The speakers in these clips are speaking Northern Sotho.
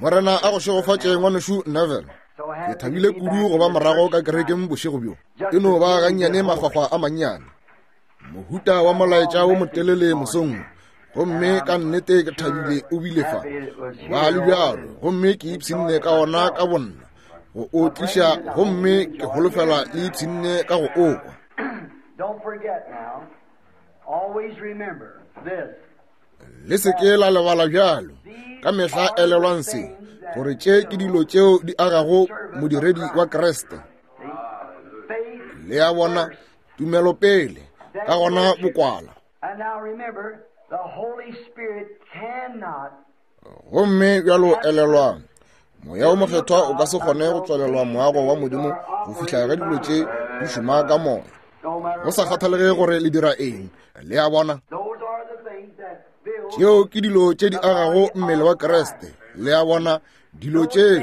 Morena a go šegofatše, Ngwanešu Neville. Ke thabile kudu go ba morago ka kerekeng bošego bjo. E no ba gannyane makgwakgwa a mannyane. Mohuta wa molaetša wo motelele mosong wo. Gomme ka nnete ke thabile o bile fa. Ba le bjalo, gomme ke ipshinne ka ona ka bonna. Go o tliša, gomme ke holofela le ipshinne ka go o kwa. Don't forget now, always remember this. Le se ke la lebala bjalo. Ka mehla elelwang se, gore tše ke dilo tšeo di agago modiredi wa Kriste. Le a bona, tumelo pele, ka gona bokwala. Gomme bjalo elelwang, Moya wo Mokgethwa o ka se kgone go tswalelwa moago wa Modimo go fihla ge dilo tše di šoma ka moya, go sa kgathalege gore le dira eng. Le a bona? Tšeo ke dilo tše di agago mmele wa Kriste. Le a bona? Dilo tšeo.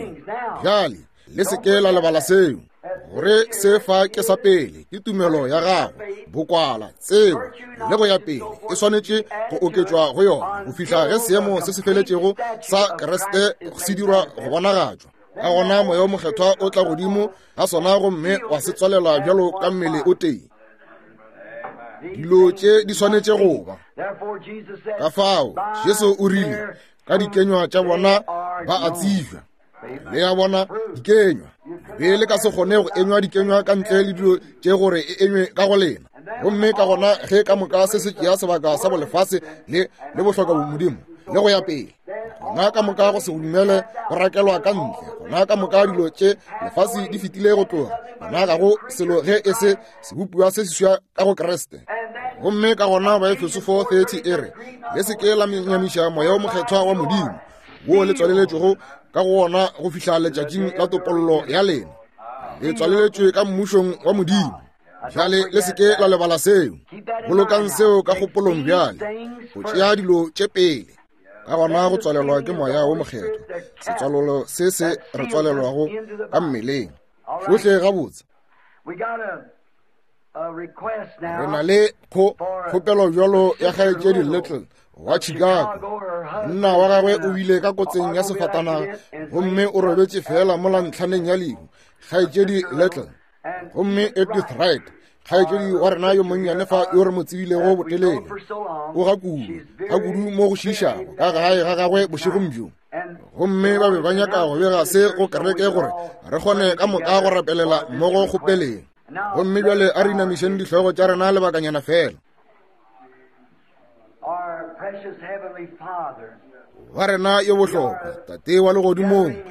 Bjale, le se ke la lebala seo, gore se fa ke sa pele, ke tumelo ya gago, bokwala, tsebo, le go ya pele, e swanetše go oketšwa go yona go fihla ge seemo se se feletšego sa Kriste se dirwa go bonagatšwa. Ka gona Moya wo Mokgethwa o tla godimo ga sona gomme wa se tswalela bjalo ka mmele o tee. Dilo tše di swanetše go ba. Ka fao Jesu o rile, ka dikenywa tša bona ba a tsebja. Le a bona, dikenywa. Be le ka se kgone go enywa dikenywa ka ntle le dilo tše gore e enywe ka go lena. Gomme ka gona ge ka moka se se tšea sebaka sa bolefase le, le bohloka bomodimo le go ya pele, gona ka moka go se dumele go rakelwa ka ntle, gona ka moka dilo tše lefase di fetile go tloga, gona ga go selo ge e se sebopiwa se seswa ka go Kriste. Gomme ka gona Baefeso 4:30 e re, Le se ke la nyamiša Moya wo Mokgethwa wa Modimo, wo le tswaleletšwego ka go wona go fihla letšatšing la topollo ya lena. Le tswaleletšwe ka mmušong wa Modimo. Bjale le se ke la lebala seo. Bolokang seo ka kgopolong bjale, go tšea dilo tše pele. Ka gona go tswalelwa ke Moya wo Mokgethwa, setswalelo se se re tswalelwago ka mmeleng. Gohle gabotse. Re na le kgopelo bjalo ya kgaetšedi Little wa Chicago. Monna wa gagwe o bile ka kotseng ya sefatanaga gomme o robetše feela mola ntlhaneng ya lehu. Kgaetšedi Little. Gomme Edith Wright, kgaetšedi wa rena yo monnyane fa yo re mo tsebilego botelele, o ga kudu, ga kudu mo go šiišago ka gae ga gagwe bošegong bjo. Gomme ba be ba nyaka go bega se go kereke gore re kgone ka moka go rapelela mmogo kgopeleng. Gomme bjale a re inamišeng dihlogo tša rena lebakanyana feela. Wa rena yo bohlokwa, Tate wa legodimong, re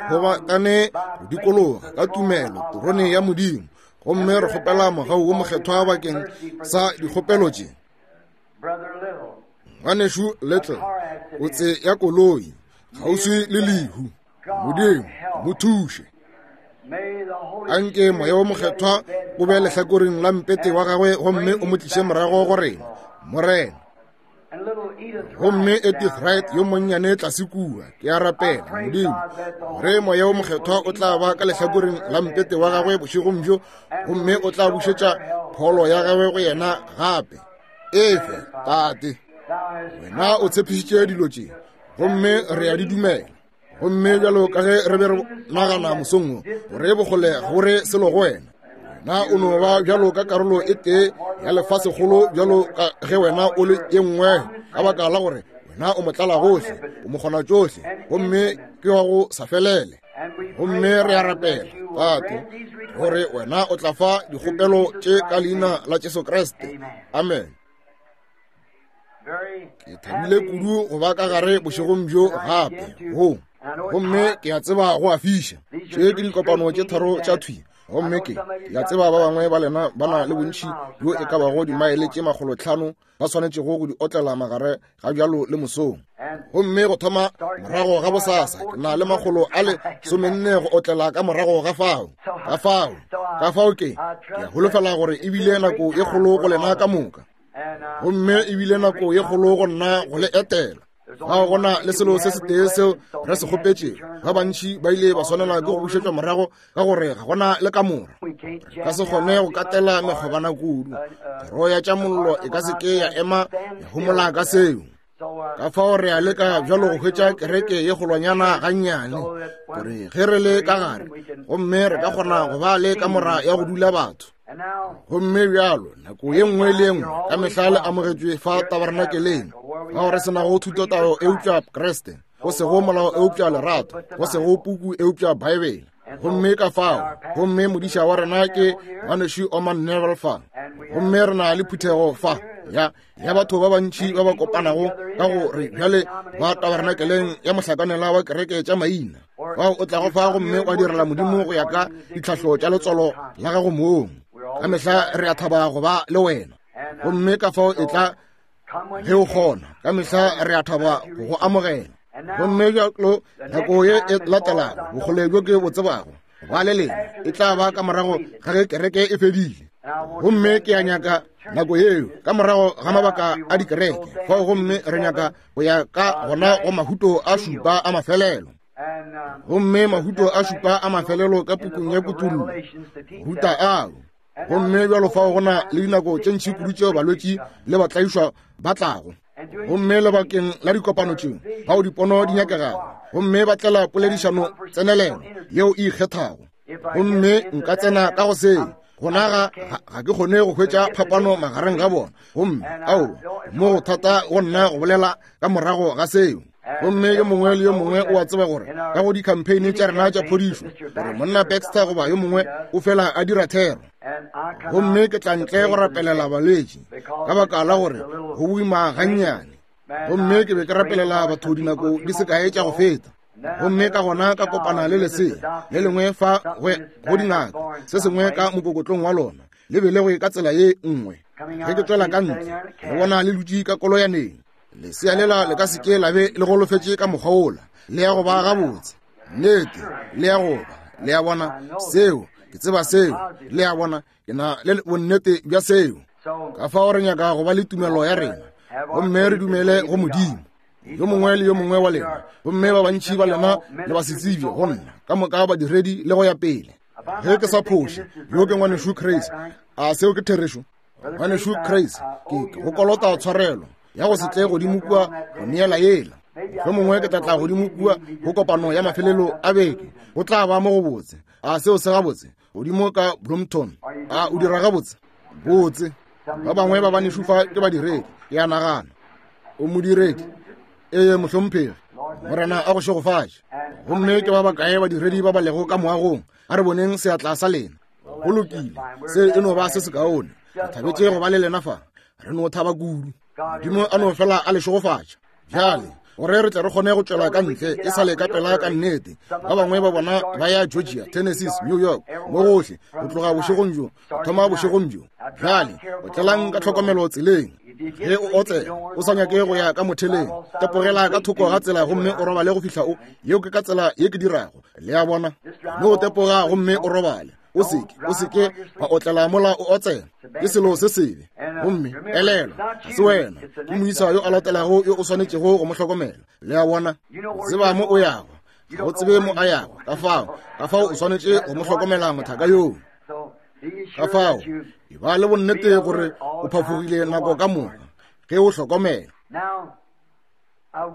kgobakane go dikologa ka tumelo terone ya Modimo, gomme re kgopela mogau wo mokgethwa bakeng sa dikgopelo tše. Ngwanešu Little, kotse ya koloi, kgauswi le lehu. Modimo, mo thuše. Anke Moya wo Mokgethwa o be lehlakoreng la mpete wa gagwe gomme o mo tliše morago go rena, Morena. Gomme Edith Wright yo monnyane tlase kua, ke a rapela, Modimo, gore Moya wo Mokgethwa o tla ba ka lehlakoreng la mpete wa gagwe bošegong bjo, gomme o tla bušetša pholo ya gagwe go yena gape. Efe, Tate, wena o tshepišitše dilo tše, gomme re a di dumela. Gomme bjalo ka ge re be re nagana mosong wo, gore bokgole ga re selo go wena, wena o no ba bjalo ka karolo e tee ya lefasegolo bjalo ka ge wena o le ye nngwe, ka baka la gore wena o motlala gohle, o mokgona tšohle, gomme ke wa go sa felele. Gomme re a rapela, Tate, gore wena o tla fa dikgopelo tše ka leina la Jesu Kriste. Amen. Ke thabile kudu go ba ka gare bošegong bjo gape go, gomme ke a tseba go a fiša. Tše ke dikopano tše tharo tša thwi, gomme ke a tseba ba bangwe ba lena ba na le bontši bjo e ka bago dimaele tše makgolotlhano ba swanetšego go di otlela magare ga bjalo le mosong. Gomme go thoma morago ga bosasa ke na le makgolo a le somenne go otlela ka morago ga fao. Ka fao, ka fao ke, ke a holofela gore e bile nako e kgolo go lena ka moka. Gomme e bile nako ye kgolo go nna go le etela. Ga go na le selo se setee seo re se kgopetšego. Ba bantši ba ile ba swanela ke go bušetšwa morago ka gore ga gona le kamora. Re ka se kgone go katela mekgobana kudu. Kgoro ya tša mollo e ka se ke ya ema ya homola ka seo. Ka fao re a leka bjalo go hwetša kereke ye kgolwanyana gannyane, gore ge re le ka gare, gomme re ka kgona go ba le kamora ya go dula batho. Gomme bjalo nako ye nngwe le ye nngwe ka mehla le amogetšwe fa tabernakeleng, fao re se nago thutotao eupša Kriste, go sego molao eupša lerato, go sego puku eupša Baebele. Gomme ka fao, gomme modiša wa rena ke ngwanešu Orman Neville fa, gomme re na le phuthego fa ya ya batho ba bantši ba ba kopanago ka go re bjale ba tabernakeleng ya mohlakanela wa kereke tša maina, fao o tlago fa gomme wa direla Modimo go ya ka ditlhahlo tša letswalo la gago mong. Ka mehla re a thaba go ba le wena, gomme ka fao e tla ge o kgona. Ka mehla re a thaba go go amogela. Gomme bjalo nako ye e latelago bokgole bjo ke bo tsebago ba le lena e tla ba ka morago ga ge kereke e fedile. Gomme ke a nyaka nako yeo ka morago ga mabaka a dikereke fao, gomme re nyaka go ya ka gona go mahuto a šupa a mafelelo. Gomme mahuto a šupa a mafelelo ka pukung ya Kutullo ruta ao. Gomme bjalo fao go na le dinako tše ntši kudu tšeo balwetši le batlaišwa ba tlago, gomme lebakeng la dikopano tšeo bao dipono di nyakegago, gomme ba tlela poledišano tsenelelo yeo e ikgethago. Gomme nka tsena ka go seo, gona ga ke kgone go hwetša phapano magareng ga bona, gomme ao mo go thata go nna go bolela ka morago ga seo. Gomme yo mongwe le yo mongwe o a tseba gore ka go di-campaign tša rena tša phodišo, gore monna Baxter goba yo mongwe o fela a dira thero, gomme ke tla ntle go rapelela balwetši ka baka la gore go boima gannyane. Gomme ke be ke rapelela batho dinako di se kae tša go feta, gomme ka gona ka kopana le lesea le lengwe fa go dingaka, se sengwe ka mokokotlong wa lona le belegwe ka tsela ye nngwe. Ge ke tswela ka ntle, le bona le dutše ka koloyaneng. Lesea lela le ka se ke la be le golofetše ka mokgwa wola, le ya go ba gabotse. Nnete, le ya go ba. Le ya bona seo, ke tseba seo. Le ya bona, ke na le bonnete bja seo. Ka fao re nyaka go ba le tumelo ya rena, gomme re dumele go Modimo. Yo mongwe le yo mongwe wa lena, gomme ba bantši ba lena le ba se tsebje go nna, ka moka badiredi le go ya pele. Ge ke sa phoše, yo ke ngwanešu Chris. A seo ke therešo? Ngwanešu Chris, ke go kolota tshwarelo ya go se tle godimo kua go neela yela. Mohlomongwe ke tla tla godimo kua go kopano ya mafelelo a beke. Go tla ba mo go botse. A seo se gabotse? Godimo ka Bloemton. A o dira gabotse? Botse. Ba bangwe ba banešu fa ke badiredi, ke a nagana. O modiredi? Ee, mohlomphegi. Morena a go šegofatše. Gomme ke ba bakae badiredi ba ba lego ka moagong? A re boneng seatla sa lena. Go lokile, se e no ba se sekaone. Re thabetše go ba le lena fa. Re no thaba kudu. Modimo a no fela a le šegofatša. Bjale, gore re tle re kgone go tšwela ka ntle e sa le ka pela ka nnete. Ba bangwe ba bona ba ya Georgia, Tennessee, New York, mo gohle, go tloga bošegong bjo, go thoma bošegong bjo. Bjale, otlelang ka tlhokomelo tseleng. Ge o otsela, o sa nyake go ya ka motheleng, tepogela ka thoko ga tsela gomme o robale go fihla o. Yeo ke ka tsela ye ke dirago. Le a bona? Mme o tepoga gomme o robale. O seke, o seke wa otlela mola o otsela. Ke selo se sebe. Gomme elelwa, ga se wena, ke moisa yo a latelago yo o swanetšego go mo hlokomela. Le a bona? Tseba mo o yago, ga o tsebe mo a yago. Ka fao, ka fao o swanetše go mo hlokomela mothaka yoo. Ka fao, e ba le bonnete gore o phafogile nako ka moka ge o hlokomela.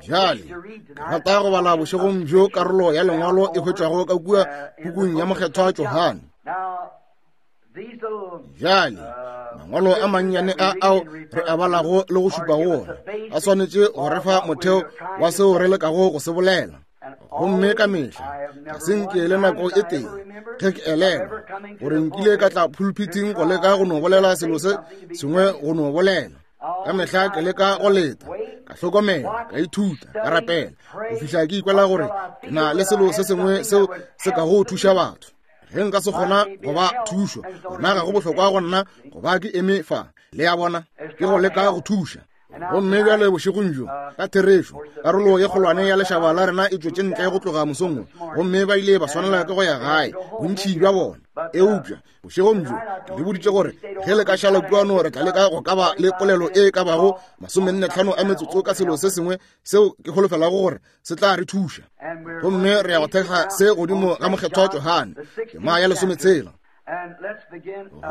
Bjale, ke rata go bala bošegong bjo karolo ya lengwalo e hwetšwago ka kua pukung ya Mokgethwa Johane. Bjale, mangwalo a mannyane a ao re a balago le go šupa go ona a swanetše go re fa motheo wa seo re lekago go se bolela. Gomme ka mehla ga se nke le nako e tee ge ke elelwa gore nkile ka tla pulpiting go leka go no bolela selo se sengwe go no bolela. Ka mehla ke leka go leta, ka hlokomela, ka ithuta, ka rapela, go fihla ke ikwela gore ke na le selo se sengwe seo se ka go thuša batho. Ge nka se kgona go ba thušo, gona ga go bohlokwa go nna go ba ke eme fa. Le a bona, ke go leka go thuša. Gomme bjale bošegong bjo, ka therešo, karolo ye kgolwane ya lešaba la rena e tšwetše ntle go tloga mosong wo, gomme ba ile ba swanela ke go ya gae, bontši bja bona. Eupša bošegong bjo ke le boditše gore ge le ka šala kuano re tla leka go ka ba le polelo e ka bago 45 a metsotso ka selo se sengwe seo ke holofelago gore se tla re thuša. Gomme re ya go thekga se godimo ga Mokgethwa Johane, tema ya 16.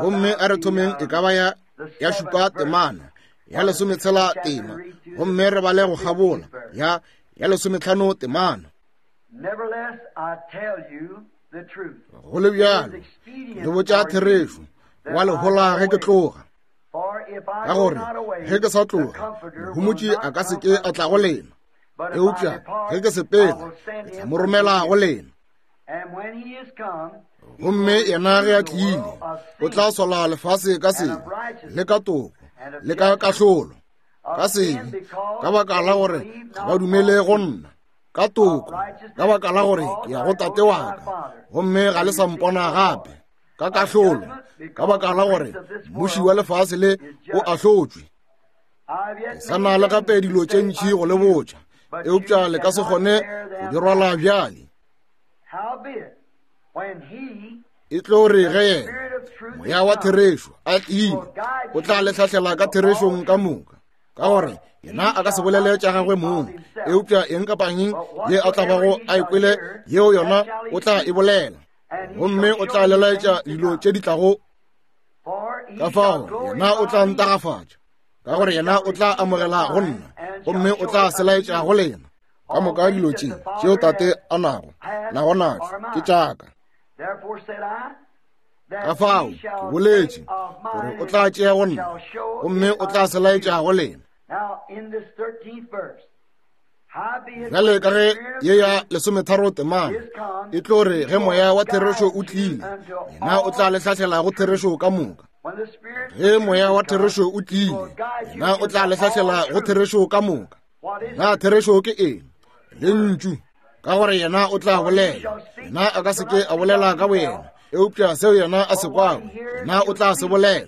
Gomme a re thomeng e ka ba ya 7 temana. ya lesometshela tema, gomme re bale go kgabola ya ya lesometlhano temana. Go le bjalo, le botša therešo, wa le hola ge ke tloga. Ka gore ge ke sa tloga, Mohomotši a ka se ke a tla go lena. Eupša ge ke sepela, ke tla mo romela go lena. Gomme yena ge a tlile, o tla sola lefase ka sebe, le ka toko, le ka kahlolo. Ka sebe, ka baka la gore ga ba dumele go nna. Ka toko, ka baka la gore ke ya go tate wa ka, gomme ga le sa mpona gape. Ka kahlolo, ka baka la gore mmuši wa lefase le o ahlotšwe. Ke sa na le gape dilo tše ntši go le botša, eupša le ka se kgone go di rwala bjale. E tlo re ge yena moya wa therešo a tlile, o tla le hlahlela ka therešong ka moka, ka gore yena a ka se bolele tša gagwe mong, eupša eng kapa eng ye a tla bago a e kwele, yeo yona o tla e bolela, gomme o tla le laetša dilo tše di tlago. Ka fao yena o tla ntagafatša, ka gore yena o tla amogela go nna, gomme o tla se laetša go lena. Ka moka dilo tše tšeo tate a nago nago natšo ke tšaka. Ka fao ke boletše gore o tla tšea go nna, gomme o tla se laetša go lena. Bjale ka ge ye ya lesometharo temana e tlo re ge moya wa therešo o tlile, yena o tla le hlahlela go therešo ka moka. Ge moya wa therešo o tlile, yena o tla le hlahlela go therešo ka moka. Na therešo ke eng? Lentšu. Ka gore yena o tla bolela, yena a ka se ke a bolela ka boyena, eupša seo yena a se kwago, yena o tla se bolela.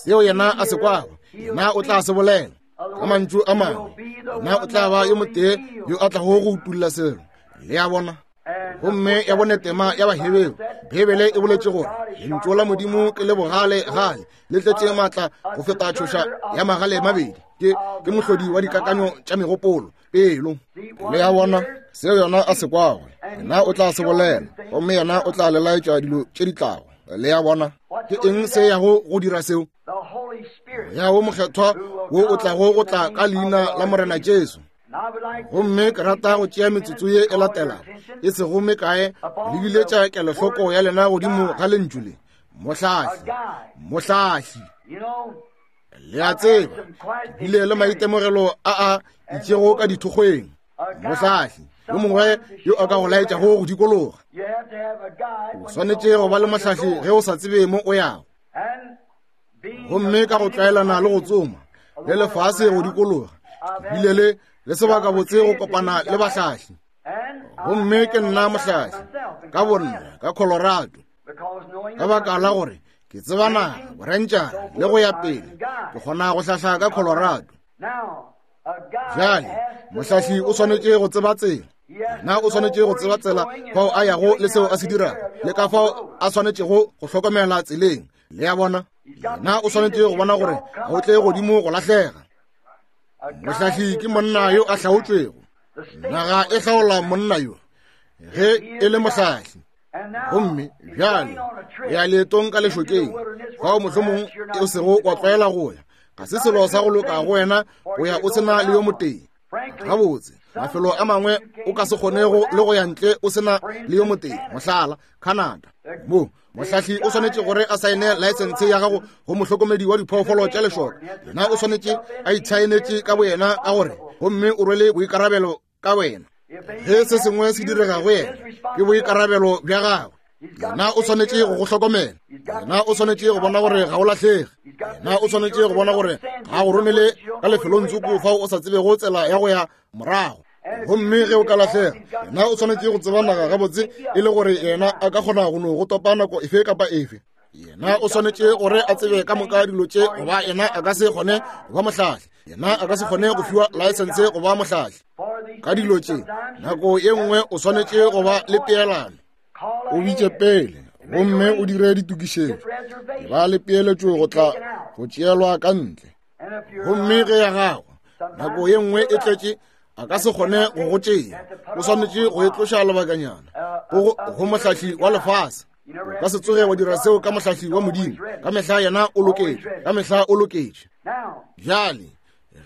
Seo yena a se kwago, yena o tla se bolela. Ka mantšu a mangwe, yena o tla ba yo motee yo a tlago go utulla selo. Le a bona? Gomme ya bone tema ya Baheberu, Beibele e boletše gore lentšu la Modimo ke le bogale gale, le tletše maatla go feta tšhoša ya magale mabedi, ke ke mohlodi wa dikakanyo tša megopolo, pelo. Le a bona? Seo yona a se kwago, yena o tla se bolela, gomme yena o tla le laetša dilo tše di tlago. Le a bona? Ke eng se yago go dira seo? Moya wo Mokgethwa wo o tlago go tla ka leina la Morena Jesu. Gomme ke rata go tšea metsotso ye e latelago e sego mekae le biletša kelohloko ya lena godimo ga lentšu le, mohlahli, mohlahli. Le a tseba, ke bile le maitemogelo a a itšego ka dithokgweng. Mohlahli yo mongwe yo a ka go laetšago go dikologa. O swanetše go ba le mohlahli ge o sa tsebe mo o yago. Gomme ka go tlwaelana le go tsoma le lefase go dikologa, ke bile le le sebaka botse go kopana le bahlahli. Gomme ke nna mohlahli ka bonna ka Colorado, ka baka la gore ke tseba naga, borentšana le go ya pele, ke kgona go hlahla ka Colorado. Bjale mohlahli o swanetše go tseba tsela. Na o swanetše go tseba tsela fao a yago le seo a se dirago, le ka fao a swanetšego go hlokomela tseleng. Le a bona? Na o swanetše go bona gore ga o tle godimo go lahlega. Mohlahli ke monna yo a hlaotšwego. Naga e hlaola monna yo ge e le mohlahli. Gomme bjale o ya leetong ka lešokeng, fao mohlomong o sego wa tlwaela go ya. Ga se selo sa go loka go wena go ya o se na le yo motee. Gabotse, mafelo a mangwe o ka se kgonego le go ya ntle o se na le yo motee, mohlala, Canada. Mo, mohlahli o swanetše gore a saene laesense ya gago go mohlokomedi wa diphoofolo tša lešoka. Yena o swanetše a itšhaenetše ka boyena ka gore, gomme o rwele boikarabelo ka wena. Ge se sengwe se direga go yena, ke boikarabelo bja gagwe. Yena o swanetše go go hlokomela. Yena o swanetše go bona gore ga o lahlege. Yena o swanetše go bona gore ga go romele ka lefelong tsoko fao o sa tsebego tsela ya go ya morago. Gomme ge o ka lahlega, yena o swanetše go tseba naga gabotse e le gore yena a ka kgona go no go topa nako efe kapa efe. Yena o swanetše gore a tsebe ka moka dilo tše, goba yena a ka se kgone go ba mohlahli. Yena a ka se kgone go fiwa laesense go ba mohlahli. Ka dilo tše, nako ye nngwe o swanetše go ba le peelano. O bitše pele gomme o dire ditokišetšo. Ba le peeletšo go tla go tšeelwa ka ntle. Gomme ge ya gago nako ye nngwe e tletše, a ka se kgone go go tšea. O swanetše go e tloša lebakanyana go mohlahli wa lefase. O ka se tsoge wa dira seo ka mohlahli wa Modimo. Ka mehla yena o loketše, ka mehla o loketše. Bjale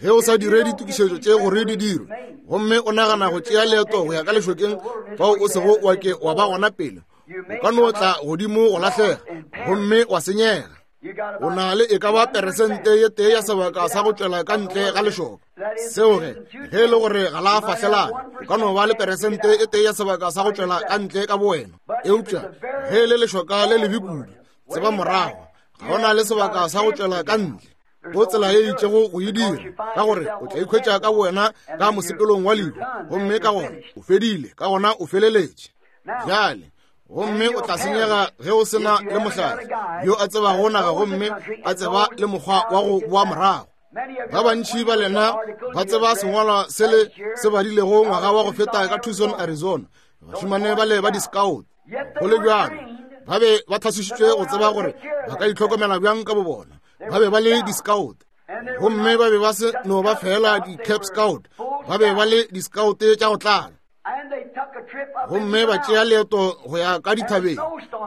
Ge o sa dire ditokišetšo tše gore di dirwe, gomme o nagana go tšea leeto go ya ka lešokeng fao o sego wa ke wa ba gona pele, o ka no tla godimo go lahlega gomme wa senyega. O na le e ka ba peresente ye tee ya sebaka sa go tšwela ka ntle ga lešoka. Seo ge, ge e le gore ga la fahlelana, o ka no ba le peresente e tee ya sebaka sa go tšwela ka ntle ka bowena. Eupša ge e le lešoka le lebe kudu, tseba morago, ga o na le sebaka sa go tšwela ka ntle. Go tsela ye itšego go e dira, ka gore o tla ikhwetša ka bowena ka mosepelong wa lehu, gomme ka gona o fedile, ka gona o feleletše. Bjale, gomme o tla senyega ge o se na le mohlahli yo a tsebago naga gomme a tseba le mokgwa wa go boa morago. Ba bantši ba lena ba tseba sengwalwa se le se badilego ngwaga wa go feta ka Tucson, Arizona, bašemane bale ba di-scout. Go le bjalo, ba be ba thasišitšwe go tseba gore ba ka itlhokomela bjang ka bobona. Ba be ba le di-scout, gomme ba be ba se no ba fela di-cap scout, ba be ba le di-scout tša go tlala. Gomme ba tšea leeto go ya ka dithabeng,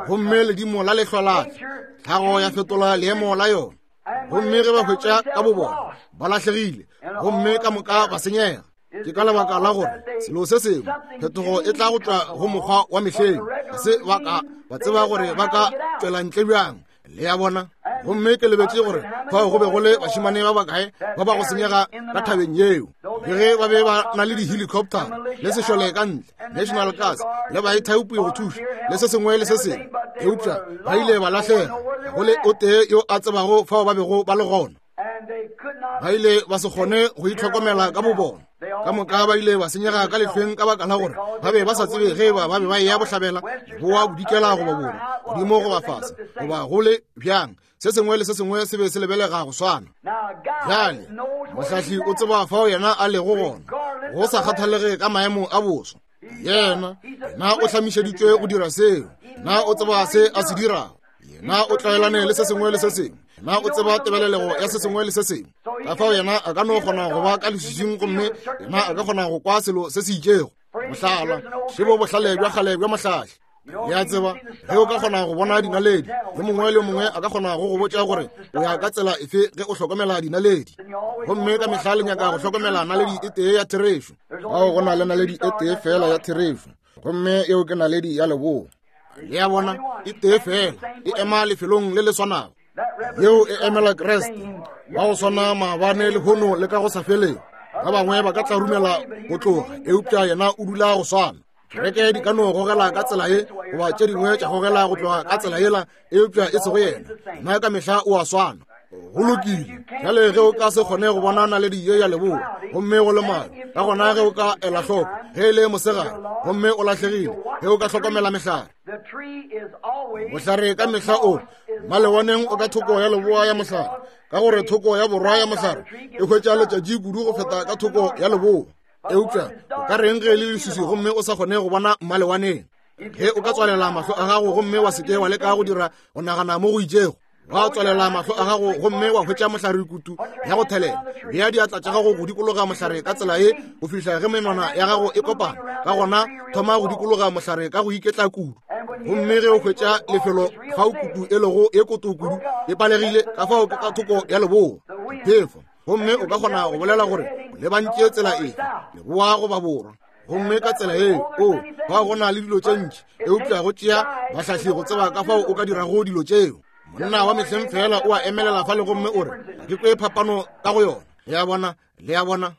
gomme ledimo la lehlwa la tla, tlhago ya fetola leemo la yona. Gomme ge ba hwetša ka bobona ba lahlegile, gomme ka moka ba senyega. Ke ka lebaka la gore selo se sengwe, phetogo e tla go tšwa go mokgwa wa mehleng, ga se ba ka ba tseba gore ba ka tšwela ntle bjang. Le a bona? Gomme ke lebetše gore fao go be go le bašemane ba bakae ba ba go senyega ka thabeng yeo, le ge ba be ba na le di-helicopter le sešole ka ntle, National Guards le baithaopi go thuša le se sengwe le se sengwe, eupša ba ile ba lahlega, go le o tee yo a tsebago fao ba bego ba le gona. Ba ile ba se kgone go itlhokomela ka bobona. Ka moka ba ile ba senyega ka lehlweng ka baka la gore ba be ba sa tsebe ge eba ba be ba eya bohlabela, leboa, bodikela goba borwa, godimo goba fase, goba go le bjang. Se sengwe le se sengwe se be se lebelega go swana. Bjale, mohlahli o tseba fao yena a lego gona, go sa kgathalege ka maemo a boso. Yena, yena o hlamišeditšwe go dira seo. Yena o tseba se a se dirago. Yena o tlwaelane le se sengwe le se sengwe. Yena o tseba tebelelego ya se sengwe le se sengwe. Ka fao yena a ka no kgona go ba ka leswiswing, gomme yena a ka kgona go kwa selo se se itšego. Mohlala, šebo bohlale bja kgale bja mohlahli. Le a tseba, ge o ka kgona go bona dinaledi, yo mongwe le yo mongwe a ka kgona go go botša gore o ya ka tsela efe ge o hlokomela dinaledi. Gomme ka mehla le nyaka go hlokomela naledi e tee ya therešo. Fao go na le naledi e tee feela ya therešo, gomme yeo ke naledi ya leboa. Le a bona, e tee feela e ema lefelong le le swanago. Yeo e emela Kriste, wa go swana maabane, lehono le ka go sa feleng. Ba bangwe ba ka tlarumela go tloga, eupša yena o dula go swana. Kereke di ka no gogela ka tsela ye, goba tše dingwe tša gogela go tloga ka tsela yela, eupša e sego yena. Yena ka mehla o a swana. Go lokile. Bjale ge o ka se kgone go bona naledi ye ya leboa, gomme go le maru, ka gona ge o ka ela hloko ge e le mosegare, gomme o lahlegile, ge o ka hlokomela mehlare. Mohlare ka mehla o malewaneng o ka thoko ya leboa ya mohlare, ka gore thoko ya borwa ya mohlare e hwetša letšatši kudu go feta ka thoko ya leboa. Eupša o ka reng ge e le leswiswi gomme o sa kgone go bona mmalewaneng? Ge o ka tswalela mahlo a gago gomme wa se ke wa leka go dira go nagana mo go itšego, wa tswalela mahlo a gago gomme wa hwetša mohlare kutu ya go thelela, bea diatla tša gago go dikologa mohlare ka tsela ye go fihla ge menwana ya gago e kopana, ka gona thoma go dikologa mohlare ka go iketla kudu. Gomme ge o hwetša lefelo fao kutu e lego ye koto kudu e palegile, ka fao ke ka thoko ya leboa diphefo, gomme o ka kgona go bolela gore o lebantše tsela efe, leboa goba borwa. Gomme ka tsela yeo, o, fao go na le dilo tše ntši, eupša go tšea bahlahli go tseba ka fao o ka dirago dilo tšeo. Monna wa mehleng feela o a emelela fale gomme o re, ga ke kwe phapano ka go yona. Le a bona? Le a bona?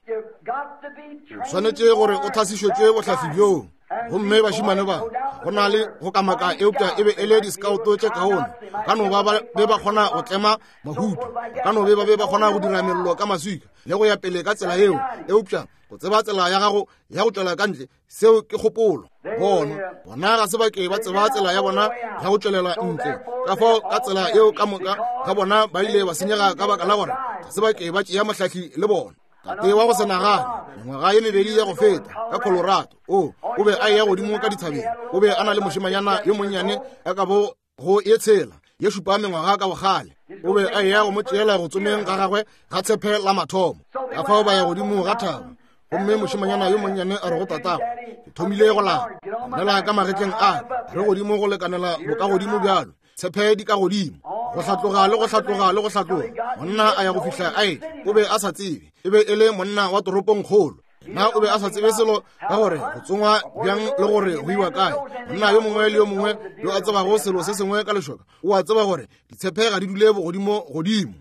O swanetše gore o thasišetšwe bohlahli bjoo. Gomme bašemane ba, go na le go kamaka, eupša e be e le di-scout tše kaone. Ba ka no ba ba be ba kgona go tlema mahuto, ba ka no be ba be ba kgona go dira mello ka maswika le go ya pele ka tsela yeo, eupša go tseba tsela ya gago ya go tšwela ka ntle, seo ke kgopolo. Bona, bona ga se ba ke ba tseba tsela ya bona ya go tšwelela ntle. Ka fao ka tsela yeo ka moka ga bona ba ile ba senyega ka baka la gore ga se ba ke ba tšea mohlahli le bona. Tate wa go se nagane, mengwaga ye mebedi ya go feta ka Colorado, o, o be a eya godimo ka dithabeng. O be a na le mošemanyana yo monnyane a ka bo go ye tshela ye šupa mengwaga ka bogale. O be a eya go mo tšeela go tsomeng ga gagwe ga tshepe la mathomo. Ka fao ba ya godimo ga thaba, gomme mošemanyana yo monnyane a re go tatagwe, ke thomile go lapa, nela ka magetleng a re godimo go lekanela bokagodimo bjalo. Tshephe di ka godimo, go hlatloga le go hlatloga le go hlatloga. Monna a ya go fihla a etla, o be a sa tsebe. E be e le monna wa toropongkgolo. Na o be a sa tsebe selo ka gore go tsongwa bjang le gore go iwa kae. Monna yo mongwe le yo mongwe yo a tsebago selo se sengwe ka lešoka o a tseba gore ditshephe ga di dule bogodimo godimo,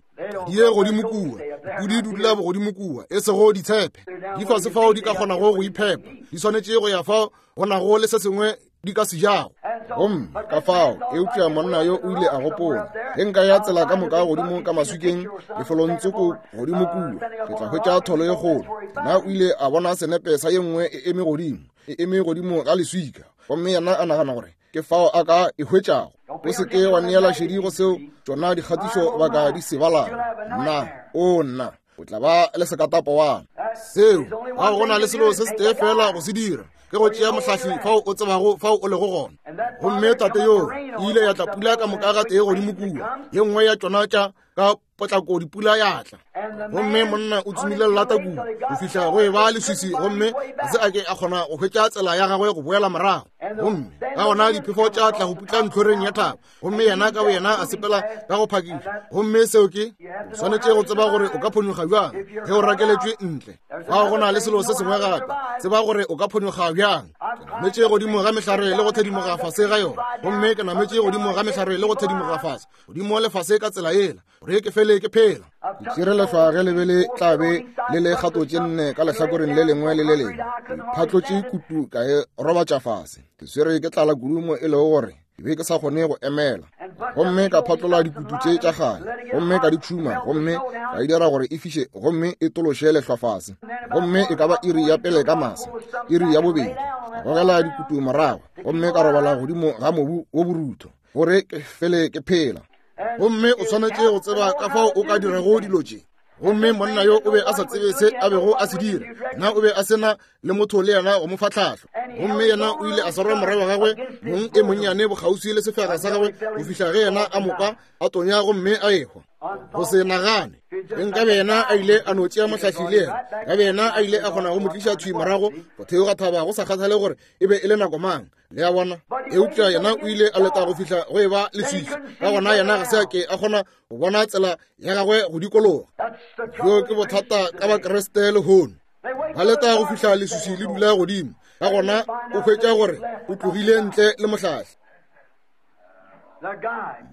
di ye godimo kua. Dipudi di dula bogodimo kua, e sego ditshephe. Di fase fao di ka kgonago go iphepa, di swanetše go ya fao go nago le se sengwe di ka se jago. Gomme ka fao, eupša monna yo o ile a gopola, ge nka ya tsela ka moka godimo ka maswikeng lefelongtsoko godimo kua, ke tla hwetša tholo ye kgolo. Yena o ile a bona senepe sa ye nngwe e eme godimo, e eme godimo ga leswika, gomme yena a nagana gore ke fao a ka e hwetšago. O se ke wa neela šedi go seo tšona dikgatišo ba ka di se balago. Nna, o nna, o tla ba le sekatapowana seo. Ga go na le selo se setee fela go se dira, ke go tšea mohlahli fao o tsebago fao o lego gona. Gomme tate yoo e ile ya tla pula ka moka ga tee godimo kua, ye nngwe ya tšona tša ka potlako dipula ya tla, gomme monna o tsomile lelata kua go fihla go e ba leswiswi, gomme ga se a ke a kgona go hwetša tsela ya gagwe go boela morago. Gomme ka gona diphefo tša tla go putla ntlhoreng ya thaba, gomme yena ka boyena a sepela ka go phakiša. Gomme seo ke, o swanetše go tseba gore o ka phonyokga bjang ge o rakeletšwe ntle. Fao go na le selo se sengwe gape, tseba gore o ka phonyokga bjang. Ke nametše godimo ga mehlare le go thedimoga fase ga yona, gomme ke nametše godimo ga mehlare le go thedimoga fase, godimo le fase ka tsela yela, gore ke fele ke phela. Ke tšere lehlwa ge le be le tla be le le kgato tše nne ka lehlakoreng le lengwe le le lengwe. Ke phatlotše kutu ka e robatša fase. Ke swere ke tlala kudu mo e lego gore ke be ke sa kgone go emela. Gomme ka phatlola dikutu tše tša kgale, gomme ka di tšhuma, gomme ka e dira gore e fiše gomme e tološe lehlwa fase. Gomme e ka ba iri ya pele ka masa, iri ya bobedi, ka gogela dikutu morago, gomme ka robala godimo ga mobu wo borutho, gore ke fele ke phela. Gomme o swanetše go tseba ka fao o ka dirago dilo tše. Gomme monna yo o be a sa tsebe se a bego a se dira. Na o be a se na le motho le yena go mo fa tlhahlo. Gomme yena o ile a swara morwa wa gagwe mong e monnyane bokgauswi le sefega sa gagwe go fihla ge yena a mo kwa a tonya gomme a ehwa. Go se nagane, ge nkabe yena a ile a no tšea mohlahli le yena, nkabe yena a ile a kgona go mo tliša thwi morago go theoga thaba, go sa kgathale gore e be e le nako mang. Le a bona? Eupša yena o ile a leta go fihla go e ba leswiswi, ka gona yena ga se a ke a kgona go bona tsela ya gagwe go dikologa. Bjo ke bothata ka Bakriste lehono. Ba leta go fihla leswiswi le dula godimo, ka gona o hwetša gore o tlogile ntle le mohlahli.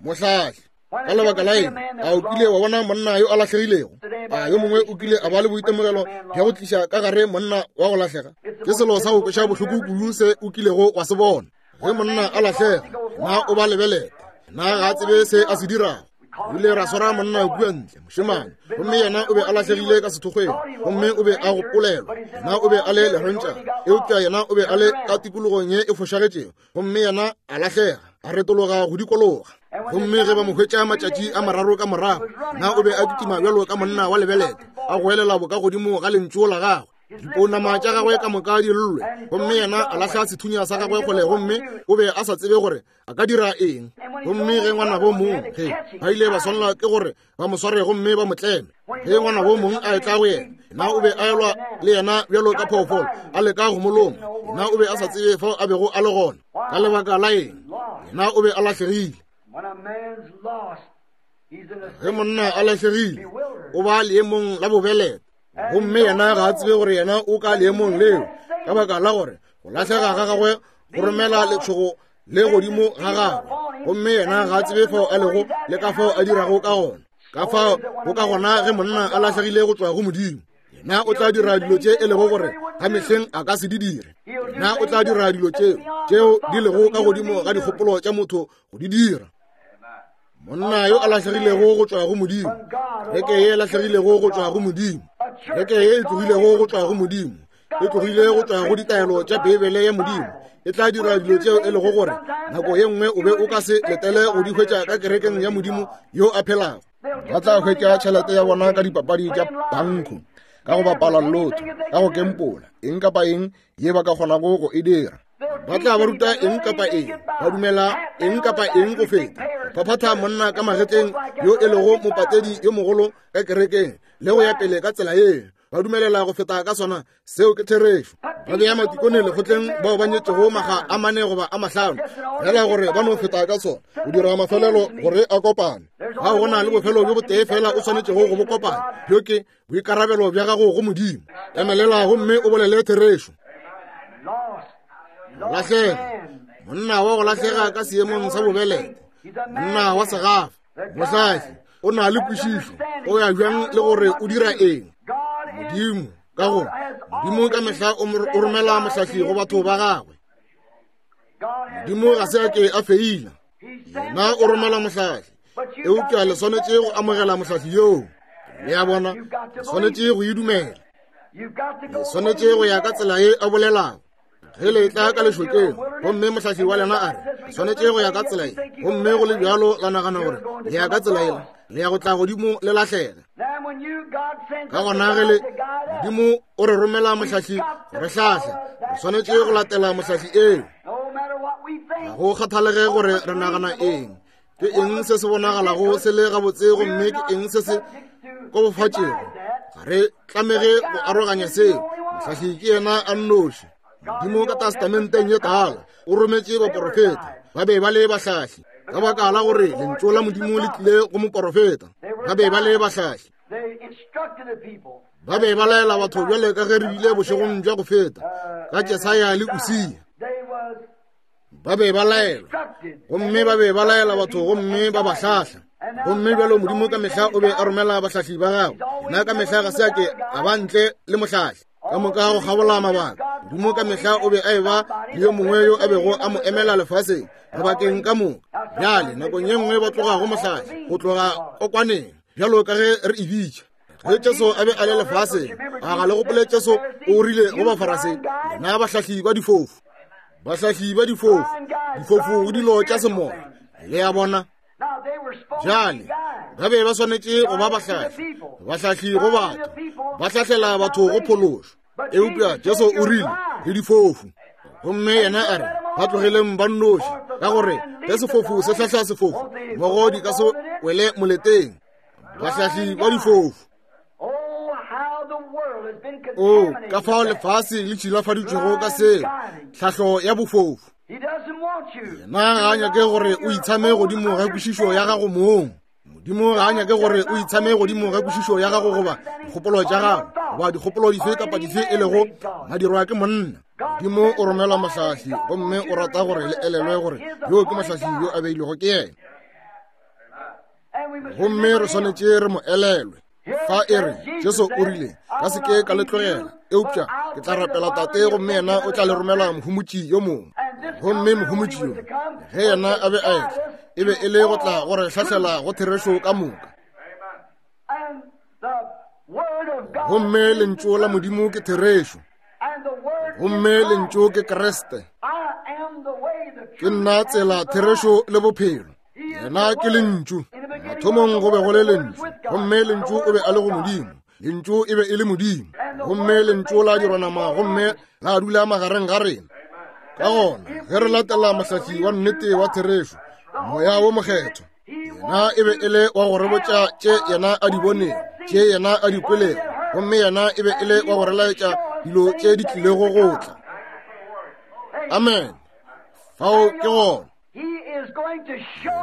Mohlahli ka lebaka la eng? A o kile wa bona monna yo a lahlegilego? A yo mongwe o kile a ba le boitemogelo bja go tliša ka gare monna wa go lahlega? Ke selo sa go kweša bohloko kudu se o kilego wa se bona. Ge monna a lahlega, na o ba lebelete? Na ga a tsebe se a se dirago? O ile ra swara monna kua ntle, mošemane, gomme yena o be a lahlegile ka sethokgweng, gomme o be a gopolelwa. Yena o be a le lerentšana, eupša yena o be a le ka tikologong ye e fošagetšego, gomme yena a lahlega, a retologa go dikologa. Gomme ge ba mo hwetša matšatši a mararo ka morago, na o be a kitima bjalo ka monna wa lebelete, a goelela boka godimo ga lentšu la gagwe, dipounama tša gagwe ka moka di llwe, gomme yena a lahla sethunya sa gagwe kgole, gomme o be a sa tsebe gore a ka dira eng. Gomme ge ngwanabo mong, ge ba ile ba swanelwa ke gore ba mo sware gomme ba mo tleme, ge ngwanabo mong a etla go yena, na o be a elwa le yena bjalo ka phoofolo, a leka go mo loma. Na o be a sa tsebe fao a bego a le gona. Ka lebaka la eng? Yena o be a lahlegile. Ge monna a lahlegile, o ba leemong la bobelete, gomme yena ga a tsebe gore yena o ka leemong leo, ka baka la gore go lahlega ga gagwe go romela letšhogo le godimo ga gagwe, gomme yena ga a tsebe fao a lego le ka fao a dirago ka gona. Ka fao go ka gona ge monna a lahlegile go tšwa go Modimo, yena o tla dira dilo tše e lego gore ga mehleng a ka se di dire. Yena o tla dira dilo tšeo tšeo di lego ka godimo ga dikgopolo tša motho go di dira. Monna yo a lahlegilego go tšwa go Modimo, kereke ye e lahlegilego go tšwa go Modimo, kereke ye e tlogilego go tšwa go Modimo, e tlogile go tšwa go ditaelo tša Beibele ya Modimo, e tla dira dilo tšeo e lego gore nako ye nngwe o be o ka se letele go di hwetša ka kerekeng ya Modimo yo a phelago. Ba tla hwetša tšhelete ya bona ka dipapadi tša bankho, ka go bapala lotho, ka go kempola, eng kapa eng ye ba ka kgonago go e dira. Ba tla ba ruta eng kapa eng, ba dumela eng kapa eng go feta phaphatha monna ka magetleng yo e lego mopatedi yo mogolo ka kerekeng, le go ya pele ka tsela ye. ba dumelela go feta ka sona. Seo ke therešo. Ba bea matikone lekgotleng bao ba nyetšego maga a mane goba a mahlano, fela gore ba no feta ka sona, go dira mafelelo gore a kopane. Ga go na le bofelo bjo botee fela o swanetšego go bo kopana, bjo ke boikarabelo bja gago go Modimo. Emelela gomme o bolele therešo. Lahlega, monna wa go lahlega ka seemong sa bobelete, monna wa segafa, mohlahli, o na le kwešišo, o ya bjang le gore o dira eng. Modimo, ka gore Modimo ka mehla o romela mohlahli go batho ba gagwe. Modimo ga se a ke a feila, yena o romela mohlahli, eupša le swanetše go amogela mohlahli yoo. Le a bona, le swanetše go e dumela, le swanetše go ya ka tsela ye a bolelago. Ge le tla ka lešokeng gomme mohlahli wa lena a re le swanetše go ya ka tsela ye, gomme go le bjalo la nagana gore le ya ka tsela yela, le ya go tla godimo le lahlega. Ka gona ge le Modimo o re romela mohlahli go re hlahla, re swanetše go latela mohlahli eo. Ga go kgathalege gore re nagana eng, ke eng se se bonagalago se le gabotse gomme ke eng se se kobofatšego, ga re tlamege go aroganya seo. Mohlahli ke yena a nnoši. Modimo ka testamenteng ye tala o rometše baporofeta, ba be ba le bahlahli, ka baka la gore lentšu la Modimo le tlile go moporofeta. Ba be ba le bahlahli, ba be ba laela batho bjale ka ge re bile bošegong bja go feta ka Jesaya le Usia. Ba be ba laelwa gomme ba be ba laela batho gomme ba ba hlahla. Gomme bjalo Modimo ka mehla o be a romela bahlahli ba gagwe. Nna ka mehla ga se a ke a ba ntle le mohlahli. Ka moka go kgabola mabaka, Modimo ka mehla o be a eba le yo mongwe yo a bego a mo emela lefaseng mabakeng ka moka. Bjale nakong ye nngwe ba tloga go mohlahli, go tloga kokwaneng, bjalo ka ge re e bitša. Ge Jesu a be a le lefaseng, a ga le gopole Jesu o rile go Bafarasei, lena bahlahli ba difofu, bahlahli ba difofu, difofu go dilo tša semoya. Le a bona? Bjale ba be ba swanetše go ba bahlahli, bahlahli go batho, ba hlahlela batho go phološo. Eupša Jesu o rile le difofu, gomme yena a re ba tlogeleng ba nnoši, ka gore ge sefofu se hlahla sefofu, mmogo di ka se wele moleteng. Bahlahli ba difofu. O ka fao lefase le tšhilafaditšwego ka seo, tlhahlo ya bofofu. Yena ga a nyake gore o itshame godimo ga kwešišo ya gago mong. Modimo ga a nyake gore o itshame godimo ga kwešišo ya gago goba dikgopolo tša gago goba dikgopolo dife kapa dife e lego madirwa ke monna. Modimo o romela mohlahli gomme o rata gore le elelwe gore yo ke mohlahli yo a beilwego ke yena, gomme re swanetše re mo elelwe. Fa e re Jesu o rile, ka se ke ka le tlogela, eupša ke tla rapela Tate gomme yena o tla le romela mohomotši yo mongwe. Gomme mohomotši yo, ge yena a be a etla, e be e le go tla go re hlahlela go therešo ka moka. Gomme lentšu la Modimo ke therešo, gomme lentšu ke Kriste. Ke nna tsela, therešo le bophelo. Yena ke lentšu. Mathomong go be go le lentšu, gomme lentšu o be a le go Modimo, lentšu e be e le Modimo, gomme lentšu la dirwa nama gomme la dula magareng ga rena. Ka gona ge re latela mohlahli wa nnete wa therešo, Moya wo Mokgethwa, yena e be e le wa go re botša tše yena a di bonego, tše yena a di kwelego, gomme yena e be e le wa go re laetša dilo tše di tlilego go tla. Amen. Fao ke gona.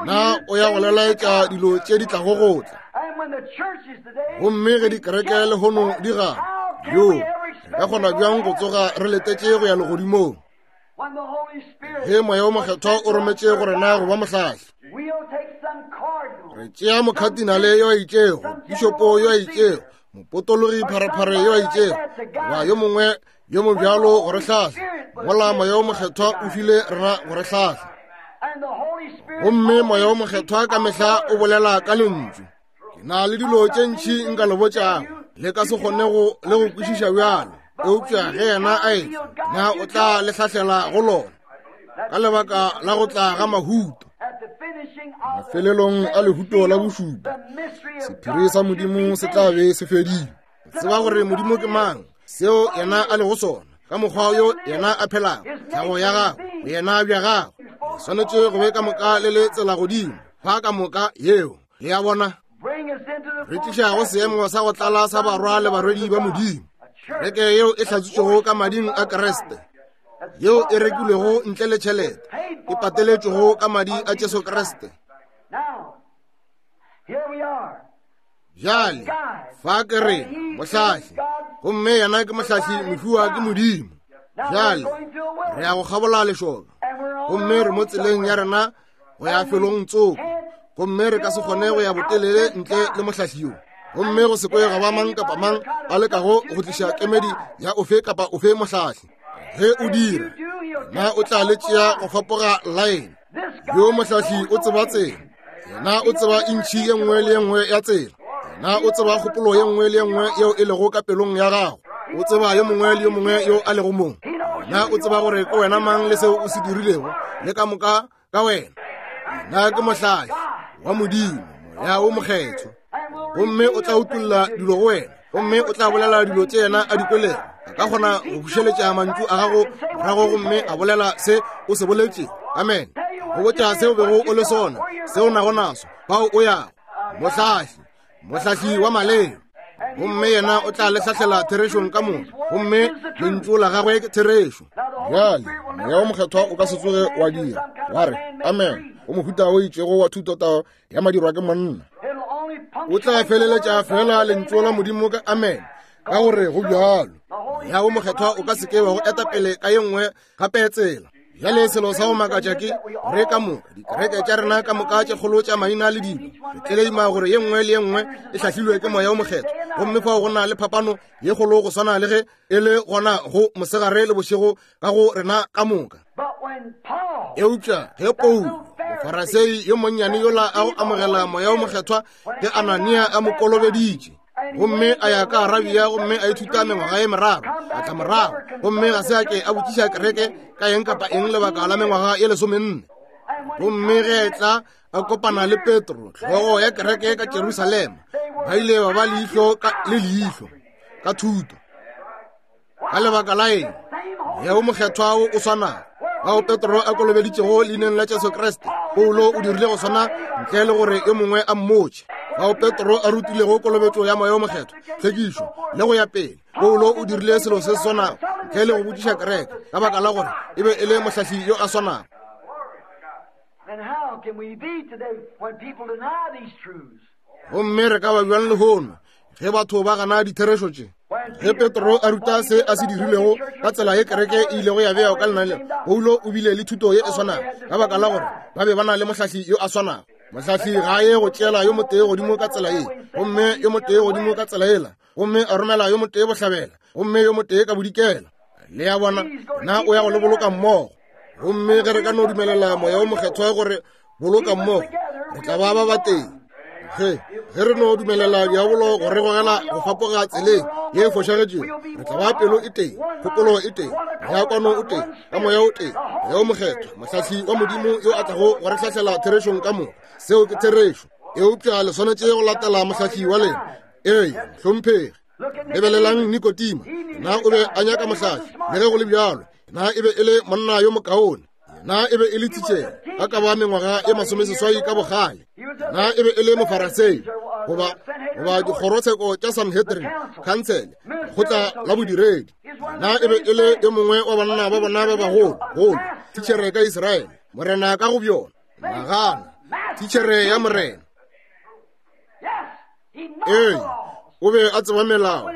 Na o ya go lelaetša dilo tše di tlago go tla. Gomme ge dikereke lehono di gana, yo re ka kgona bjang go tsoga re letetše go ya legodimong ge Moya wo Mokgethwa o rometše go rena go ba mohlahli? Re tšea mokhatinale yo a itšego, pišopo yo a itšego, mopotologi pharephare yo a itšego, goba yo mongwe yo mo bjalo go re hlahla, mola Moya wo Mokgethwa o file rena go re hlahla. Gomme Moya wo Mokgethwa ka mehla o bolela ka lentšu. Ke na le dilo tše ntši nka le botšago, le ka se kgone go le go kwešiša bjalo, eupša ge yena a etla, na o tla le hlahlela go lona ka lebaka la go tla ga mahuto. Mafelelong a lehuto la bošupa, sephiri sa Modimo se tla be se fedile. Tseba gore Modimo ke mang, seo yena a lego sona, ka mokgwa yo yena a phelago, tlhago ya gagwe, boyena bja gagwe. Le swanetše go be ka moka le le tsela godimo fa ka moka yeo. Le a bona? Re tliša go seemo sa go tlala sa barwa le barwedi ba Modimo, kereke yeo e hlatswitšwego ka mading a Kriste, yeo e rekilwego ntle le tšhelete, e pateletšwego ka madi a Jesu Kriste. Bjale, fa ke rena, mohlahli, gomme yena ke mohlahli mofiwa ke Modimo. Bjale, re ya go kgabola lešoka, gomme re mo tseleng ya rena go ya felong tsoko, gomme re ka se kgone go ya botelele ntle le mohlahli yo. Gomme go se kwe ga ba mang kapa mang a lekago go tliša kemedi ya ofe kapa ofe mohlahli. Ge o dira, na o tla le tšea go fapoga laene. Yo mohlahli o tseba tsela. Yena o tseba intšhi ye nngwe le ye nngwe ya tsela. Yena o tseba kgopolo ye nngwe le ye nngwe yeo e lego ka pelong ya gago. O tseba yo mongwe le yo mongwe yo a lego mong. Yena o tseba gore ke wena mang le seo o se dirilego, le ka moka ka wena. Yena ke mohlahli wa Modimo, Moya wo Mokgethwa. Gomme o tla utolla dilo go wena, gomme o tla bolela dilo tše yena a di kwelego. A ka kgona go bušeletša mantšu a gago morago gomme a bolela se o se boletše. Amen. Go botša se o bego o le sona, se o nago naso, fao o yago. Mohlahli, mohlahli wa maleo. Gomme yena o tla le hlahlela therešong ka moka, gomme lentšu la gagwe ke therešo. Bjale, Moya wo Mokgethwa o ka se tsoge wa dira wa re amen go mohuta o itšego wa thutotao ya madirwa ke monna. O tla feleletša fela lentšu la Modimo ka amen, ka gore go bjalo. Moya wo Mokgethwa o ka se ke wa go eta pele ka ye nngwe gape tsela. Bjale selo sa go makatša ke gore ka moka dikereke tša rena ka moka tše kgolo tša maina le dilo, re tleleima gore ye nngwe le ye nngwe e hlahlilwe ke Moya wo Mokgethwa, gomme fao go na le phapano ye kgolo go swana le ge e le gona go mosegare le bošego ka go rena ka moka. Eupša ge Paulo, Mofarasei yo monnyane yola a go amogela Moya wo Mokgethwa ge Anania a mo kolobeditše, gomme a ya ka Arabia gomme a ithuta mengwaga ye meraro, a tla morago gomme ga se a ke a botšiša kereke ka eng kapa eng lebaka la mengwaga ye 14. Gomme ge e tla a kopana le Petro, hlogo ya kereke ka Jerusalema, ba ile ba ba leihlo le leihlo ka thuto. Ka lebaka la eng? Moya wo Mokgethwa wo o swanago bao Petro a kolobeditšego leineng la Jesu Kriste, Paulo o dirile go swana ntle le gore yo mongwe a mmotše. Bao Petro a rutilego kolobetšo ya Moya wo Mokgethwa, tlhwekišo le go ya pele, Paulo o dirile selo se se swanago ntle le go botšiša kereke, ka baka la gore e be e le mohlahli yo a swanago. Gomme re ka ba bjang lehono ge batho ba gana ditherešo tše? Ge Petro a ruta se a se dirilego ka tsela ye kereke e ilego ya bewa ka lenaneo, Paulo o bile le thuto ye e swanago, ka baka la gore ba be ba na le mohlahli yo a swanago. Mohlahli ga a ye go tšeela yo motee godimo ka tsela ye, gomme yo motee godimo ka tsela yela, gomme a romela yo motee bohlabela, gomme yo motee ka bodikela. Le a bona, na o ya go le boloka mmogo. Gomme ge re ka no dumelela Moya wo Mokgethwa gore boloka mmogo, re tla ba ba batee. Ge re no dumelela diabolo go re gogela go fapoga tseleng ye e fošagetšego, re tla ba pelo e tee, kgopolo e tee, moya kwano o tee, ka Moya o tee, Moya wo Mokgethwa, mohlahli wa Modimo yo a tlago go re hlahlela therešong ka moka. Seo ke therešo. Eupša le swanetše go latela mohlahli wa lena. Ee, hlomphegi. Lebelelang Nikodima, na o be a nyaka mohlahli, le ge go le bjalo, na e be e le monna yo mokaone, na e be e le titšhere a ka ba mengwaga e 80 ka bogale, na e be e le Mofarasei goba dikgorotsheko tša Sanhedrin, khansele, lekgotla la bodiredi, na e be e le yo mongwe wa banna ba bona ba bagolo golo, titšhere ka Israele, morena ka go bjona. Nagana, titšhere ya morena. Ee, o be a tseba melao,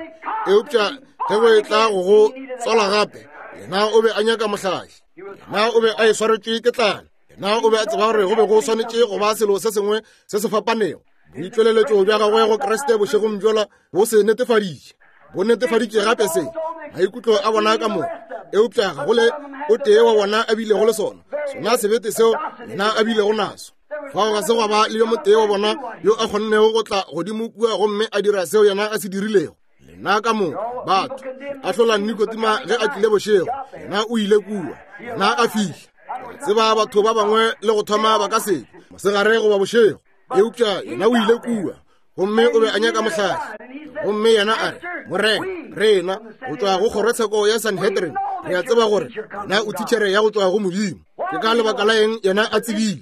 eupša ge go e tla go go tswala gape, yena o be a nyaka mohlahli. Yena o be a e swaretšwe ke tlala. Yena o be a tseba gore go be go swanetše go ba selo se sengwe se se fapanego. Boitšweleletšo bja gagwe go Kriste bošegong bjola bo se netefaditše. Bo netefaditše gape se maikutlo a bona ka moka, eupša ga go le o tee wa bona a bilego le sona, sona sebete seo yena a bilego naso. Fao ga se gwa ba le yo motee wa bona yo a kgonnego go tla godimo kua gomme a dira seo yena a se dirilego. Lena ka moka batho ahlola Nikodima ge a tlile bošego, yena o ile kua, yena a fihla. Re tseba batho ba bangwe le go thoma ba ka se mosegare goba bošego, eupša yena o ile kua gomme o be a nyaka mohlahli. Gomme yena a re, Morena, rena go tšwa go kgorotsheko ya Sanhedrin re a tseba gore yena o titšhere ya go tšwa go Modimo. Ke ka lebaka la eng yena a tsebile?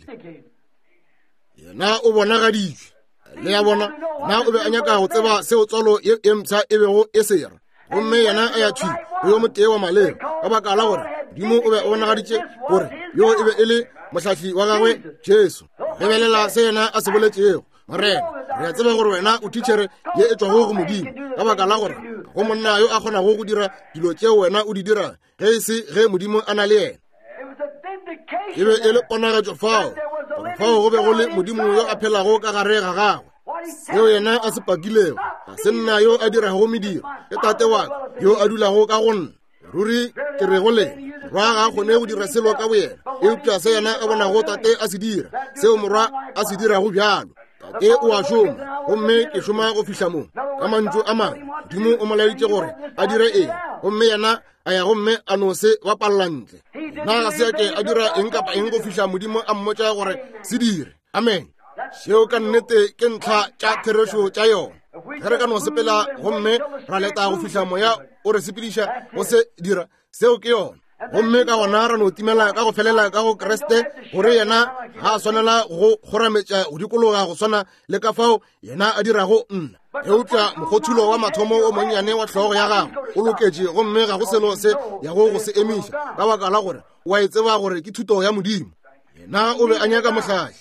Yena o bonagaditšwe. Le a bona? Na o be a nyaka go tseba seo tswalo ye e mpsha e bego e se ra? Gomme yena a ya thwi go yo motee wa maleba, ka baka la gore Modimo o be o bonagaditše gore yo e be e le mohlahli wa gagwe, Jesu. Lebelela se yena a se boletšego. Morena, re a tseba gore wena o thitšhere ye e tšwago go Modimo, ka baka la gore go monna yo a kgonago go dira dilo tšeo wena o di dira, ge e se ge Modimo a na le yena. E be e le ponagatšo fao, gore fao go be go le Modimo yo a phelago ka gare ga gagwe. Seo yena a se pakilego, ga se nna yo a dirago mediro, ke Tate wa ka yo a dulago ka go nna. Ruri ke re go lena, morwa ga a kgone go dira selo ka boyena, eupša se yena a bonago Tate a se dira, seo morwa a se dirago bjalo. Tate o a šoma, gomme ke šoma go fihla mo. Ka mantšu a mangwe, Modimo o mo laeditše gore a dire eng, gomme yena a ya gomme a no se bapalla ntle. Na ga se a ke a dira eng kapa eng go fihla Modimo a mmotša gore se dire. Amen. Seo ka nnete ke ntlha tša therešo tša yona. Ge re ka no sepela gomme ra leta go fihla moya o re sepediša go se dira, seo ke yona. Gomme ka gona ra no timela ka go felela ka go Kriste, gore yena ga a swanela go kgorametša go dikologa go swana le ka fao yena a dirago nna. Eupša mokgothulo wa mathomo o monnyane wa hlogo ya gagwe o loketše, gomme ga go selo se yago go se emiša, ka baka la gore o a e tseba gore ke thuto ya Modimo. Yena o be a nyaka mohlahli.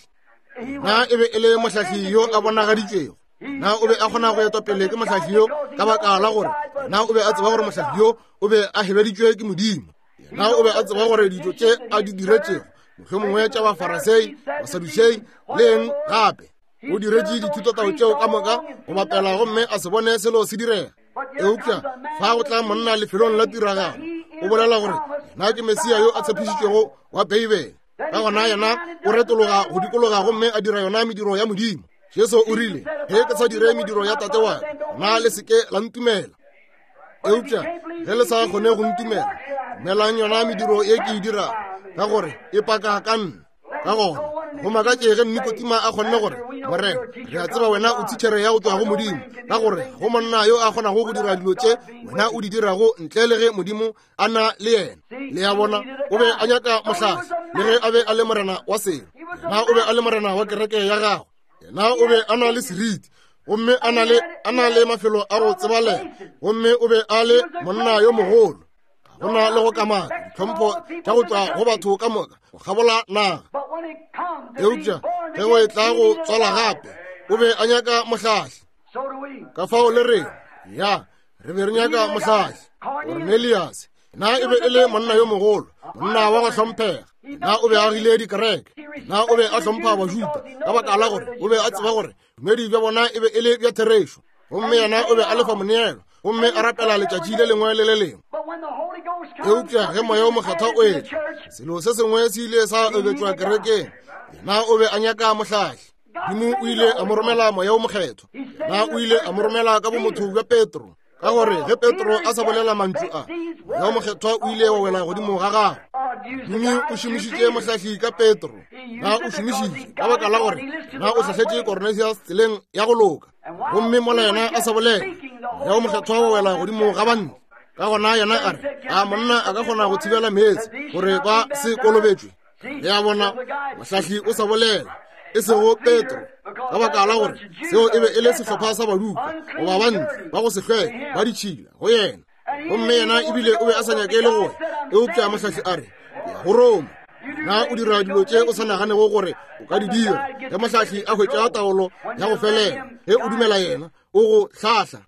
Na e be e le mohlahli yo a bonagaditšwego. Na o be a kgona go etwa pele ke mohlahli yo, ka baka la gore na o be a tseba gore mohlahli yo o be a hebeditšwe ke Modimo. Na o be a tseba gore dilo tše a di diretšego, mohlomongwe tša Bafarasei, Basadušei le eng gape, o diretše dithutotao tšeo ka moka go bapela gomme a se bone selo se direga. Eupša fa go tla monna lefelong la tiragalo, o bolela gore yena ke Mesia yo a tshepišitšwego wa Beibele. Ka gona yena o retologa go dikologa gomme a dira yona mediro ya Modimo. Jesu o rile, ge ke sa dire mediro ya Tate wa ka, na le se ke la ntumela. Eupša ge le sa kgone go ntumela, dumelang yona mediro ye ke e dirago, ka gore e paka ka nna. Ka gona go makatše ge Nikotima a kgonne gore, Morena, re a tseba wena o thitšhere ya go tšwa go Modimo, ka gore go monna yo a kgonago go dira dilo tše wena o di dirago ntle le ge Modimo a na le yena. Le a bona, o be a nyaka mohlahli, le ge a be a le morena wa selo. Yena o be a le morena wa kereke ya gagwe. Yena o be a na le seriti, gomme a na le mafelo a go tsebalega, gomme o be a le monna yo mogolo. Go na le go kamaka ditlhompho tša go tšwa go batho ka moka go kgabola naga. Eupša ge go etla go tswala gape, o be a nyaka mohlahli. Ka fao le reng, ya, re be re nyaka mohlahli. Cornelius na e be e le monna yo mogolo, monna wa go hlomphega. Na o be a agile dikereke, na o be a hlompha Bajuda, ka baka la gore o be a tseba gore bodumedi bja bona e be e le bja therešo. Gomme yena o be a lefa moneelo, gomme a rapela letšatši le lengwe le le lengwe. Eupša ge Moya o Mokgethwa o etla, selo se sengwe se ile sa oketšwa kerekeng. Yena o be a nyaka mohlahli. Modimo o ile a mo romela Moya o Mokgethwa. Yena o ile a mo romela ka bomotho bja Petro, ka gore ge Petro a sa bolela mantšu a, Moya o Mokgethwa o ile wa wela godimo ga gagwe. Modimo o šomišitše mohlahli ka Petro. Na o šomišitše ka baka la gore na o hlahletše Cornelius tseleng ya go loka. Gomme mola yena a sa bolela, Moya o Mokgethwa wa wela godimo ga banna. Ka gona yena a re, a monna a ka kgona go thibela meetse gore ba se kolobetšwe? Le a bona, mohlahli o sa bolela, e sego Petro, ka baka la gore seo e be e le sehlopha sa baduka goba bantle ba go se hlweke ba ditšhila go yena. Gomme yena ebile o be a sa nyake le go ya, eupša mohlahli a re, ke ya go Roma. Na o dira dilo tše o sa naganego gore o ka di dira? Ge mohlahli a hwetša taolo ya go felela, ge o dumela yena, o go hlahla.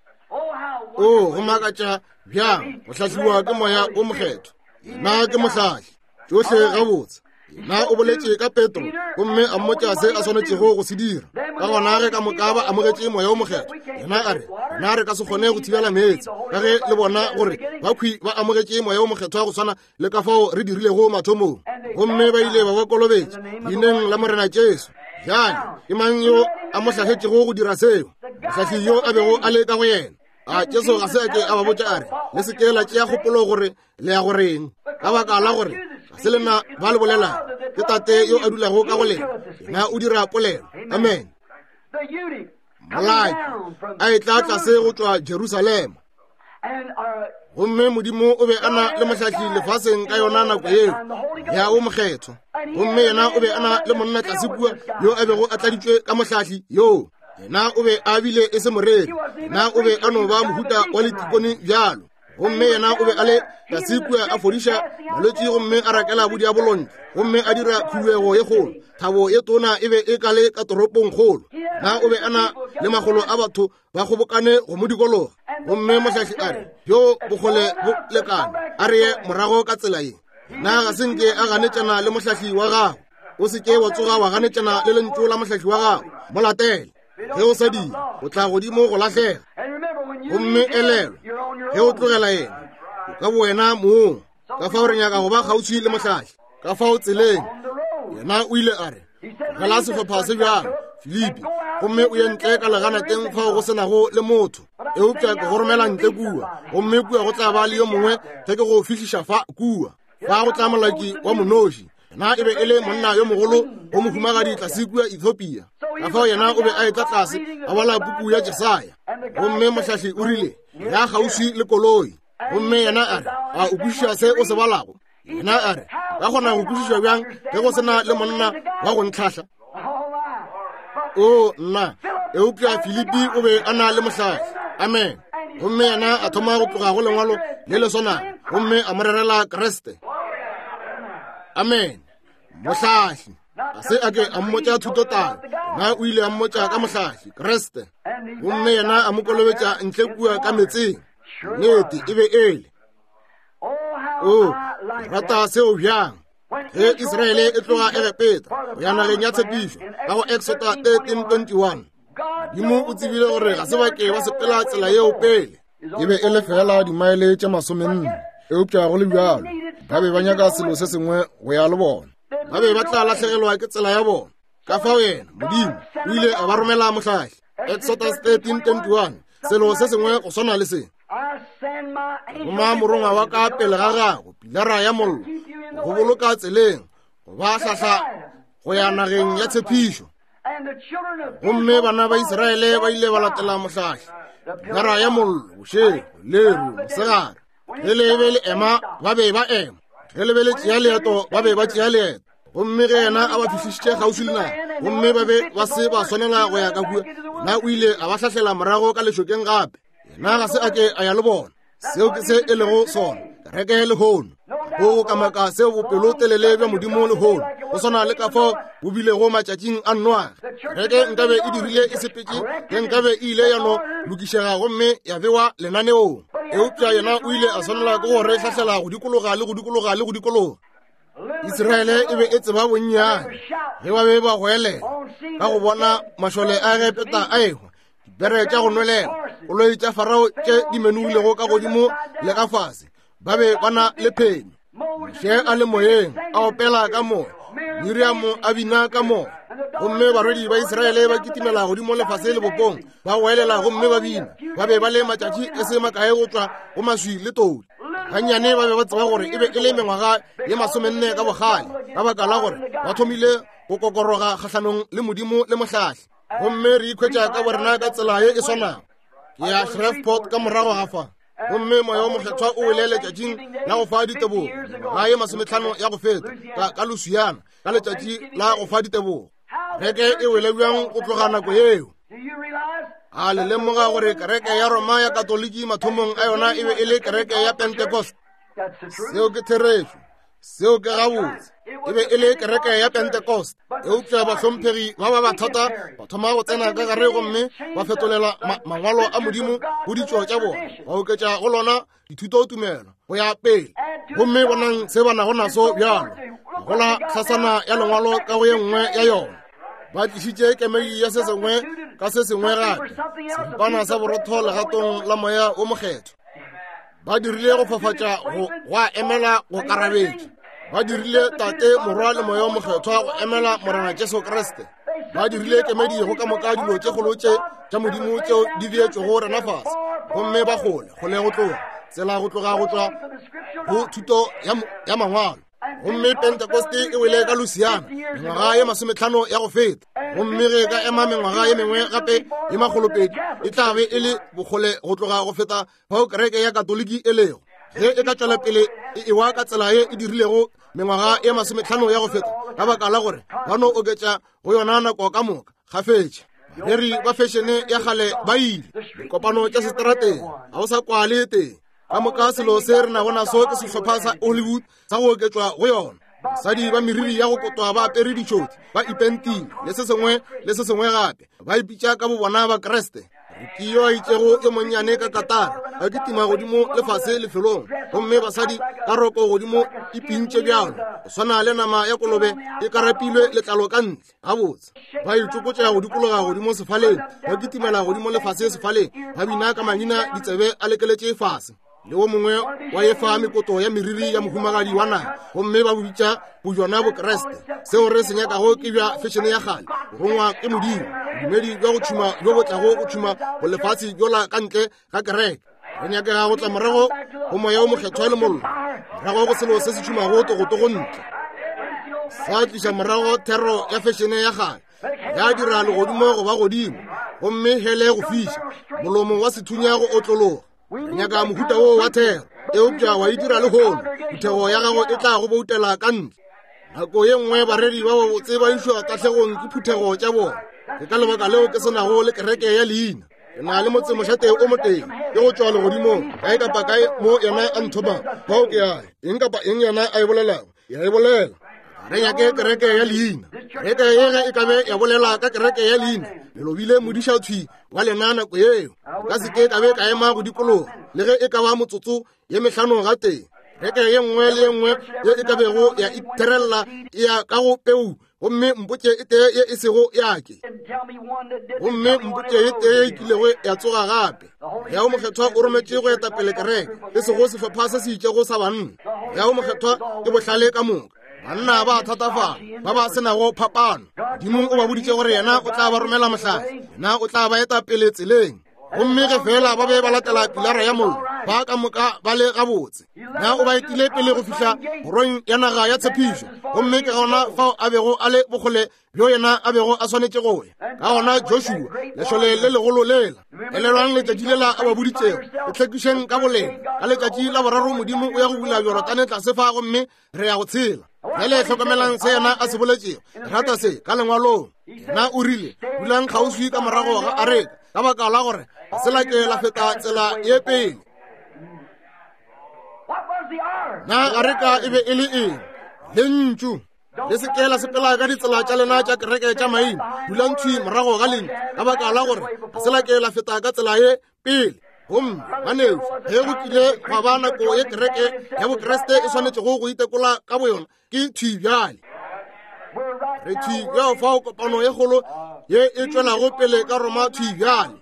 O go makatša bjang go hlahliwa ke Moya o Mokgethwa. Yena ke mohlahli. Tšohle gabotse. Na o boletše ka Petro gomme a mmotša se a swanetšego go se dira. Ka gona ge ka moka ba amogetše Moya o Mokgethwa, yena a re, na re ka se kgone go thibela meetse, ka ge le bona gore bakhwi ba amogetše Moya o Mokgethwa go swana le ka fao re dirilego mathomong. Gomme ba ile ba ba kolobetša leineng la Morena Jesu. Bjale ke mang yo a mo hlahletšego go dira seo? Mohlahli yo a bego a le ka go yena. A Jesu ga se a ke a ba botša a re, le se ke la tšea kgopolo gore le ya go reng, ka baka la gore ga se lena ba le bolelang, ke Tate yo a dulago ka go lena, yena o dira polelo. Amen. Molaki a etla tlase go tšwa Jerusalema, gomme Modimo o be a na le mohlahli lefaseng ka yona nako yeo, Moya wo Mokgethwa. Gomme yena o be a na le monna tlase kua yo a bego a tladitšwe ka mohlahli yoo. Yena o be a bile e se moreri, yena o be a no ba mohuta wa letikone bjalo. Gomme yena o be a le tlase kua a fodiša malwetši gomme a rakela bodiabolo ntle, gomme a dira khuduego ye kgolo. Thabo ye tona e be e ka le ka toropong kgolo. Na o be a na le makgolo a batho ba kgobokane go mo dikologa. Gomme mohlahli a re, Bjo bokgole bo lekane, a re ye morago ka tsela ye. Na ga se nke a ganetšana le mohlahli wa gago? O se ke wa tsoga wa ganetšana le lentšu la mohlahli wa gago. Mo latele. Ge o sa dira, o tla godimo go lahlega. Gomme elelwa, ge o tlogela yena, o ka bowena mong. Ka fao re nyaka go ba kgauswi le mohlahli. Ka fao tseleng, yena o ile a re, tlogela sehlopha se bjalo, Filipi, gomme o ye ntle ka leganateng fao go se nago le motho. Eupša ke go romela ntle kua, gomme kua go tla ba le yo mongwe ge ke go fihliša fa kua. Fa go tla molaki wa monoši. Yena e be e le monna yo mogolo go mohumagadi tlase kua Ethiopia. Ka fao yena o be a etla tlase a bala puku ya Jesaya. Gomme mohlahli o rile, ya kgauswi le koloi. Gomme yena a re, a o kwešiša se o se balago? Yena a re, ka kgona go kwešiša bjang ge go se na le monna wa go ntlhahla? O nna, eupša Filipi o be a na le mohlahli. Amen. Gomme yena a thoma go tloga go lengwalo le le swanago, gomme a mo rerela Kriste. Amen. Mohlahli ga se a ke a mmotša thutotalo, na o ile a mmotša ka mohlahli Kriste. Gomme yena a mo kolobetša ntle kua ka metseng. Nnete e be ele. O rata seo bjang! Ge Israele e tloga Egepeta go ya nageng ya tshepišo ka go Exoda 13:21, Modimo o tsebile gore ga se ba ke ba sepela tsela yeo pele. E be e le fela dimaele tše 40, eupša go le bjalo ba be ba nyaka selo se sengwe go ya le bona. Ba be ba tla lahlegelwa ke tsela ya bona. Ka fao yena Modimo o ile a ba romela mohlahli. Exodus 13:21, selo se sengwe go swana le se. Roma morongwa wa ka pele ga gago, pilara ya mollo, go boloka tseleng, go ba hlahla go ya nageng ya tshepišo. Gomme bana ba Israele ba ile ba latela mohlahli, pilara ya mollo, bošego, leru, mosegare. Ge le be le ema, ba be ba ema. Ge le be le tšea leeto, ba be ba tšea leeto. Gomme ge yena a ba fihlišitše kgauswi le naga, gomme ba be ba se ba swanela go ya ka kua, yena o ile a ba hlahlela morago ka lešokeng gape. Yena ga se a ke a ya le bona. Seo ke se e lego sona kereke lehono. Go go kamaka seo bopelotelele bja Modimo lehono go swana le ka fao bo bilego matšatšing a Noage. Kereke nkabe e dirile e sepetše ge nkabe e ile ya no lokišega gomme ya bewa lenaneong. Eupša yena o ile a swanela ke go re hlahlela go dikologa le go dikologa le go dikologa. Israele e be e tseba bonnyane ge ba be ba goelela ka go bona mašole a Egepeta a ehwa, dipere tša go nwelela, koloi tša Farao tše di menogilego ka godimo le ka fase. Ba be ba na le phenyo. Moshe a le moyeng a opela ka moya, Miriamo a bina ka moya, gomme barwedi ba Israele ba kitimela godimo lefase lebopong, ba goelela gomme ba bina. Ba be ba le matšatši e se makae go tšwa go maswi le todi. Gannyane ba be ba tseba gore e be e le mengwaga ye 40 ka bogale, ka baka la gore ba thomile go kokoroga kgahlanong le Modimo le mohlahli. Gomme re ikhwetša ka borena ka tsela ye e swanago. Ke ya Shreveport ka morago ga fa, gomme moya wo mokgethwa o wele letšatšing la go fa ditebogo, mengwaga ye 50 ya go feta, ka Louisiana, ka letšatši la go fa ditebogo. Kereke e wele bjang go tloga nako yeo? A le lemoga gore kereke ya Roma ya Katoliki mathomong a yona e be e le kereke ya Pentecost? Seo ke therešo. Seo ke gabotse. E be e le kereke ya Pentecost. Eupša bahlomphegi ba ba bathata ba thoma go tsena ka gare gomme ba fetolela mangwalo a Modimo go ditšo tša bona, ba oketša go lona dithutotumelo go ya pele. Gomme bonang se ba nago naso bjalo, go la hlasana ya lengwalo ka go ye nngwe ya yona. Ba tlišitše kemedi ya se sengwe ka se sengwe gape, seripana sa borotho legatong la Moya wo Mokgethwa. Ba dirile go fafatša go gwa emela go karabetša. Ba dirile Tate, Morwa le Moya wo Mokgethwa go emela Morena Jesu Kriste. Ba dirile kemedi go ka moka dilo tše kgolo tše tša Modimo tšeo di beetšwego rena fase, gomme ba kgole kgole go tloga tsela go tloga go tšwa go thuto ya mangwalo. Gomme Pentecost e wele ka Louisiana mengwaga ye 50 ya go feta, gomme ge e ka ema mengwaga ye mengwe gape ye 200, e tla be e le bokgole go tloga go feta fao kereke ya Katoliki e lego. Ge e ka tšwela pele e ewa ka tsela ye e dirilego mengwaga ye 50 ya go feta, ka baka la gore ba no oketša go yona nako ka moka kgafetša. Bareri ba fešene ya kgale ba ile. Dikopano tša seterateng ga o sa kwale teng. Ka moka selo se re nago naso ke sehlopha sa Hollywood sa go oketšwa go yona. Basadi ba meriri ya go kotwa ba apere ditšhoti, ba ipentile, le se sengwe le se sengwe gape. Ba ipitša ka bobona Bakriste. Ke yo a itšego yo monnyane ka katara a kitima godimo le fase lefelong, gomme basadi ka roko godimo e pintše bjalo go swana le nama ya kolobe e karapilwe letlalo ka ntle. Gabotse ba itšokotšega go dikologa godimo sefaleng, ba kitimela godimo le fase sefaleng, ba bina ka mangina ditsebe a lekeletše fase. Le wo mongwe wa efa mekoto ya meriri ya mohumagadi wa naga, gomme ba bitša bojona Bokreste. Seo re se nyakago ke bja fešene ya kgale, go rongwa ke Modimo, bodumedi bja go tšhuma bjo bo tlago go tšhuma bolefatshe bjola ka ntle ga kereke. Re nyakega go tla morago go Moya wo Mokgethwa le mollo, morago go selo se se tšhumago togotogo ntle, sa tliša morago thero ya fešene ya kgale, ya dira legodimo go ba godimo gomme hele go fiša, molomo wa sethunya go otlologa. Re nyaka mohuta woo wa thero, eupša wa e dira lehono, phuthego ya gago e tla go boutela ka ntle. Nako ye nngwe bareri ba babotse ba išwa tahlegong ke phuthego tša bona. Ke ka lebaka leo ke se nago le kereke ya leina. Ke na le motsemošate o motee, ke go tšwa legodimong, kae kapa kae mo yena a nthomang, fao ke ya. Eng kapa eng yena a e bolelago, ya e bolela. Ga re nyake kereke ya leina. Kereke ye ge e ka be ya bolela ka kereke ya leina, le lobile modišathwi wa lena nako yeo. Nka se ke ka be ka ema go dikologa le ge e ka ba motsotso ye mehlano gatee. Kereke ye nngwe le ye nngwe ye e ka bego ya itherella e ya ka go peu, gomme mpotše e tee ye e sego ya ke, gomme mpotše e tee ye e kilego ya tsoga gape. Moya wo Mokgethwa o rometše go eta pele kereke, e sego sehlopha se se itšego sa banna. Moya wo Mokgethwa ke bohlale ka moka. Banna ba thatafala, ba ba se nago phapano. Modimo o ba boditše gore yena o tla ba romela mohlahli, yena o tla ba eta pele tseleng. Gomme ge fela ba be ba latela pilara ya mollo, ba ka moka ba le gabotse. Na o ba etile pele go fihla kgorong ya naga ya tshepišo, gomme ke gona fao a bego a le bokgole bjo yena a bego a swanetše go ya. Ka gona Joshua, lešole le legolo lela, elelwang letšatši lela a ba boditšego, le hlwekišeng ka bolena, ka letšatši la boraro Modimo o ya go bula Jorodane tlase fa, gomme re ya go tshela. Bjale hlokomelang se yena a se boletšego. Ke rata se ka lengwalong. Yena o rile, dulang kgauswi ka morago ga areka, ka baka la gore ga se la ke la feta tsela ye pele. Na areka e be e le eng? Lentšu. Le se ke la sepela ka ditsela tša lena tša kereke tša maina. Dulang thwi morago ga lentšu, ka baka la gore ga se la ke la feta ka tsela ye pele. Gomme banešu, ge go kile gwa ba nako ye kereke ya Bokriste e swanetšego go itekola ka boyona, ke thwi bjale. Re thwi bjao fao kopano ye kgolo ye e tšwelago pele ka Roma thwi bjale.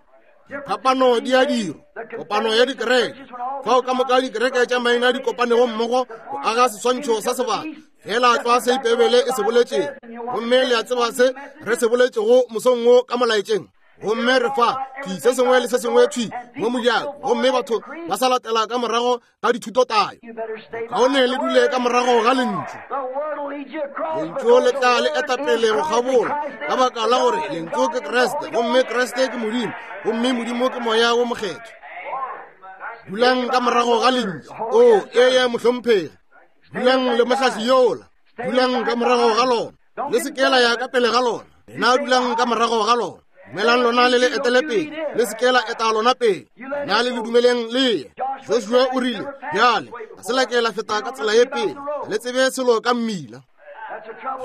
Diphapano di a dirwa, kopano ya dikereke, fao ka moka dikereke tša maina di kopanego mmogo go aga seswantšho sa sebaka, fela tlwa se Beibele e se boletšego. Gomme le a tseba se re se boletšego mosong wo ka molaetšeng. Gomme re fa thwi se sengwe le se sengwe thwi mo mojako, gomme batho ba sa latela ka morago ga dithutotayo. Kaone le dule ka morago ga lentšu. Lentšu le tla le eta pele go kgabola, ka baka la gore lentšu ke Kriste, gomme Kriste ke Modimo, gomme Modimo ke Moya wo Mokgethwa. Dulang ka morago ga lentšu. O, ee, mohlomphegi. Dulang le mohlahli yola. Dulang ka morago ga lona. Le se ke la ya ka pele ga lona. Lena dulang ka morago ga lona. Dumelang lona le le etele pele, le se ke la eta lona pele. Na le le dumeleng le ye. Joshua o rile, bjale, ga se la ke la feta ka tsela ye pele, ga le tsebe selo ka mmila.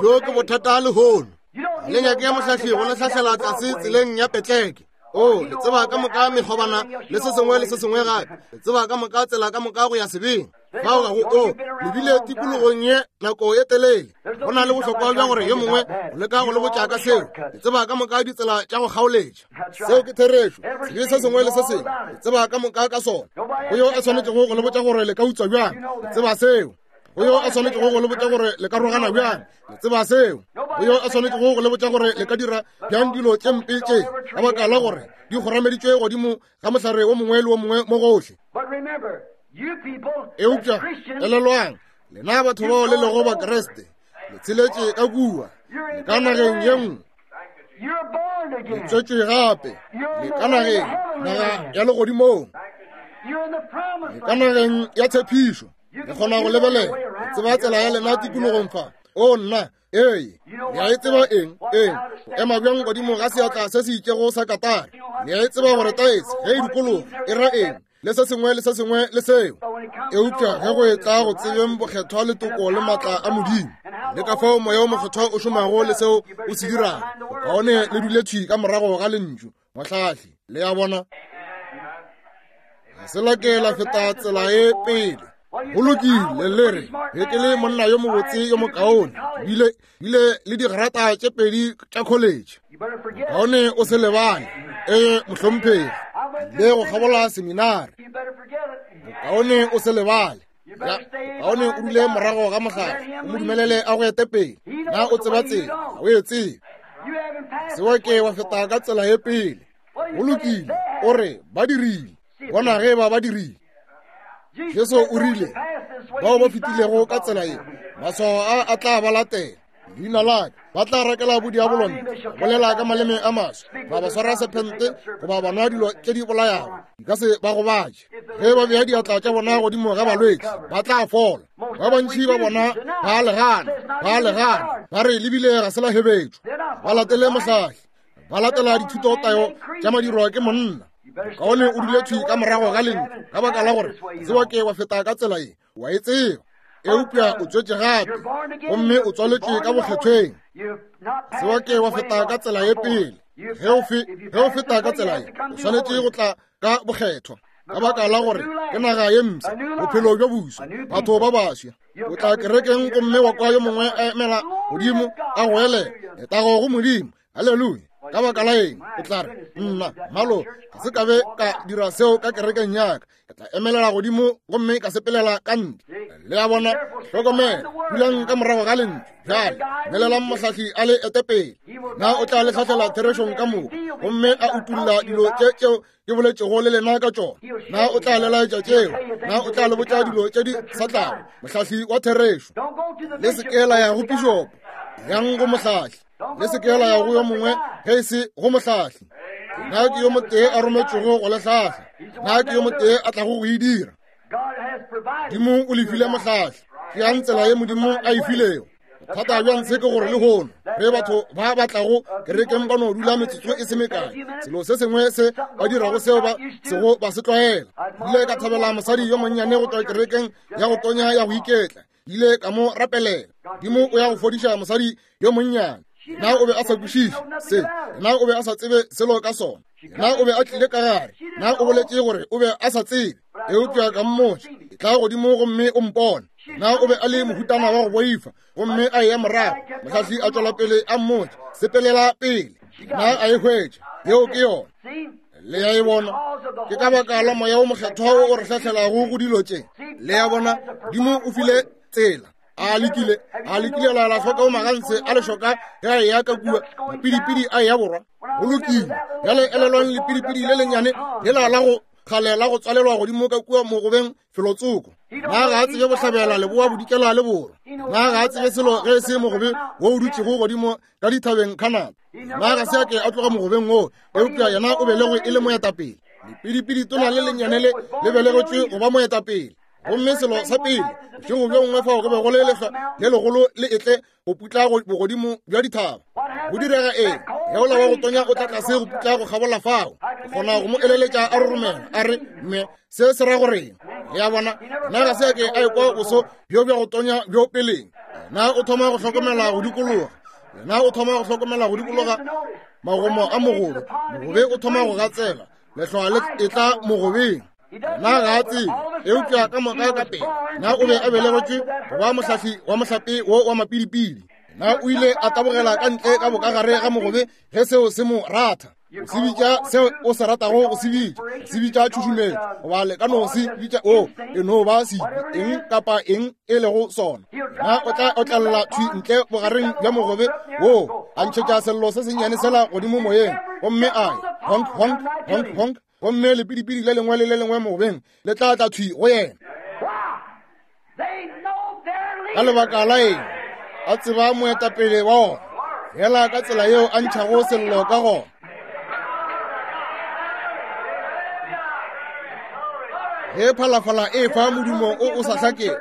Bjo ke bothata lehono. Ga le nyake mohlahli go le hlahlela tlase tseleng ya petleke. O, le tseba ka moka mekgobana le se sengwe le se sengwe gape. Le tseba ka moka tsela ka moka go ya sebeng. Fao ga go o le bile tikologong ye nako ye telele. Go na le bohlokwa bja gore yo mongwe o leka go le botša ka seo. Le tseba ka moka ditsela tša go kgaoletša. Seo ke therešo. Sebe se sengwe le se sengwe le tseba ka moka ka sona. Go yo a swanetšego go le botša gore le ka utswa bjang, le tseba seo. Go yo a swanetšego go le botša gore le ka rogana bjang, le tseba seo. Go yo a swanetšego go le botša gore le ka dira bjang dilo tše mpe tše, ka baka la gore di kgorameditšwe godimo ga mohlare wo mongwe le wo mongwe mo gohle. Eupša elelwang, lena batho bao le lego Bakriste, le tsheletše ka kua, le ka nageng ye nngwe, le tswetšwe gape, le ka nageng, naga ya legodimong, le ka nageng ya tshepišo. Le kgona go lebelela, le tseba tsela ya lena tikologong fa. O nna! Ee, le a e tseba eng? Eng? O ema bjang godimo ga seatla se se itšego sa katara? Le a e tseba gore taese ge e dikologa e ra eng, le se sengwe le se sengwe le seo. Eupša ge go etla go tsebeng bokgethwa le toko le maatla a Modimo, le ka fao Moya wo Mokgethwa o šomago le seo o se dirago, bokaone le dule thwi ka morago ga Lentšu, mohlahli. Le a bona? Ga se la ke la feta tsela e pele. Go lokile, le re, ge ke le monna yo mobotse yo mokaone, bile bile le digrata tše pedi tša college. Kaone o se lebale, ee mohlomphegi, le go kgabola seminari. Kaone o se lebale. Ya, kaone o dule morago ga mohlare, o mo dumelele a go ete pele. Na o tseba tsela? Ga o e tsebe. Se wa ke wa feta ka tsela ye pele. Go lokile, o re ba dirile. Bona ge ba ba dirile. Jesu o rile, bao ba fetilego ka tsela ye, maswao a a tla ba latela. Leina la ka ba tla rakela bodiabolo ntle, bolela ka maleme a maswa, ba ba swara sephente goba ba nwa dilo tše di bolayago, di ka se ba gobatše. Ge ba bea diatla tša bona godimo ga balwetši, ba tla fola. Ba bantši ba bona ba legana, ba legana, ba re lebile ga se la hebetšwa. Ba latele mohlahli, ba latela dithutotayo tša madirwa ke monna. Kaone o dule thwi ka morago ga lentšu, ka baka la gore tseba ke wa feta ka tsela ye, wa e tseba. Eupša o tswetše gape, gomme o tswaletšwe ka bokgethweng. Tseba ke wa feta ka tsela ye pele. Ge o feta ka tsela ye, o swanetše go tla ka bokgethwa, ka baka la gore ke naga ye mpsha, bophelo bjo boswa, batho ba baswa. O tla kerekeng gomme wa kwa yo mongwe a emela godimo a goelela, letago go Modimo, haleluya. Ka baka la eng? O tla re, nna malo ga se ka be ka dira seo ka kerekeng ya ka. Ke tla emelela godimo gomme ka sepelela ka ntle. Le a bona? Hlokomela, dulang ka morago ga lentšu. Bjale melelang mohlahli a le ete pele. Na o tla le hlahlela therešong ka moka gomme a utulla dilo tše tšeo ke boletšego le lena ka tšona? Na o tla le laetša tšeo? Na o tla le botša dilo tše di sa tlago? Mohlahli wa therešo. Le se ke la ya go pišopo, yang go mohlahli. Le se ke la ya go yo mongwe ge e se go mohlahli. Na ke yo motee a rometšwego go le hlahla? Na ke yo motee a tlago go e dira? Modimo o le file mohlahli. Tšeang tsela ye Modimo a e filego. Bothata bja ntshe ke gore lehono ge batho ba batlago kerekeng ba no dula metsotso e se mekae, selo se sengwe se ba dirago seo ba sego ba se tlwaela. Ile ka thabela mosadi yo monnyane go tšwa kerekeng ya go tonya ya go iketla. Ile ka mo rapelela. Modimo o ya go fodiša mosadi yo monnyane. Na o be a sa kwešiše se? Na o be a sa tsebe selo ka sona? Na o be a tlile ka gare? Na o boletše gore o be a sa tsebe? Eupša ka mmotša, e tla godimo gomme o mpone. Na o be a le mohutana wa go boifa gomme a eya morago? Mohlahli a tšwela pele a mmotša, sepelela pele. Na a e hwetša? Yeo ke yona. Le ya e bona? Ke ka baka la Moya wo Mokgethwa wo o re hlahlelago go dilo tše. Le ya bona? Modimo o file tsela. A lekile, a lekile la la hloka o magantshe a lešoka ge a eya ka kua, mapidipidi a eya borwa. Go lokile. Bjale elelwang lepidipidi le lennyane lela la go kgale la go tswalelwa godimo ka kua mogobeng felotsoko. Na ga a tsebe bohlabela, leboa, bodikela le borwa? Na ga a tsebe selo ge e se mogobe wo o dutšego godimo ka dithabeng Canada? Na ga se a ke a tloga mogobeng woo, eupša yena o belegwe e le moetapele. Lepidipidi tona le lennyane le le belegetšwe go ba moetapele. Gomme selo sa pele, bošego bjo bongwe fao go be go le lehlwa le legolo le etle go putla bogodimo bja dithaba. Go direga eng? Yola wa go tonya o tla tlase go putla go kgabola fao. Ke kgona go mo eleletša a roromela, a re, Mme, se se ra goreng? Le a bona? Na ga se a ke a ekwa boso bjo bja go tonya bjo peleng? Na o thoma go hlokomela go dikologa? Na o thoma go hlokomela go dikologa magomo a mogobe? Mogobe o thoma go gatsela, lehlwa le etla mogobeng. Na ga a tsebe, eupša ka moka ka pele na o be a belegetšwe go ba mohlahli wa mohlape wo wa mapidipidi. Na o ile a tabogela ka ntle ka bokagare ga mogobe ge seo se mo ratha? O se bitša seo o se ratago go se bitša, se bitša tšhušumetšo, goba le ka no se bitša o e no ba sebi, eng kapa eng e lego sona. Na o tla otlella thwi ntle bogareng bja mogobe wo, a ntšhetša sello se sennyane sela godimo moyeng, gomme a ya honk honk honk honk, gomme lepidipidi le lengwe le le lengwe mogobeng le tla tla thwi go yena. Ka lebaka la eng? A tseba moetapele wa ona, fela ka tsela yeo a ntšhago sello ka gona. Ge phalafala e fa modumo o o sa hlakego,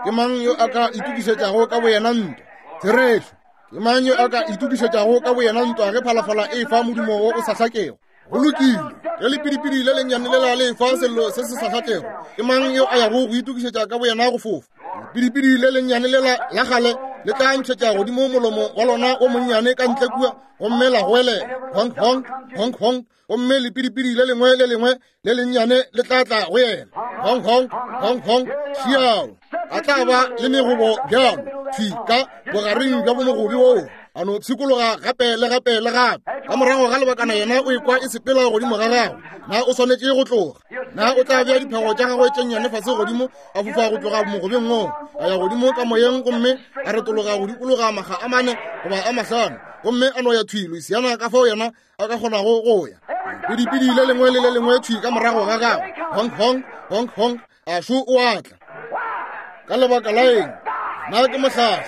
ke mang yo a ka itokišetšago ka boyena ntwa? Therešo. Ke mang yo a ka itokišetšago ka boyena ntwa ge phalafala e fa modumo wo o sa hlakego? Go lokile, ge lepidipidi le lennyane lela le fa sello se se sa hlakego, ke mang yo a yago go itokišetša ka boyena go fofa? Lepidipidi le lennyane lela la kgale le tla ntšhetša godimo molomo wa lona o monnyane ka ntle kua gomme la goelela honk honk honk honk, gomme lepidipidi le lengwe le lengwe le lennyane le tla tla go yena honk honk honk honk. Šiao a tla ba le megobo bjalo thwi ka bogareng bja bomogobi woo, a no pshikologa gape le gape le gape. Ka morago ga lebakana yena o ekwa e sepela godimo ga gagwe. Na o swanetše go tloga? Na o tla bea diphego tša gagwe tše nnyane fase godimo, a fofa go tloga mogobeng woo, a ya godimo ka moyeng gomme a retologa go dikologa makga a mane goba a mahlano, gomme a no ya thwi Louisiana ka fao yena a ka kgonago go ya. Pidipidi le lengwe le le lengwe thwi ka morago ga gagwe, honk honk honk honk, a šo o a tla. Ka lebaka la eng? Na ke mohlahli.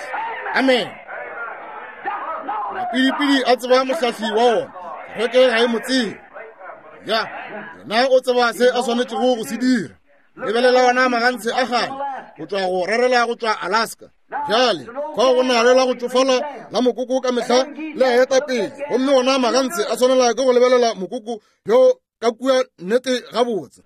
Amen. Mapidipidi a tseba mohlahli wa ona, kereke ga e mo tsebe. Ya, yena o tseba se a swanetšego go se dira. Lebelela ona magantshe a kgale go tšwa go rerela go tšwa Alaska. Bjale fao go na le la go tšofala la mokoko ka mehla le a eta pele, gomme ona magantshe a swanela ke go lebelela mokoko yo ka kua nnete gabotse.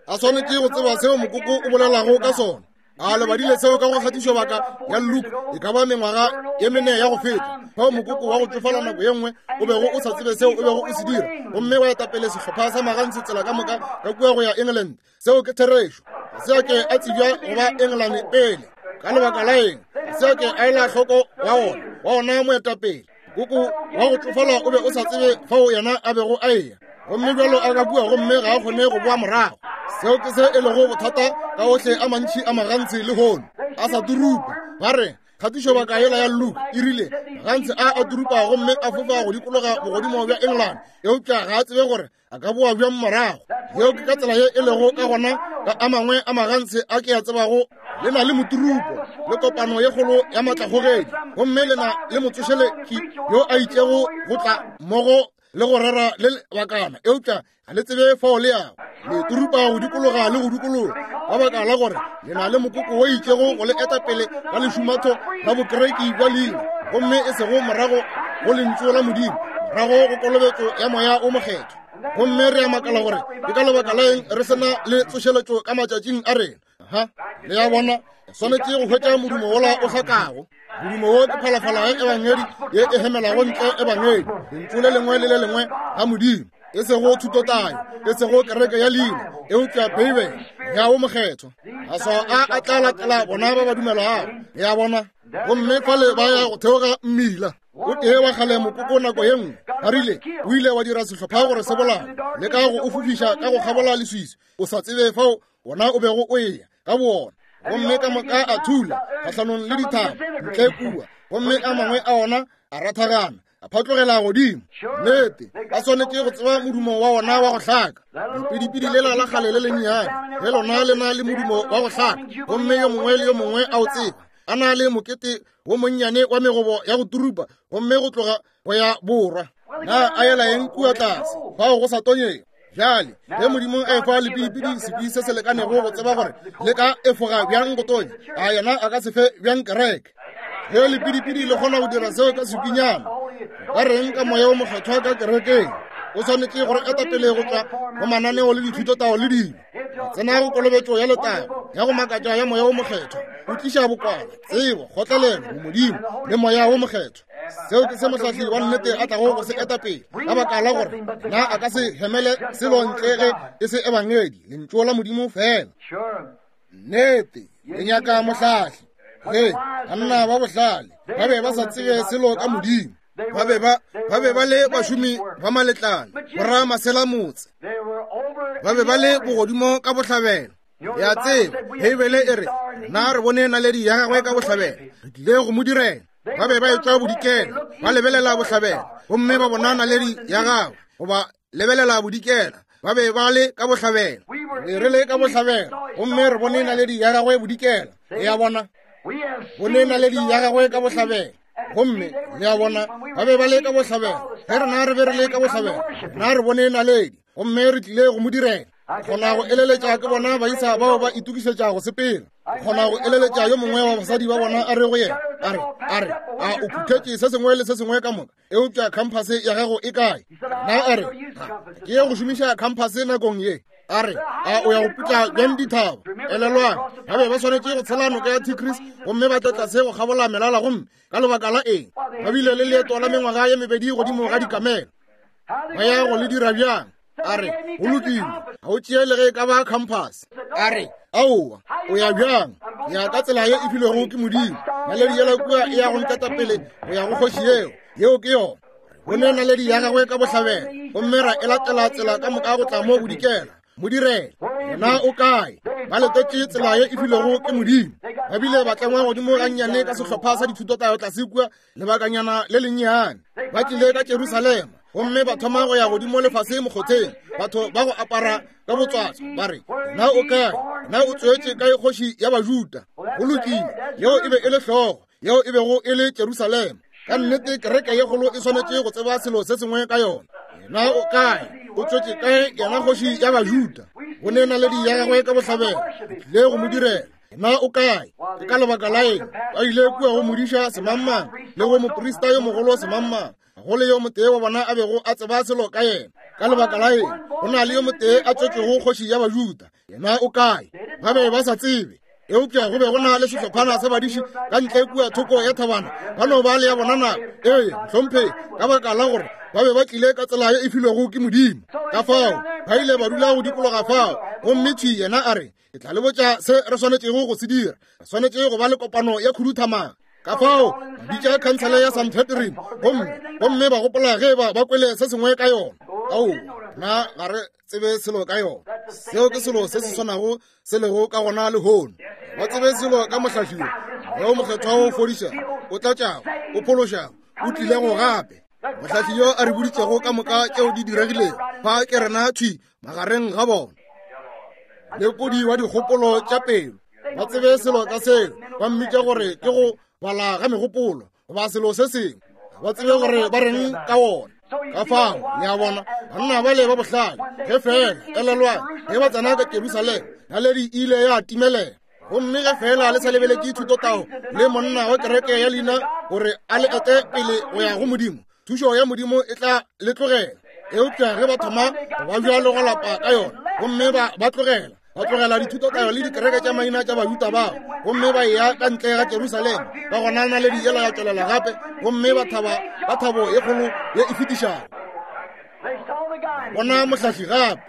A swanetše go tseba seo mokoko o bolelago ka sona. A le badile seo ka go kgatišo baka ya Luke e ka ba mengwaga ye mene ya go feta, fao mokoko wa go tšofala nako ye nngwe o bego o sa tsebe seo o bego o se dira, gomme wa eta pele sehlopha sa magantshe tsela ka moka ka kua go ya England. Seo ke therešo. Ga se a ke a tsebja go ba Engelane pele. Ka lebaka la eng? Ga se a ke a ela hloko wa ona, wa ona moetapele. Koko wa go tšofala o be o sa tsebe fao yena a bego a eya, gomme bjalo a ka kua gomme ga a kgone go boa morago. Seo ke se e lego bothata ka ohle a mantši a magantshe lehono, a sa turupa. Ba re kgatišobaka yela ya Luke e rile magantshe a a turupa gomme a fofa go dikologa bogodimo bja England, eupša ga a tsebe gore a ka boa bjang morago. Yeo ke ka tsela ye e lego ka gona ka a mangwe a magantshe a ke a tsebago. Le na le moturupo le kopano ye kgolo ya matlakgogedi, gomme le na le motsošeletši yo a itšego go tla mmogo le go rera le lebakana, eupša ga le tsebe fao le yago. Le turupa go dikologa le go dikologa ka baka la gore le na le mokoko wo itšego go le eta pele ka lešumatho la bokereki bja leina, gomme e sego morago go lentšu la Modimo, morago go kolobetšo ya Moya o Mokgethwa. Gomme re a makala gore ke ka lebaka la eng re se na le tsošeletšo ka matšatšing a rena. Ha, le a bona, swanetše go hwetša modumo wola o hlakago. Modumo wo ke phalafala ya ebangedi ye e hemelago ntle ebangedi, lentšu le lengwe le le lengwe la Modimo, e sego thutotayo, e sego kereke ya leina, eupša Beibele, Moya wo Mokgethwa. Maswao a a tla latela bona ba ba dumelago. Le a bona? Gomme fale ba ya go theoga mmila o tee wa kgale mokoko nako ye nngwe, ba rile o ile wa dira sehlopha gore se bolao, le ka go o fofiša ka go kgabola leswiswi, o sa tsebe fao wona o bego o eya ka boona. Gomme ka moka a thula kgahlanong le dithaba ntle kua, gomme a mangwe a ona a rathagana a phatlogela godimo. Nnete, ba swanetše go tseba modumo wa ona wa go hlaka. Lepidipidi lela la kgale le lennyane ge lona le na le modumo wa go hlaka, gomme yo mongwe le yo mongwe a o tseba, a na le mokete wo monnyane wa megobo ya go turupa, gomme go tloga go ya borwa. Na a yela eng kua tlase fao go sa tonyego? Bjale ge Modimo a efa lepidipidi sekwi se se lekanego go tseba gore le ka efoga bjang go tonya, a yena a ka se fe bjang kereke? Ge lepidipidi le kgona go dira seo ka sekwinyana, ka reng ka Moya wo Mokgethwa ka kerekeng? O swanetše gore eta pele go tšwa go mananeo le dithutotao le dilo, tsena go kolobetšo ya letago ya go makatša ya Moya wo Mokgethwa. O tliša bokwala, tsebo, kgotlelelo, bomodimo le Moya wo Mokgethwa. Seo ke se mohlahli wa nnete a tlago go se eta pele, ka baka la gore na a ka se hemele selo ntle ge e se ebangedi, lentšu la Modimo fela. Nnete, le nyaka mohlahli. Ge banna ba bohlale ba be ba sa tsebe selo ka Modimo, ba be ba le bašomi ba maletlana, boramasela-motse, ba be ba le bogodimo ka bohlabela. Ya tseba, Beibele e re, na re bone naledi ya gagwe ka bohlabela, re tlile go mo direla. Ba be ba etšwa bodikela, ba lebelela bohlabela, gomme ba bona naledi ya gagwe, goba lebelela bodikela, ba be ba le ka bohlabela. Re re le ka bohlabela, gomme re bone naledi ya gagwe bodikela. Le a bona? Bone naledi ya gagwe ka bohlabela. Gomme le a bona, ba be ba le ka bohlabela. Ge rena re be re le ka bohlabela, rena re bone naledi, gomme re tlile go mo direla. Kgona go eleletša ke bona baisa bao ba itokišetša go sepela. Kgona go eleletša yo mongwe wa basadi ba bona a re go yena, a re, a re, a o phuthetše se sengwe le se sengwe ka moka, eupša khamphase ya gago e kae? Na a re, ke ye go šomiša khamphase nakong ye. A re, a o ya go putla bjang dithaba? Elelwang, ba be ba swanetše go tshela noka ya Tigris gomme ba tle tlase go kgabola melala, gomme ka lebaka la eng ba bile le leeto la mengwaga ye mebedi godimo ga dikamela. Ba ya go le dira bjang? A re, go lokile, ga o tšee le ge e ka ba compass. A re, aowa, o ya bjang? Ke ya ka tsela ye e filwego ke Modimo. Naledi yela kua e ya go nketa pele go ya go kgoši yeo. Yeo ke yona. Re bone naledi ya gagwe ka bohlabela, gomme ra e latela tsela ka moka go tla mo bodikela. Mo direla. Yena o kae? Ba letetše tsela ye e filwego ke Modimo. Ba bile ba tlengwa godimo gannyane ka sehlopha sa dithutotayo tlase kua lebakanyana le lennyane. Ba tlile ka Jerusalema gomme ba thoma go ya godimo lefase mokgotheng, batho ba go apara ka botswatswa, ba re, Na o kae? Na o tswetše kae kgoši ya Bajuda? Go lokile, yeo e be e le hlogo, yeo e bego e le Jerusalema. Ka nnete kereke ye kgolo e swanetše go tseba selo se sengwe ka yona. Yena o kae? O tswetše kae yena kgoši ya Bajuda? Go ne naledi ya gagwe ka bohlabela, tlile go mo direla. Na o kae? Ke ka lebaka la eng ba ile kua go modiša semangmang le go moprista yo mogolo semangmang? Go le yo motee wa bona a bego a tseba selo ka yena. Ka lebaka la eng go na le yo motee a tswetšwego kgoši ya Bajuda? Yena o kae? Ba be ba sa tsebe. Eupša go be go na le sehlophana sa badiši ka ntle kua thoko ya thabana, ba no ba le ya bona nako. Ee, mohlomphegi, ka baka la gore ba be ba tlile ka tsela ye e filwego ke Modimo. Ka fao ba ile ba dula go dikologa fao, gomme thwi yena a re, Ke tla le botša se re swanetšego go se dira. Re swanetše go ba le kopano ya khuduthamaga. Ka fao ba bitša khansele ya Sanhedrin, gomme gomme ba gopola ge ba ba kwele se sengwe ka yona. Ao, na ga re tsebe selo ka yona. Seo ke selo se se swanago se lego ka gona lehono. Ba tsebe selo ka mohlahli yo, yo mokgethwa o fodišago, o tlatšago, o phološago, o tlilego gape. Mohlahli yo a re boditšego ka moka tšeo di diregilego, fa ke rena thwi magareng ga bona. Lekodi wa dikgopolo tša pelo, ba tsebe selo ka seo, ba mmitša gore ke go bala ga megopolo goba selo se sengwe, ba tsebe gore ba reng ka wona. Ka fao le a bona, banna bale ba bohlale, ge fela elelwang, ge ba tsena ka Jerusalema, naledi e ile ya timelela. Gomme ge fela le sa lebeletše thutotao le monna wa kereke ya leina gore a le ete pele go ya go Modimo, thušo ya Modimo e tla le tlogela. Eupša ge ba thoma go ba bjalo go lapa ka yona, gomme ba tlogela, ba tlogela dithutotayo le dikereke tša maina tša Bajuda bao, gomme ba eya ka ntle ga Jerusalema, ka gona naledi yela ya tšwelela gape, gomme ba thaba ka thabo ye kgolo ye e fetišago. Bona mohlahli gape.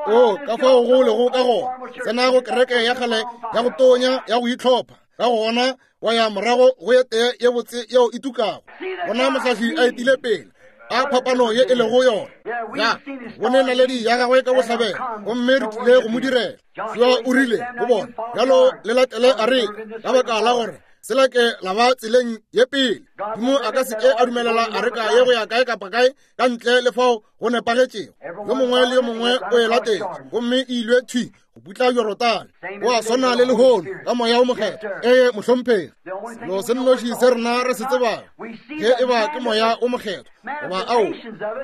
O, ka fao go lego ka gona, tsena go kereke ya kgale ya go tonya ya go itlhopha, ka gona wa ya morago go ye tee ye botse yeo e tukago. Bona mohlahli a etile pele, a phapano ye e lego yona. Ya bone naledi ya gagwe ka bohlabela, gomme re tlile go mo direla. Joshua o rile go bona, bjalo le latele areka, ka baka la gore se lake la ba tseleng ye pele. Modimo a ka se ke a dumelela areka ye go ya kae kapa kae ka ntle le fao go nepagetšego. Yo mongwe le yo mongwe o e latetše, gomme e ilwe thwi go putla Jorodane. Go a swana le lehono ka Moya wo Mokgethwa. Ee, mohlomphegi, selo se nnoši se rena re se tsebago ge e ba ke Moya wo Mokgethwa goba ao,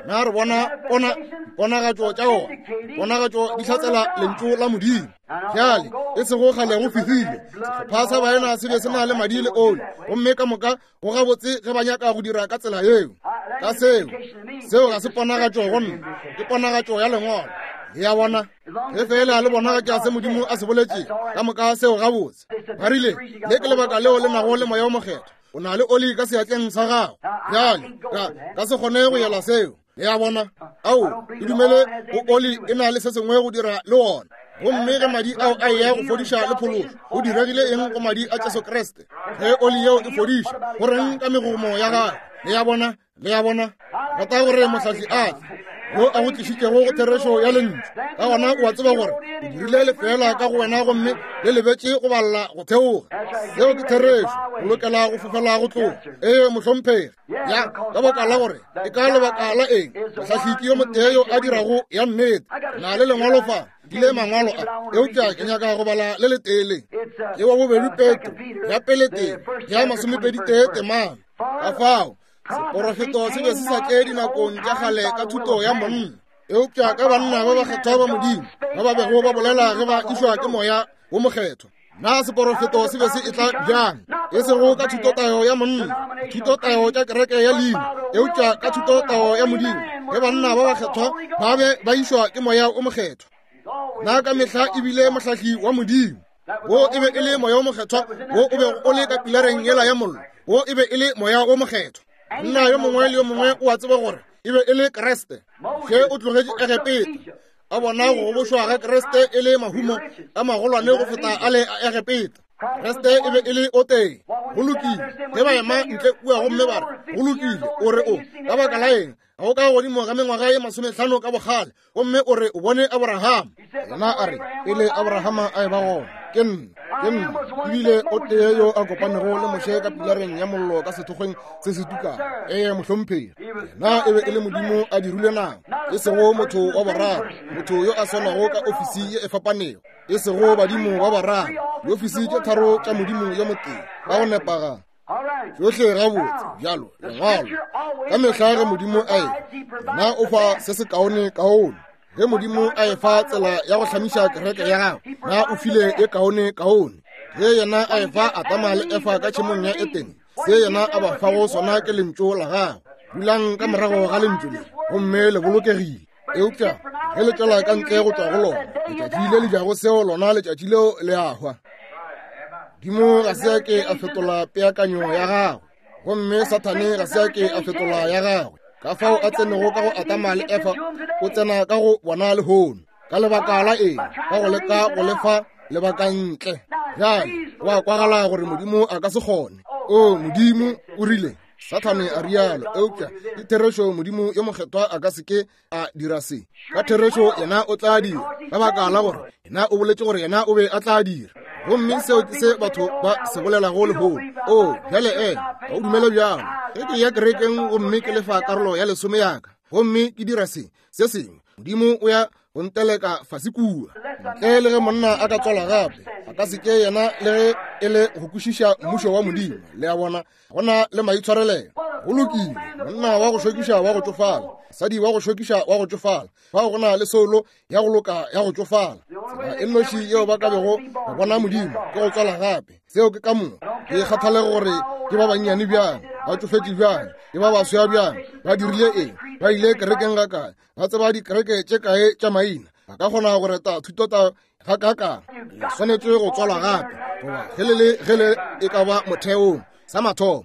na re bona pona ponagatšo tša ona, ponagatšo di hlatsela lentšu la Modimo. Bjale e sego kgale go fihlile sehlopha sa baena se be se na le madi le oli, gomme ka moka go gabotse ge ba nyaka go dira ka tsela yeo. Ka seo, seo ga se ponagatšo go nna, ke ponagatšo ya Lengwalo. Le a bona? Ge feela le bonagatša se Modimo a se boletšego, ka moka seo gabotse. Ba rile, le ke lebaka leo le nago le Moya wo Mokgethwa, o na le oli ka seatleng sa gago. Bjale, ka se kgone go yela seo. Le a bona? Ao, ke dumele go oli e na le se sengwe go dira le wona. Gomme ge madi ao a eya go fodiša le phološo, go diregile eng go madi a Jesu Kriste? Ge oli yeo e fodiša, go reng ka megomo ya gagwe? Le a bona? Le a bona? Rata gore mohlahli a tle, yo a go tlišitšego go therešo ya lentšu. Ka gona o a tseba gore o dirile lefeela ka go wena, gomme le lebetše go balla go theoga. Seo ke therešo. O lokela go fofela go tloga. Ee, mohlomphegi. Ya, ka baka la gore e ka lebaka la eng mohlahli ke yo motee yo a dirago ya nnete. Na le lengwalo fa, ke le mangwalo a, eupša ke nyaka go bala le letee le. Ke wa bobedi Petro, ya pele tee, ya masomepedi tee temana. Ka fao seporofeto se be se sa tle dinakong tša kgale ka thuto ya monna, eupša ka banna ba bakgethwa ba Modimo ba ba bego ba bolela ge ba išwa ke Moya wo Mokgethwa. Na seporofeto se be se etla bjang? E sego ka thutotayo ya monna, thutotayo tša kereke ya leina, eupša ka thutotayo ya Modimo, ge banna ba bakgethwa ba be ba išwa ke Moya o Mokgethwa. Na ka mehla e bile mohlahli wa Modimo. Wo e be e le Moya o Mokgethwa wo o bego o le ka pilareng yela ya mollo. Wo e be e le Moya o Mokgethwa. Monna yo mongwe le yo mongwe o a tseba gore e be e le Kriste. Ge o tlogetše Egepeta, a bona go gobošwa ga Kriste e le mahumo a magolwane go feta a le a Egepeta. Kriste e be e le o tee. Go lokile. Ge ba ema ntle kua gomme ba re, go lokile, o re o, ka baka la eng, ga o ka godimo ga mengwaga ye masomehlano ka bokgale, gomme o re o bone Abraham. Yena a re, pele Abrahama a eba gona, ke nna, ke nna. Ebile o tee yo a kopanego le Moshe ka pilareng ya mollo ka sethokgweng se se tukang. Ee, mohlomphegi. Yena e be e le Modimo a dirile nama, e sego motho wa boraro, motho yo a swanago ka ofisi ye e fapanego, e sego badimo ba bararo, diofisi tše tharo tša Modimo yo motee, ka go nepagala. Tšohle gabotse bjalo lengwalo ka mehla ge Modimo a efa, yena o fa se se kaone kaone. Ge Modimo a efa tsela ya go hlamiša kereke ya gagwe, na o file e kaone kaone. Ge yena a efa Adama le Efa ka tšhemong ya Etene, se yena a ba fago sona ke lentšu la gagwe. Dulang ka morago ga lentšu le gomme le bolokegile. Eupša ge le tšwela ka ntle go tšwa go lona, letšatši le le jago seo lona letšatši leo le a hwa. Modimo ga se a ke a fetola peakanyo ya gagwe, gomme Sathane ga se a ke a fetola ya gagwe. Ka fao a tsenego ka go Adama le Efa, o tsena ka go bona lehono. Ka lebaka la eng? Ka go leka go lefa lebaka ntle. Bjale go a kwagala gore Modimo a ka se kgone. O Modimo o rile, Sathane a rialo, eupša ke therešo Modimo yo mokgethwa a ka se ke a dira se. Ka therešo yena o tla dira, ka baka la gore yena o boletše gore yena o be a tla dira. Gomme seo ke se batho ba se bolelago lehono. O, bjale e, ga o dumele bjalo. Ge ke ya kerekeng gomme ke lefa karolo ya lesome ya ka, gomme ke dira se, se sengwe, Modimo o ya go nteleka fase kua. Ntle le ge monna a ka tswalwa gape, a ka se ke yena le ge e le go kwešiša mmušo wa Modimo. Le a bona? Go na le maitshwarelelo. Go lokile, monna wa go šokiša wa go tšofala, mosadi wa go šokiša wa go tšofala, fao go na le soulo ya go loka ya go tšofala. Tsela e nnoši yeo ba ka bego ba bona Modimo ke go tswala gape. Seo ke ka moka. Ke kgathalego gore ke ba bannyane bjang, ba tšofetše bjang, ke ba baswa bjang, ba dirile eng, ba ile kerekeng ga kae, ba tseba dikereke tše kae tša maina, ba ka kgona go reta thutota ga kakang. Le swanetše go tswalwa gape, goba ge le le ge le e ka ba motheong sa mathomo.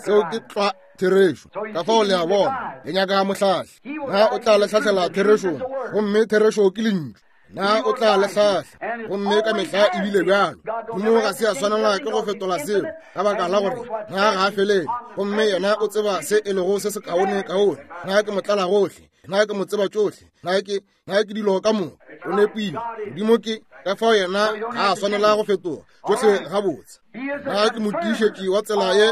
Seo ke tlwa therešo. Ka fao le a bona, le nyaka mohlahli. Na o tla le hlahlela therešong, gomme therešo ke lentšu. Na o tla le hlahla, gomme ka mehla e bile bjalo. Modimo ga se a swanela ke go fetola seo, ka baka la gore na ga a felele, gomme yena o tseba se e lego se se kaone kaone. Na ke motlala gohle, na ke mo tseba tšohle, na ke na ke dilo ka moka. O nepile. Modimo ke ka fao yena ga a swanela go fetoga tšohle gabotse. Na ke motiišetši wa tsela ye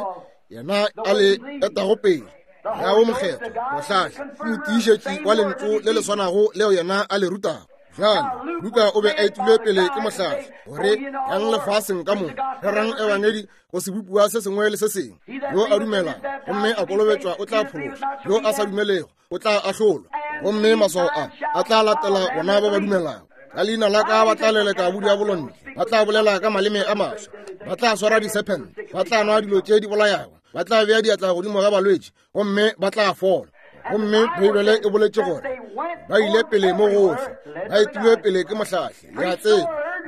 yena a le etago pele. Moya wo Mokgethwa, mohlahli, ke motiišetši wa lentšu le le swanago leo yena a le rutago. Bjale, Luka o be a etilwe pele ke mohlahli gore yang lefaseng ka moka, rerang ebangedi go sebopiwa se sengwe le se sengwe. Yo a dumelago gomme a kolobetšwa o tla phološwa, yo a sa dumelego o tla ahlolwa. Gomme maswao a a tla latela bona ba ba dumelago. Ka leina la ka ba tla leleka bodiabolo ntle, ba tla bolela ka maleme a maswa, ba tla swara disephente, ba tla nwa dilo tše di bolayago, ba tla bea diatla godimo ga balwetši gomme ba tla fola. Gomme Beibele e boletše gore ba ile pele mo gohle, ba etilwe pele ke mohlahli, le a tseba,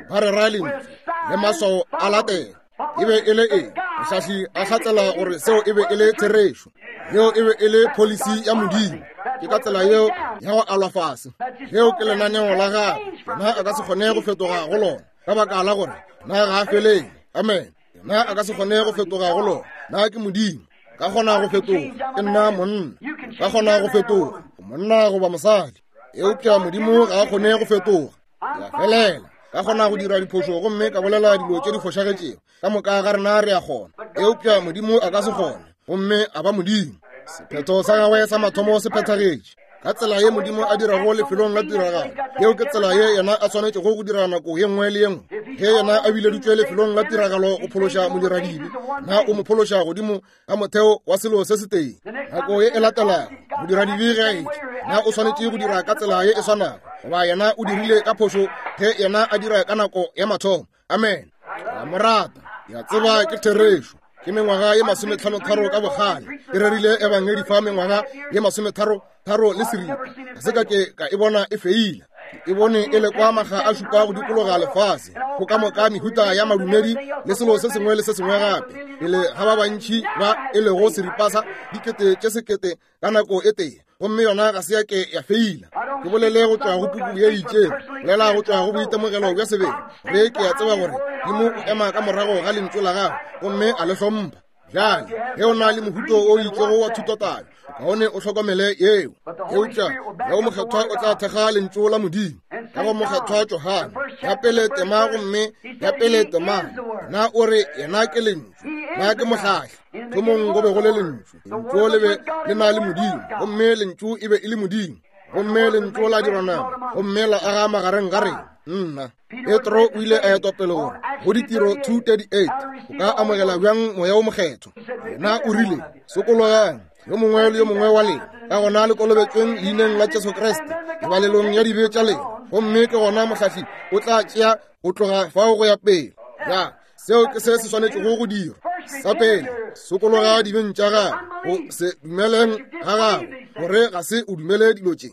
ba rera lentšu le maswao a latela. E be e le eng? Mohlahli a hlatsela gore seo e be e le therešo. Yeo e be e le policy ya Modimo. Ke ka tsela yeo ya go alwa fase. Leo ke lenaneo la gagwe. Yena a ka se kgone go fetoga go lona, ka baka la gore na ga a felele. Amen. Yena a ka se kgone go fetoga go lona. Na ke Modimo. Ka kgona go fetoga. Ke nna monna. Ka kgona go fetoga. Monna goba mosadi. Eupša Modimo ga a kgone go fetoga. Ke a felela. Ka kgona go dira diphošo gomme ka bolela dilo tše di fošagetšego. Ka moka ga rena re a kgona. Eupša Modimo a ka se kgone, gomme a ba Modimo. Sephetho sa gagwe sa mathomo se phethagetše. Ka tsela ye Modimo a dirago lefelong la tiragalo, yeo ke tsela ye yena a swanetšego go dira nako ye nngwe le ye nngwe. Ge yena a bileditšwe lefelong la tiragalo go phološa modiradibe, na o mo phološa godimo ga motheo wa selo se setee? Nako ye e latelago, modiradibe ge a etla, na o swanetše go dira ka tsela ye e swanago, goba yena o dirile ka phošo ge yena a dira ka nako ya mathomo? Amen. Ke a mo rata. Ke a tseba ke therešo. Ke mengwaga ye 53 ka bogale. Ke rerile ebangedi fa mengwaga ye 33 le seripa. Ga se ka ke ka e bona e feila. Ke e bone e lekwa maga a šupa go dikologa lefase, go ka moka mehuta ya madumedi le selo se sengwe le se sengwe gape, pele ga ba bantši ba e lego seripa sa 1000 tše 1000 ka nako e tee, gomme yona ga se ya ke ya feila. Ke bolele go tšwa go puku ye itšego, bolela go tšwa go boitemogelo bja sebele, re ke a tseba gore Modimo o ema ka morago ga lentšu la gagwe gomme a le hlompha. Bjale, ge o na le mohuto o itšego wa thutotaba, kaone o hlokomele yeo. Eupša Moya wo Mokgethwa o tla thekga lentšu la Modimo. Ka go Mokgethwa Johane, ya pele tema gomme ya pele tema, na o re yena ke lentšu, na ke mohlahli. Thomong go be go le lentšu, lentšu le be le na le Modimo, gomme lentšu e be e le Modimo, gomme lentšu la dirwa nama, gomme la aga magareng ga rena. Nna. Petro o ile a etwa pele gore go Ditiro 2:38 o ka amogela bjang Moya wo Mokgethwa. Yena o rile, sokologang yo mongwe le yo mongwe wa lena, ka gona le kolobetšweng leineng la Jesu Kriste lebalelong ya dibe tša lena, gomme ke gona mohlahli o tla tšea go tloga fao go ya pele. Ya, seo ke se se swanetšego go dirwa. Sa pele, sokologa dibeng tša gago, go se dumeleng ga gago gore ga se o dumele dilo tše.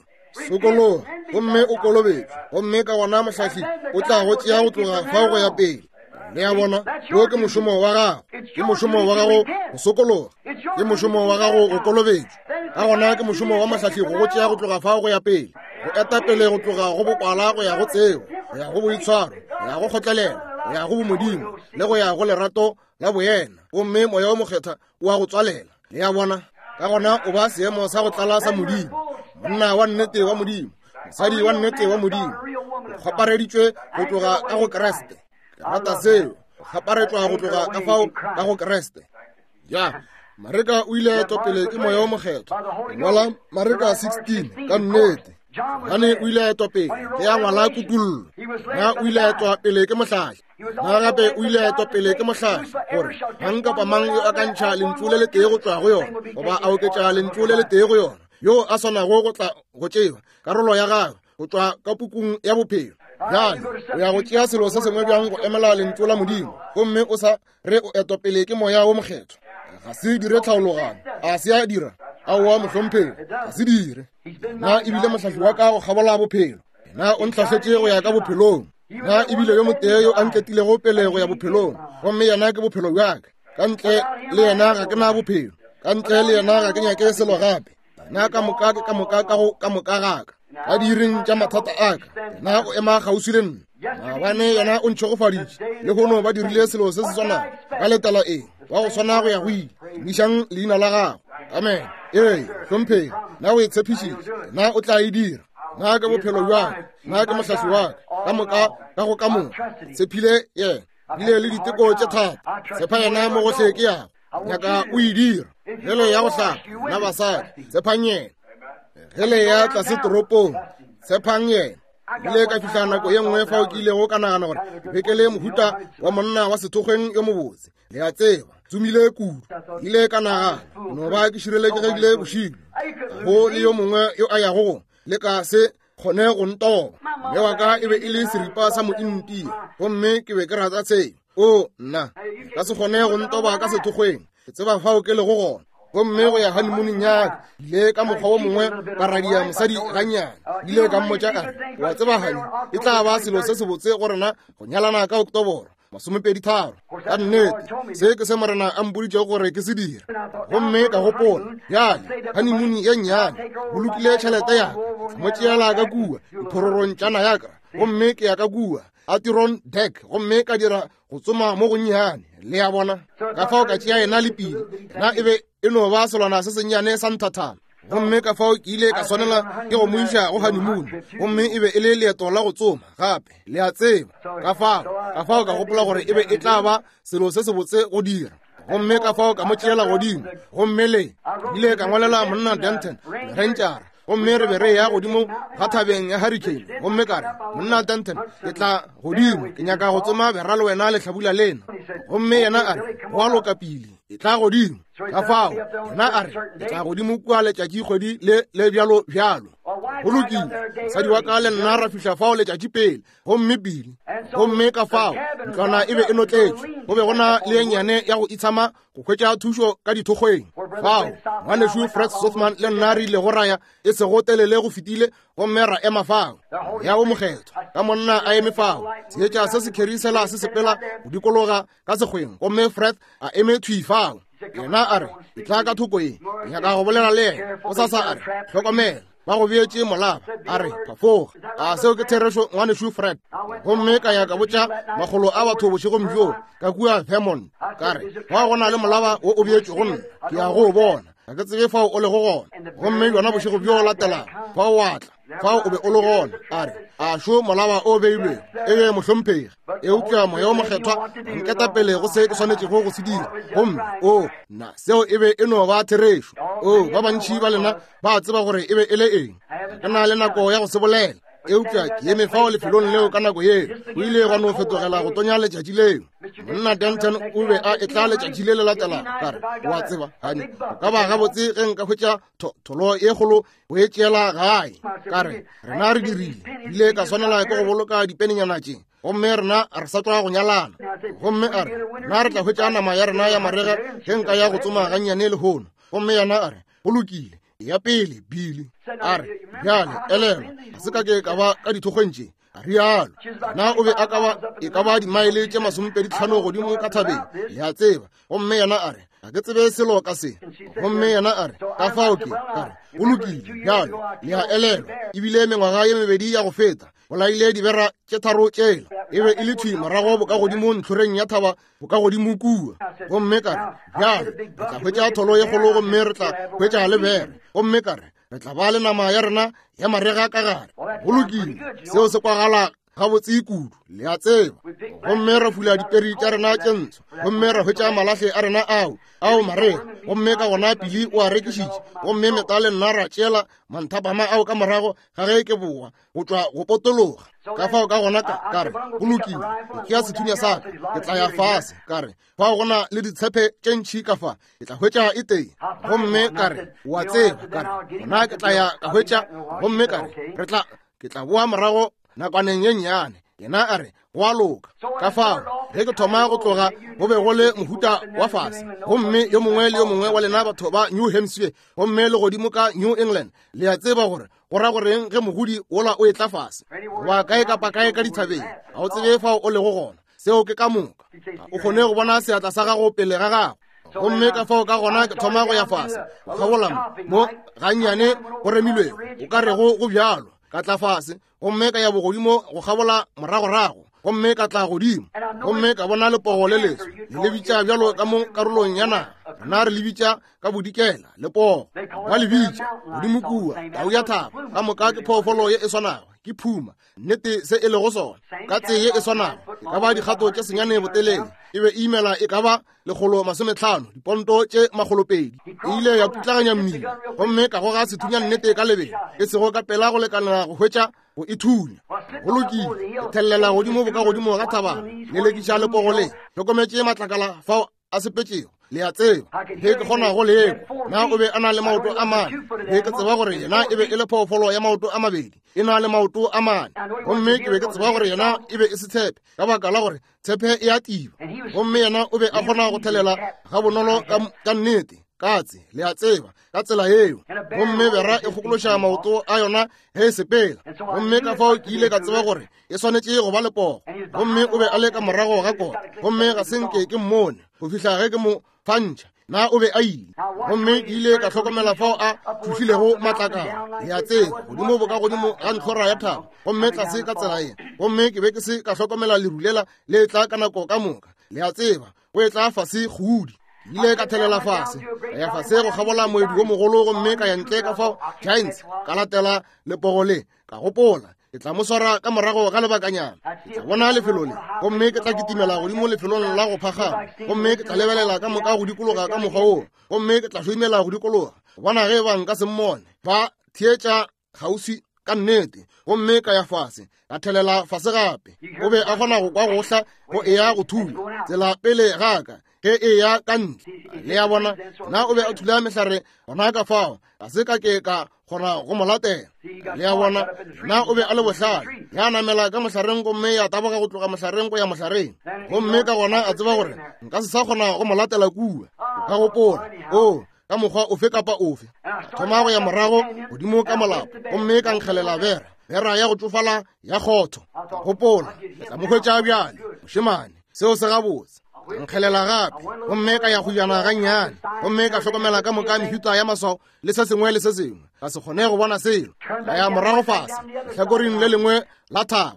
Sokologa gomme o kolobetšwe, gomme ka gona mohlahli o tla go tšea go tloga fao go ya pele. Le a bona, wo ke mošomo wa gago. Ke mošomo wa gago go sokologa, ke mošomo wa gago go kolobetšwa, ka gona ke mošomo wa mohlahli go go tšea go tloga fao go ya pele, go eta pele go tloga go bokwala go ya go tsebo, go ya go boitshwaro, go ya go kgotlelelo, go ya go bomodimo, le go ya go lerato la boyena. Gomme Moya wo Mokgethwa o a go tswalela. Le a bona? Ka gona o ba seemo sa go tlala sa Modimo, monna wa nnete wa Modimo, mosadi wa nnete wa Modimo, o kgwapareditšwe go tloga ka go Kriste. Ke rata seo, go kgwaparetšwa go tloga ka fao ka go Kriste. Ya, Mareka o ile a etwa pele ke Moya wo Mokgethwa. Ngwala Mareka 16, ka nnete. Johane o ile a etwa pele ge a ngwala Kutullo. Na o ile a etwa pele ke mohlahli. Na gape o ile a etwa pele ke mohlahli gore mang kapa mang yo a ka ntšha lentšu le letee go tšwa go yona, goba a oketša lentšu le letee go yona, yo a swanago go tla go tšewa karolo ya gagwe go tšwa ka pukung ya bophelo. Bjale o ya go tšea selo se sengwe bjang go emela lentšu la Modimo, gomme o sa re o etwa pele ke Moya wo Mokgethwa? Ga se dire tlhaologanyo. A se a dira? Aowa, mohlomphegi, ga se dire. Na ebile mohlahli wa ka go kgabola bophelo, na o ntlhahletše go ya ka bophelong. Na ebile yo motee yo a nketilego pele go ya bophelong, gomme yena ke bophelo bja ka. Ka ntle le yena ga ke na bophelo, ka ntle le yena ga ke nyake selo gape. Yena ka moka ke ka moka ka go ka moka ga ka. Ka diiring tša mathata a ka, yena o ema kgauswi le nna. Maabane yena o ntšhegofaditše, lehono ba dirile selo se se swanago. Ba letela eng? Wa go swana go ya go ile. Tumišang leina la gagwe. Amen. Ee, hlomphegi, na o e tshepišitše, na o tla e dira. Na ke bophelo bja ka, na ke mohlahli wa ka, ka moka ka go ka moka. Tshephile yena, bile le diteko tše thata. Tshepa yena mo gohle ke yago. Nyaka o e dira. Ge le ya go hlapa, na basadi, tshepang yena. Ge le ya tlase toropong, tshepang yena. Ile ka fihla nako ye nngwe fao ke ilego ka nagana gore ke be ke le mohuta wa monna wa sethokgweng yo mobotse. Le a tseba, tsomile kudu. Ile ka nagana, no ba ke šireletšegile bošego. Ga go le yo mongwe yo a yago go leka se kgone go ntoba. Mme wa ka e be e le seripa sa mointia, gomme ke be ke rata seo. O, nna, ka se kgone go ntoba ka sethokgweng. Ke tseba fao ke lego gona. Gomme go ya honeymooneng ya ka, ile ka mokgwa wo mongwe ka radia mosadi gannyane. Ile ka mmotša ka re, wa tseba honey, e tla ba selo se sebotse go rena go nyalana ka Oktoboro 23. Ka nnete, se ke se Morena a mpoditšego gore ke se dire. Gomme ka gopola, bjale, honeymoon ye nnyane, bolokile tšhelete ya ka, mo tšeela ka kua diphororong tša Niagara, gomme ke ya ka kua Adirondack, gomme ka dira go tsoma mo gonnyane. Le a bona? Ka fao ka tšea yena le pile. Yena e be e no ba selwana se sennyane sa nthathana. Gomme ka fao ke ile ka swanela ke go mo iša go honeymoon, gomme e be e le leeto la go tsoma gape, le a tseba. Ka fao, ka fao ka gopola gore e be e tla ba selo se sebotse go dira. Gomme ka fao ka mo tšeela godimo, gomme le ile ka ngwalela monna Denton, rentšara, gomme re be re ya godimo ga thabeng ya Hurricane. Gomme ka re, monna Denton, ke tla godimo, ke nyaka go tsoma bera le wena lehlabula lena. Gomme yena a re, go a loka pele, e tla godimo. Ka fao yena a re, ke tla godimo kua letšatši kgwedi le le bjalo bjalo. Go lokile, mosadi wa ka le nna ra fihla fao letšatši pele, gomme Billy. Gomme ka fao ntlwana e be e notletšwe, go be go na le ye nnyane ya go itshama go hwetša thušo ka dithokgweng. Fao ngwanešu Fred Sothmann le nna re ile go raya e sego telele go fetile, gomme ra ema fao. Moya wo Mokgethwa ka monna a eme fao, seetša se se kherisela se sepela go dikologa ka sekgweng, gomme Fred a eme thwi fao. Yena a re, Etla ka thoko ye, ke nyaka go bolela le yena. Gosasa a re, Hlokomela, ba go beetše molaba. A re, Phafoga. A seo ke therešo, ngwanešu Fred? Gomme ka ya ka botša makgolo a batho bošegong bjoo ka kua Vermont, ka re, Fao go na le molaba wo o beetšwego nna, ke ya go o bona. Ga ke tsebe fao o lego gona. Gomme bjona bošego bjo latelago, fao wa tla. Fao o be o le gona. A re, A šo molaba o beilwego? Ee, mohlomphegi. Eupša Moya wo Mokgethwa o nketa pele go se ke swanetšego go se dira. Gomme, oo, nna, seo e be e no ba therešo. Oo, ba bantši ba lena ba tseba gore e be e le eng. Ga ke na le nako ya go se bolela. Eupša ke eme fao lefelong leo ka nako yeo, go ile gwa no fetogela go tonya letšatši leo. Monna Denton o be a etla letšatši le le latelago. Ka re, O a tseba, honey, go ka ba gabotse ge nka hwetša tholo ye kgolo go e tšeela gae. Ka re, rena re dirile, ile ka swanela ke go boloka dipenenyana tše, gomme rena re sa tšwa go nyalana. Gomme a re, na re tla hwetša nama ya rena ya marega ge nka ya go tsoma gannyane lehono. Gomme yena a re, go lokile, ya pele, Billy. A re, bjale, elelwa, ga se ka ke ka ba ka dithokgweng tše, a rialo. Na o be a ka ba e ka ba dimaele tše 25 godimo ka thabeng, le a tseba. Gomme yena a re, ga ke tsebe selo ka se. Gomme yena a re, ka fao ke, ka re, go lokile, bjale, le a elelwa, ebile mengwaga ye mebedi ya go feta, bolaile dibera tše tharo tšela, e be e le thwi morago bokagodimo ntlhoreng ya thaba bokagodimo kua. Gomme ka re, bjale, re tla hwetša tholo ye kgolo gomme re tla hwetša le bere. Gomme ka re, re tla ba le nama ya rena ya marega ka gare. Go lokile, seo se kwagala gabotse kudu, le a tseba. Gomme ra fula diperi tša rena tše ntsho, gomme ra hwetša malahle a rena ao marega. Gomme ka gona Billy o a rekišitše, gomme Meta le nna ra tšeela manthapama ao ka morago ga ge ke boa go tšwa go potologa. Ka fao ka gona ka re, go lokile, ke tšea sethunya sa ka, ke tla ya fase. Ka re, fao go na le ditshepe tše ntši ka fa, ke tla hwetša e tee. Gomme ka re, o a tseba, ka re, gona ke tla ya ka hwetša. Gomme ka re, ke tla boa morago nakwaneng ye nnyane. Yena a re, go a loka. Ka fao ge ke thoma go tloga, go be go le mohuta wa fase, gomme yo mongwe le yo mongwe wa lena batho ba New Hampshire gomme le godimo ka New England, le a tseba gore go ra goreng ge mogodi wola o etla fase, goba kae kapa kae ka dithabeng, ga o tsebe fao o lego gona. Seo ke ka moka. Ga o kgone go bona seatla sa gago pele ga gago. Gomme ka fao ka gona ke thoma go ya fase, go kgabola mo gannyane go remilwego, o ka rego go bjalo. Ka tla fase gomme ka ya bogodimo go kgabola moragorago, gomme ka tla godimo gomme ka bona lepogo le leso, le le bitša bjalo ka mo karolong ya naga, rena re le bitša ka bodikela lepogo, ba le bitša godimo kua tau ya thaba. Ka moka ke phoofolo ye e swanago, ke phuma, nnete se e lego sona, ka tse ye e swanago, e ka ba dikgato tše 9 botelele, e be e imela e ka ba 150, diponto tše 200. E ile ya putlaganya mmila, gomme ka goga sethunya nnete ka lebelo, e sego ka pela go lekanela go hwetša go e thunya. Go lokile, ke thellela godimo bokagodimo ga thabana, lelekiša lepogo le, hlokometše matlakala fao a sepetšego, le a tseba, ge ke kgona go le kwa. Na o be a na le maoto a mane? Ge ke tseba gore yena e be e le phoofolo ya maoto a mabedi, e na le maoto a mane. Gomme ke be ke tseba gore yena e be e se tshepe, ka baka la gore tshepe e a tiba. Gomme yena o be a kgona go thelela gabonolo ka nnete, katse, le a tseba, ka tsela yeo. Gomme bera e kgokološa maoto a yona ge e sepela. Gomme ka fao ke ile ka tseba gore e swanetše go ba lepogo. Gomme o be a le ka morago ga kota, gomme ga se nke ke mmone go fihla ge ke mo fantšha. Na o be a ile? Gomme ke ile ka hlokomela fao a thušilego matlakala, le a tseba, godimo bokagodimo ga ntlhora ya thaba, gomme tlase ka tsela ye. Gomme ke be ke se ka hlokomela leru lela le etla ka nako ka moka, le a tseba, go etla fase kgudi. Ke ile ka thelela fase, ka ya fase go kgabola moedi wo mogolo, gomme ka ya ntle ka fao Giants, ka latela lepogo le. Ka gopola, ke tla mo swara ka morago ga lebakanyana, ke tla bona lefelo le, gomme ke tla kitimela godimo lefelong la go phagama, gomme ke tla lebelela ka moka go dikologa ka mokgwa wo, gomme ke tla hloimela go dikologa, go bona ge ba nka se mmone. Ba theetša kgauswi ka nnete, gomme ka ya fase, ka thelela fase gape. O be a kgona go kwa go hla go eya go thula tsela pele ga ka. ge e ya ka ntle. Le a bona? Na o be a thula mehlare gona ka fao ga se ka ke ka kgona go mo latela. Le a bona? Na o be a le bohlale, ya namela ka mohlareng gomme ya taboga go tloga mohlareng go ya mohlareng, gomme ka gona a tseba gore nka se sa kgona go mo latela kua. O ka gopola, o ka mokgwa ofe kapa ofe, ka thoma go ya morago godimo ka molapo gomme ka nkgelela bera, bera ya go tšofala ya kgotho. Ka gopola, ke tla mo hwetša bjale, mošemane, seo se gabotse. Ka nkgelela gape gomme ka ya go jana gannyane, gomme ka hlokomela ka moka mehuta ya maswao le se sengwe le se sengwe, ka se kgone go bona selo. Ka ya morago fase lehlakoreng le lengwe la thaba,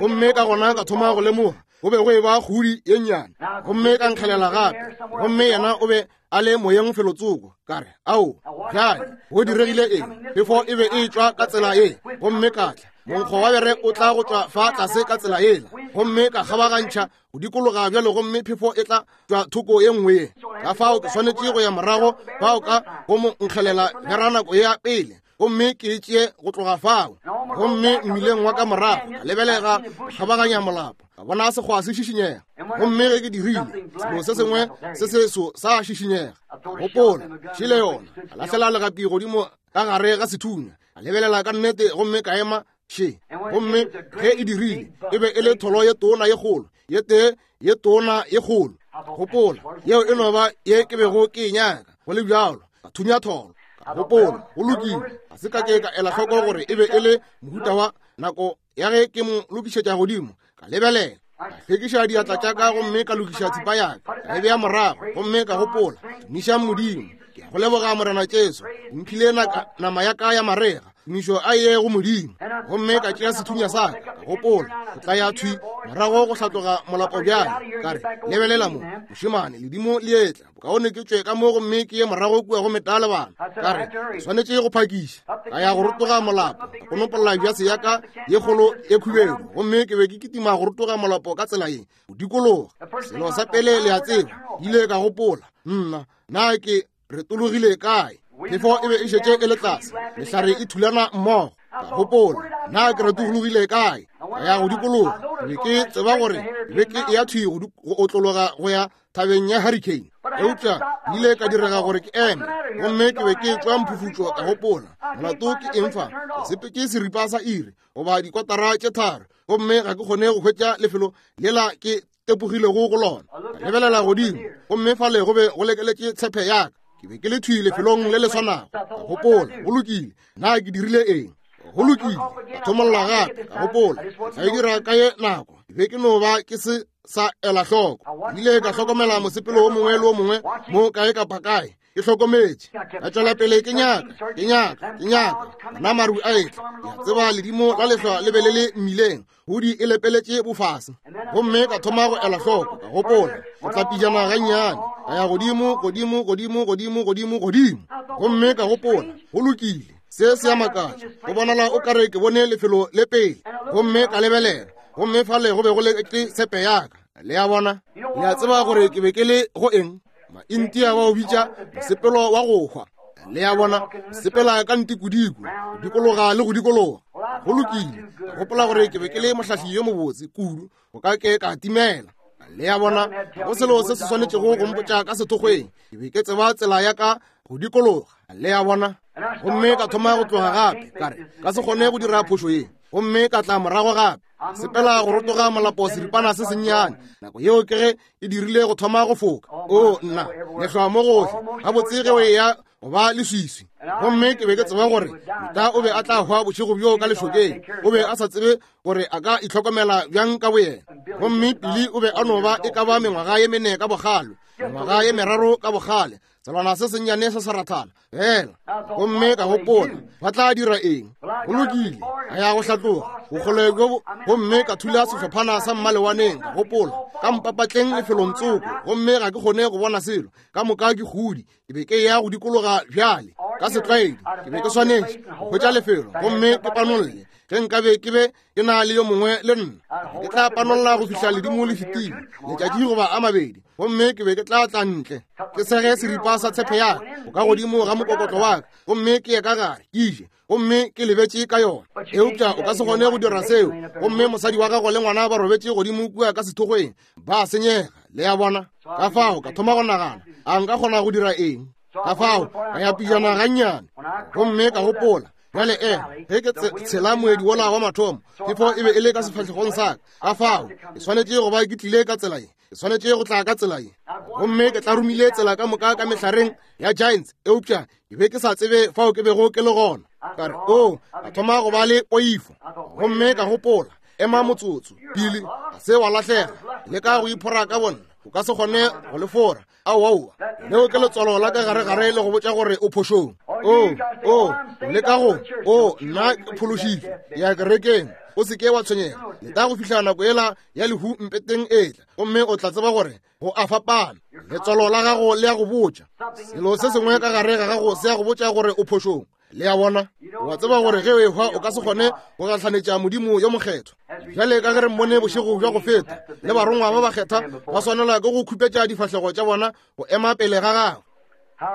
gomme ka gona ka thoma go lemoga go be go e ba kgudi ye nnyane, gomme ka nkgelela gape, gomme yena o be a le moyeng felotsoko. Ka re, ao, bjale go diregile eng? Phefo e be e tšwa ka tsela ye, gomme ka tla monkgo wa bere o tla go tšwa fa tlase ka tsela yela, gomme ka kgabagantšha go dikologa bjalo, gomme phefo e tla tšwa thoko ye nngwe ye. Ka fao ke swanetše go ya morago fao ka go mo nkgelela bera nako ya pele, gomme ke e tšee go tloga fao. Gomme mmileng wa ka morago ka lebelega kgabaganya molapo, ka bona sekgwa se šišinyega, gomme ge ke dirile, selo se sengwe se seso sa šišinyega. Gopola, šele yona. Ka lahlela legapi godimo ka gare ga sethunya, ka lebelela ka nnete, gomme ka ema še. Gomme ge e dirile, e be e le tholo ye tona ye kgolo, ye tee ye tona ye kgolo. Gopola, yeo e no ba ye ke bego ke e nyaka, go le bjalo. Ka thunya tholo. Ka gopola, go lokile. Ga se ka ke ka ela hloko gore e be e le mohuta wa nako ya ge ke mo lokišetša godimo. Ka lebelela, ka hlwekiša diatla tša ka gomme ka lokiša thipa ya ka, ka e bea morago, gomme ka gopola, tumišang Modimo, ke a go leboga Morena Jesu, o mphile nama ya ka ya marega, tumišo a ye go Modimo. Gomme ka tšea sethunya sa ka, ka gopola, go tla ya thwi morago go hlatloga molapo bjale. Ka re, lebelela mo, mošemane, ledimo le etla, bokaone ke tšwe ka mo gomme ke ye morago kua go meta le bana. Ka re, ke swanetše go phakiša. Ka ya go rotoga molapo, ka konopolla bjase ya ka ye kgolo ye khubedu, gomme ke be ke kitima go rotoga molapo ka tsela ye, go dikologa. Selo sa pele le a tseba, ke ile ka gopola, nna, na ke retologile kae? Phefo e be e šetše e le tlase, mehlare e thulana mmogo. Ka gopola, na ke retologile kae? Ka ya go dikologa. Ke be ke tseba gore ke be ke eya thwi go otlologa go ya thabeng ya Hurricane, eupša ke ile ka direga gore ke eme, gomme ke be ke tšwa mphufutšo. Ka gopola, molato ke eng fa? Ke sepetše seripa sa iri goba dikotara tše 3, gomme ga ke kgone go hwetša lefelo lela ke tepogilego go lona. Ka lebelela godimo, gomme fale go be go lekeletše tshepe ya ka. Ke be ke le thwi lefelong le le swanago. Ka gopola, go lokile, na ke dirile eng? Go lokile, ka thomolla gape. Ka gopola, ke tla e dira ka ye nako. Ke be ke no ba ke se sa ela hloko. Ke ile ka hlokomela mosepelo wo mongwe le wo mongwe mo kae kapa kae, ke hlokometše. Ka tšwela pele ke nyaka, ke nyaka, ke nyaka. Bona maru a etla. Ke a tseba ledimo la lehlwa le be le le mmileng, godi e lepeletše bofase. Gomme ka thoma go ela hloko, ka gopola, go tla pijana gannyane. Ka ya godimo, godimo, godimo, godimo, godimo, godimo. Gomme ka gopola, go lokile, se se a makatša, go bonala o kare ke bone lefelo le pele. Gomme ka lebelela, gomme fale go be go le ke tshepe ya ka. Le a bona? Le a tseba gore ke be ke le go eng? Maintia ba o bitša mosepelo wa go hwa. Le a bona? Sepela ka ntikodiko, go dikologa le go dikologa. Go lokile, ka gopola gore ke be ke le mohlahli yo mobotse kudu, go ka ke ka timela. Le a bona? Ga go selo se se swanetšego go mpotša ka sethokgweng. Ke be ke tseba tsela ya ka go dikologa. Le a bona? Gomme ka thoma go tloga gape, ka re, ka se kgone go dira phošo ye. Gomme ka tla morago gape, sepela go rotoga molapo seripana se sennyane. Nako yeo ke ge e dirile go thoma go foka. O nna, lehlwa mo gohle, gabotse ge o eya go ba leswiswi. Gomme ke be ke tseba gore Mita o be a tla hwa bošego bjoo ka lešokeng. O be a sa tsebe gore a ka itlhokomela bjang ka boyena. Gomme Pili o be a no ba e ka ba mengwaga ye mene ka bogalo, mengwaga ye meraro ka bogale, selwana se sennyane se sa rathana fela. Gomme ka gopola, ba tla dira eng? Go lokile, ka ya go hlatloga bokgole bjo, gomme ka thula sehlophana sa mmalewaneng. Ka gopola, ka mpapatleng lefelong tsoko, gomme ga ke kgone go bona selo, ka moka ke kgodi. Ke be ke ya go dikologa bjale ka setlwaedi, ke be ke swanetše go hwetša lefelo gomme ke panolle. Ge nkabe ke be ke na le yo mongwe le nna, ke tla panolla go fihla ledimo le fetile letšatši goba a mabedi, gomme ke be ke tla tla ntle ke sege seripa sa tshepe ya ka go ka godimo ga mokokotlo wa ka, gomme ke ye ka gare ke je, gomme ke lebetše ka yona. Eupša o ka se kgone go dira seo, gomme mosadi wa gago le ngwana ba robetše godimo kua ka sethokgweng, ba senyega. Le a bona? Ka fao ka thoma go nagana, a nka kgona go dira eng? Ka fao ka ya pijana gannyane, gomme ka gopola, bjale ema, ge ke tshela moedi wola wa mathomo, phefo e be e le ka sefahlegong sa ka. Ka fao ke swanetše go ba ke tlile ka tsela ye, ke swanetše go tla ka tsela ye. Gomme ke tlarumile tsela ka moka ka mehlareng ya Giants, eupša ke be ke sa tsebe fao ke bego ke le gona. Ka re, o, ka thoma go ba le poifo. Gomme ka gopola, ema motsotso, Billy, ga se wa lahlega, leka go iphora ka bonna, o ka se kgone go le fora. Aowa, leo ke letswalo la ka garegare le go botša gore o phošong. O, o, leka go, o, nna ke phološitšwe, ke ya kerekeng. O se ke wa tshwenyega, leta go fihla nako yela ya lehu mpeteng etla, gomme o tla tseba gore go a fapana. Letswalo la gago le ya go botša selo se sengwe ka gare ga gago, se ya go botša gore o phošong. Le a bona? Wa tseba gore ge o ehwa o ka se kgone go gahlanetša Modimo yo mokgethwa. Bjale ka ge re mmone bošego bja go feta, le barongwa ba bakgethwa ba swanela ke go khupetša difahlego tša bona go ema pele ga gagwe.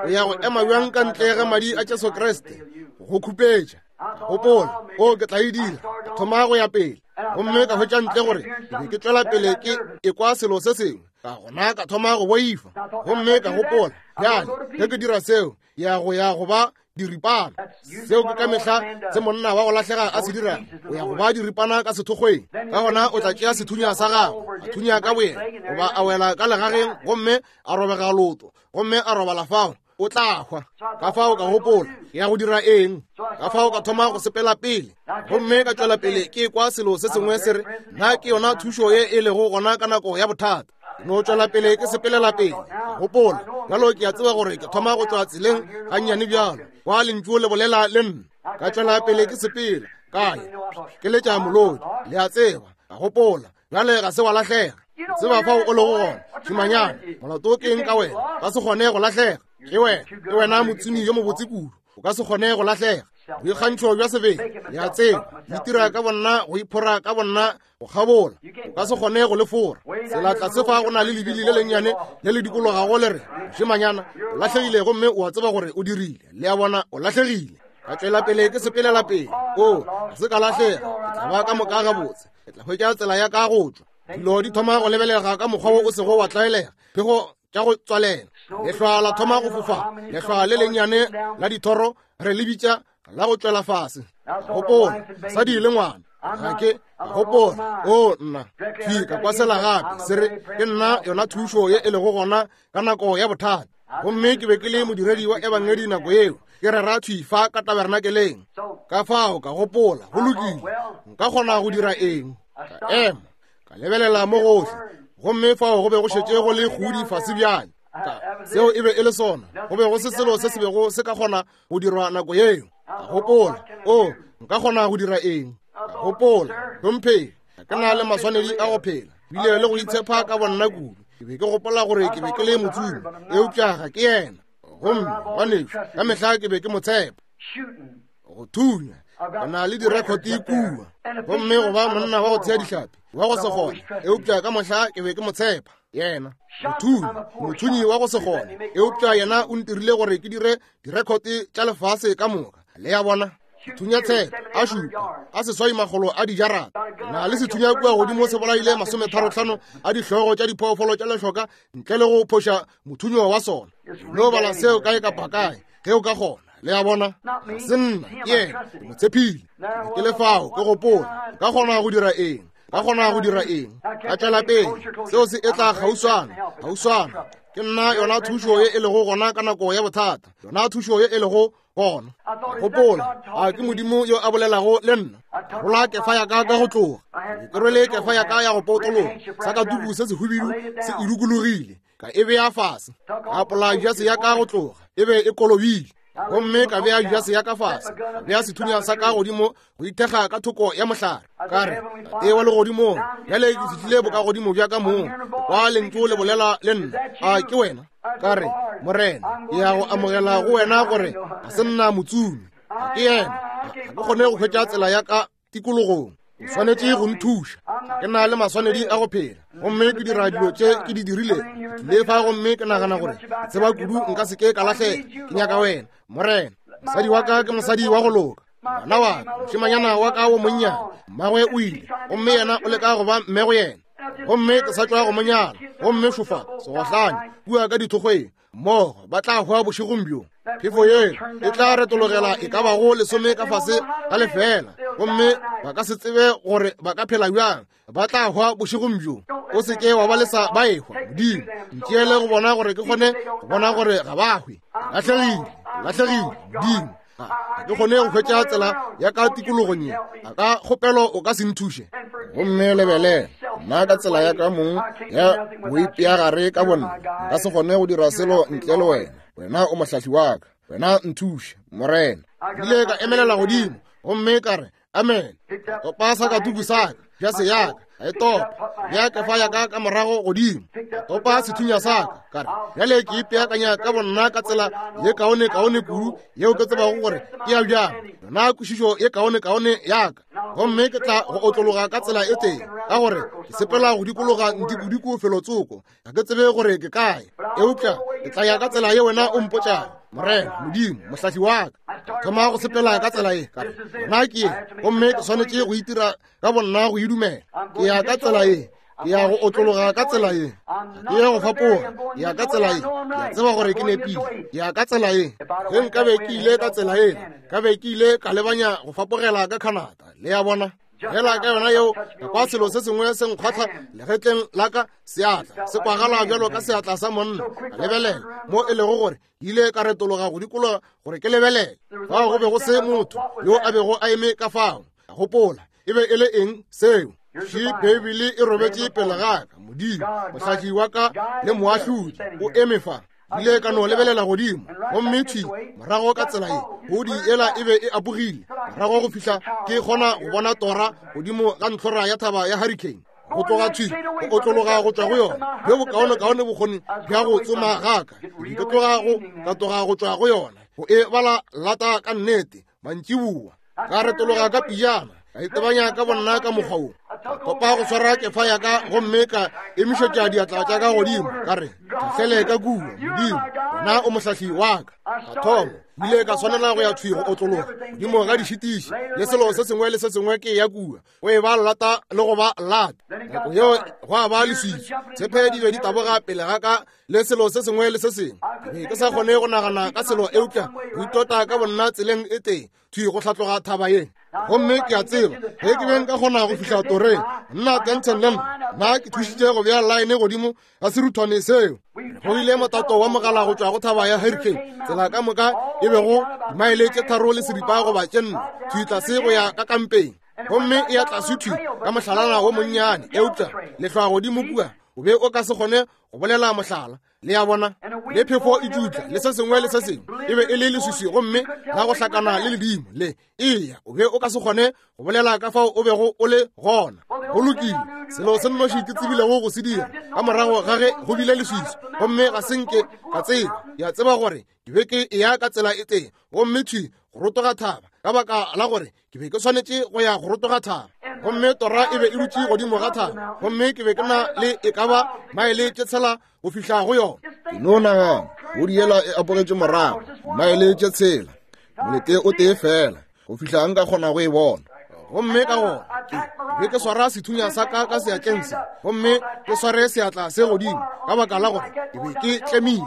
O ya go ema bjang ka ntle ga madi a Jesu Kriste go khupetša? Gopola, o ke tla e dira. Ka thoma go ya pele, gomme ka hwetša ntle gore ke be ke tšwela pele ke ekwa selo se sengwe. Ka gona ka thoma go boifa, gomme ka gopola, bjale ge ke dira seo, ya go ya go ba diripana. Seo ke ka mehla se monna wa go lahlega a se dirago, o ya go ba diripana ka sethokgweng. Ka gona o tla tšea sethunya sa gagwe, a thunya ka boyena, goba a wela ka legageng gomme a robega leoto, gomme a robala fao, o tla hwa. Ka fao ka gopola, ke ya go dira eng? Ka fao ka thoma go sepela pele, gomme ka tšwela pele ke kwa selo se sengwe se re, nna ke yona thušo ye e lego gona ka nako ya bothata. Ke no tšwela pele ke sepelela pele. Gopola, bjalo ke a tseba gore ke thoma go tšwa tseleng gannyane bjalo, kwa lentšu le bolela le nna. Ka tšwela pele ke sepela, ka ya ke letša molodi, le a tseba. Ka gopola, bjale ga se wa lahlega, tseba fao o lego gona, šimanyana, molato ke eng ka wena? Ka se kgone go lahlega. Ke wena, ke wena motsumi yo mobotse kudu, o ka se kgone go lahlega. Boikgantšho bja sebele, le a tseba, le itira ka bonna, go iphora ka bonna, go kgabola, o ka se kgone go le fora. Tsela tlase fa go na le lebili le lennyane le le dikologago le re, mošemanyana, o lahlegile, gomme o a tseba gore o dirile. Le a bona, o lahlegile. Ka tšwela pele ke sepelela pele. O, ga se ka lahlega, ke tla ba ka moka gabotse, ke tla hwetša tsela ya ka go tšwa. Dilo di thoma go lebelega ka mokgwa wo o sego wa tlwaelega, phego tša go tswalela, lehlwa la thoma go fofa, lehlwa le lennyane la dithoro re le bitša la go tšwela fase. Gopola, mosadi le ngwana, ga ke gopola, o nna thwi ka kwasela gape se re, ke nna yona thušo ye e lego gona ka nako ya bothata. Gomme ke be ke le modiredi wa ebangedi nako yeo, ke rera thwi fa ka tabernakeleng. Ka fao ka gopola, go lokile, nka kgona go dira eng? Ka ema, ka lebelela mo gohle, gomme fao go be go šetše go le kgudi fase bjale. Ka seo e be e le sona, go be go se selo se se bego se ka kgona go dirwa nako yeo. Ka gopola, o, nka kgona go dira eng? Ka gopola, hlomphegi, ga ke na le maswanedi a go phela, bile le go itshepa ka bonna kudu. Ke be ke gopola gore ke be ke le motsumi, eupša ga ke yena. Gomme ngwanešu, ka mehla ke be ke mo tshepa. Go thunya, ke na le direkhote kua, gomme go ba monna wa go thea dihlapi, wa go se kgone, eupša ka mohla ke be ke mo tshepa yena. Mothunyi, mothunyi wa go se kgone, eupša yena o ntirile gore ke dire direkhote tša lefase ka moka. Le a bona? Thunya tshepe a šupa a seswai makgolo a dijarata. Na le sethunya kua godimo se bolaile 35 a dihlogo tša diphoofolo tša lehloka ntle le go phoša mothunyo wa sona. No bala seo kae kapa kae ge o ka kgona. Le a bona? Ga se nna, ke yena, ke mo tshepile. Ke le fao, ke gopola, nka kgona go dira eng? Ka kgona go dira eng? Ka tšwela pele, seo se etla kgauswana, kgauswana. Ke nna yona thušo ye e lego gona ka nako ya bothata, yona thušo ye e lego gona. Gopola, a ke Modimo yo a bolelago le nna. Rola kefa ya ka ka go tloga. Ke rwele kefa ya ka ya go potologa, sa ka tuku se sehubidu se e dukologile, ka e bea fase. Ka apola jase ya ka go tloga, e be e kolobile. Gomme ka bea jase ya ka fase, ka bea sethunya sa ka godimo go ithekga ka thoko ya mohlare. Ka re, Tate wa legodimong, bjale ke fihlile bokagodimo bja ka mong, kwa lentšu le bolela le nna. A ke wena? Ka re, Morena, ke ya go amogela go wena gore ga se nna motsumi. Ga ke yena, ga ke kgone go hwetša tsela ya ka tikologong. O swanetše go nthuša. Ga ke na le maswanedi a go phela, gomme ke dira dilo tše ke di dirilego. Ke tlile fa gomme ke nagana gore ke tseba kudu nka se ke ka lahlega. Ke nyaka wena, Morena. Mosadi wa ka ke mosadi wa go loka. Ngwana wa ka, mošemanyana wa ka wo monnyane, mmagwe o ile, gomme yena o leka go ba mme go yena. Gomme ke sa tšwa go mo nyala. Gomme šofa segohlane kua ka dithokgweng, mmogo ba tla hwa bošegong bjo. Phefo yela e tla retologela e ka bago lesome ka fase ga lefeela, gomme ba ka se tsebe gore ba ka phela bjang. Ba tla hwa bošegong bjo. O se ke wa ba lesa ba ehwa. Modimo, ntšeele go bona gore ke kgone go bona gore ga ba hwe. Lahlegile, lahlegile, Modimo. Ga ke kgone go hwetša tsela ya ka tikologong ye. A ka kgopelo o ka se nthuše? Gomme lebelela, nna ka tsela ya ka mong ya boipeagare ka bonna, nka se kgone go dira selo ntle le wena. Wena o mohlahli wa ka. Wena nthuše, Morena. Ile ka emelela godimo gomme ka re, Amen. Topa sa ka tuku sa ka, jase ya ka, ka e topa, bja kefa ya ka ka morago godimo. Topa sethunya sa ka, ka re, bjale ke ipeakanya ka bonna ka tsela ye kaone kaone kudu yeo ke tsebago gore ke ya bjang, yona kwešišo ye kaone kaone ya ka. Gomme ke tla go otlologa ka tsela e tee, ka gore ke sepela go dikologa ntikodiko felotsoko, ga ke tsebe gore ke kae, eupša ke tla ya ka tsela ye wena o mpotšago. Morena Modimo, mohlahli wa ka, thoma go sepela ka tsela ye, ka re, nna ke ye, gomme ke swanetše go itira ka bonna go e dumela. Ke ya ka tsela ye, ke ya go otlologa ka tsela ye, ke ya go fapoga, ke ya ka tsela ye, ke a tseba gore ke nepile, ke ya ka tsela ye. Ge nkabe ke ile ka tsela yela, ka be ke ile ka lebanya go fapogela ka Canada. Le a bona? Fela ka yona yeo, ka kwa selo se sengwe se nkgwatha legetleng la ka, seatla se kwagala bjalo ka seatla sa monna. Ka lebelela mo e lego gore ke ile ka retologa go dikologa gore ke lebelele. Fao go be go se motho yo a bego a eme ka fao. Ka gopola, e be e le eng seo? Še Beibele e robetše pele ga ka. Modimo, mohlahli wa ka le moahlodi, o eme fa. Ile ka no lebelela godimo, gomme thwi morago ka tsela ye pudi yela e be e apogile morago go fihla ke kgona go bona tora godimo ga ntlhora ya thaba ya Hurricane. Go tloga thwi go otlologa go tšwa go yona, bjo bokaonekaone bokgoni bja go tsoma ga ka, ke tloga go katoga go tšwa go yona, go e bala lata ka nnete mantšiboa. Ka retologa ka pijana, ka itebanya ka bonna ka mokgwa wo, ka topa go swara kefa ya ka gomme ka emišetša diatla tša ka godimo, ka re, Tlhahlele ka kua, Modimo, wena o mohlahli wa ka. Ka thoma, ile ka swanela go ya thwi go otlologa godimo ga dišitiši le selo se sengwe le se sengwe ke ya kua, go e ba lata le go ba lata. Nako yeo gwa ba leswiswi, tshepe di be di taboga pele ga ka le selo se sengwe le se sengwe. Ke be ke sa kgone go nagana ka selo eupša go itota ka bonna tseleng e tee thwi go hlatloga thaba ye. Gomme ke a tseba ge ke be nka kgona go fihla toreng, nna Denton le nna ke thušitše go bea line godimo ga seruthwane seo. Go ile motato wa mogala go tšwa go thaba ya Hurricane, tsela ka moka e bego dimaele tše 3 le seripa goba tše 4 thwi tlase go ya ka kampeng, gomme e ya tlase thwi ka mohlalana wo monnyane, eupša lehlwa godimo kua o be o ka se kgone go bolela mohlala. Le a bona, le phefo e tšutla le se sengwe le se sengwe, e be e le leswiswi gomme la go hlakana le ledimo le eya, o be o ka se kgone go bolela ka fao o bego o le gona. Go lokile, selo se nnoši ke tsebilego go se dira ka morago ga ge go bile leswiswi, gomme ga se nke ka tseba, ke a tseba gore ke be ke eya ka tsela e tee gomme thwi go rotoga thaba, ka baka la gore ke be ke swanetše go ya go rotoga thaba. Gomme tora e be e dutše godimo ga thaba, gomme ke be ke na le e ka ba maele tše 6 go fihla go yona. Ke no nagana, pudi yela e apogetše morago maele tše 6, molete o tee fela, go fihla nka kgona go e bona. Gomme ka gona ke be ke swara sethunya sa ka ka seatleng se, gomme ke sware seatla se godimo, ka baka la gore ke be ke tlemile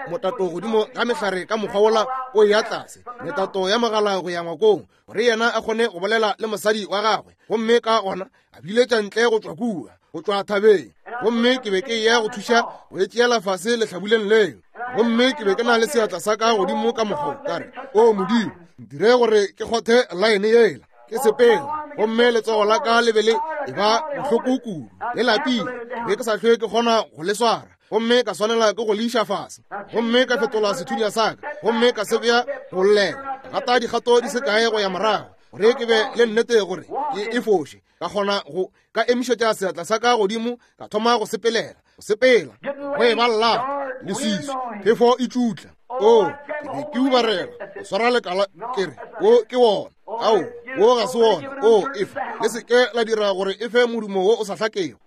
motato godimo ga mehlare ka mokgwa wola o ya tlase, metato ya mogala go ya ngwakong, gore yena a kgone go bolela le mosadi wa gagwe. Gomme ka gona a biletša ntle go tšwa kua, go tšwa thabeng. Gomme ke be ke eya go thuša go e tšeela fase lehlabuleng leo. Gomme ke be ke na le seatla sa ka godimo ka mokgwa, ka re, O Modimo, ntire gore ke kgothe line yela, ke sepele. Gomme letsogo la ka le be le e ba bohloko kudu, le lapile, ke be ke sa hlwe ke kgona go le swara, gomme ka swanela ke go le iša fase. Gomme ka fetola sethunya sa ka, gomme ka se bea go llela, ka gata dikgato di se kae go ya morago, gore ke be le nnete gore ke e foše. Ka kgona go ka emišetša seatla sa ka godimo, ka thoma go sepelela, go sepela, go e ba llata, leswiswi, phefo e tšutla. O, ke be ke ubarela, go swara lekala, ke re, wo ke wona. Ao, wo ga se wona. O, efa, le se ke la dira gore e fe modumo wo o sa hlakego.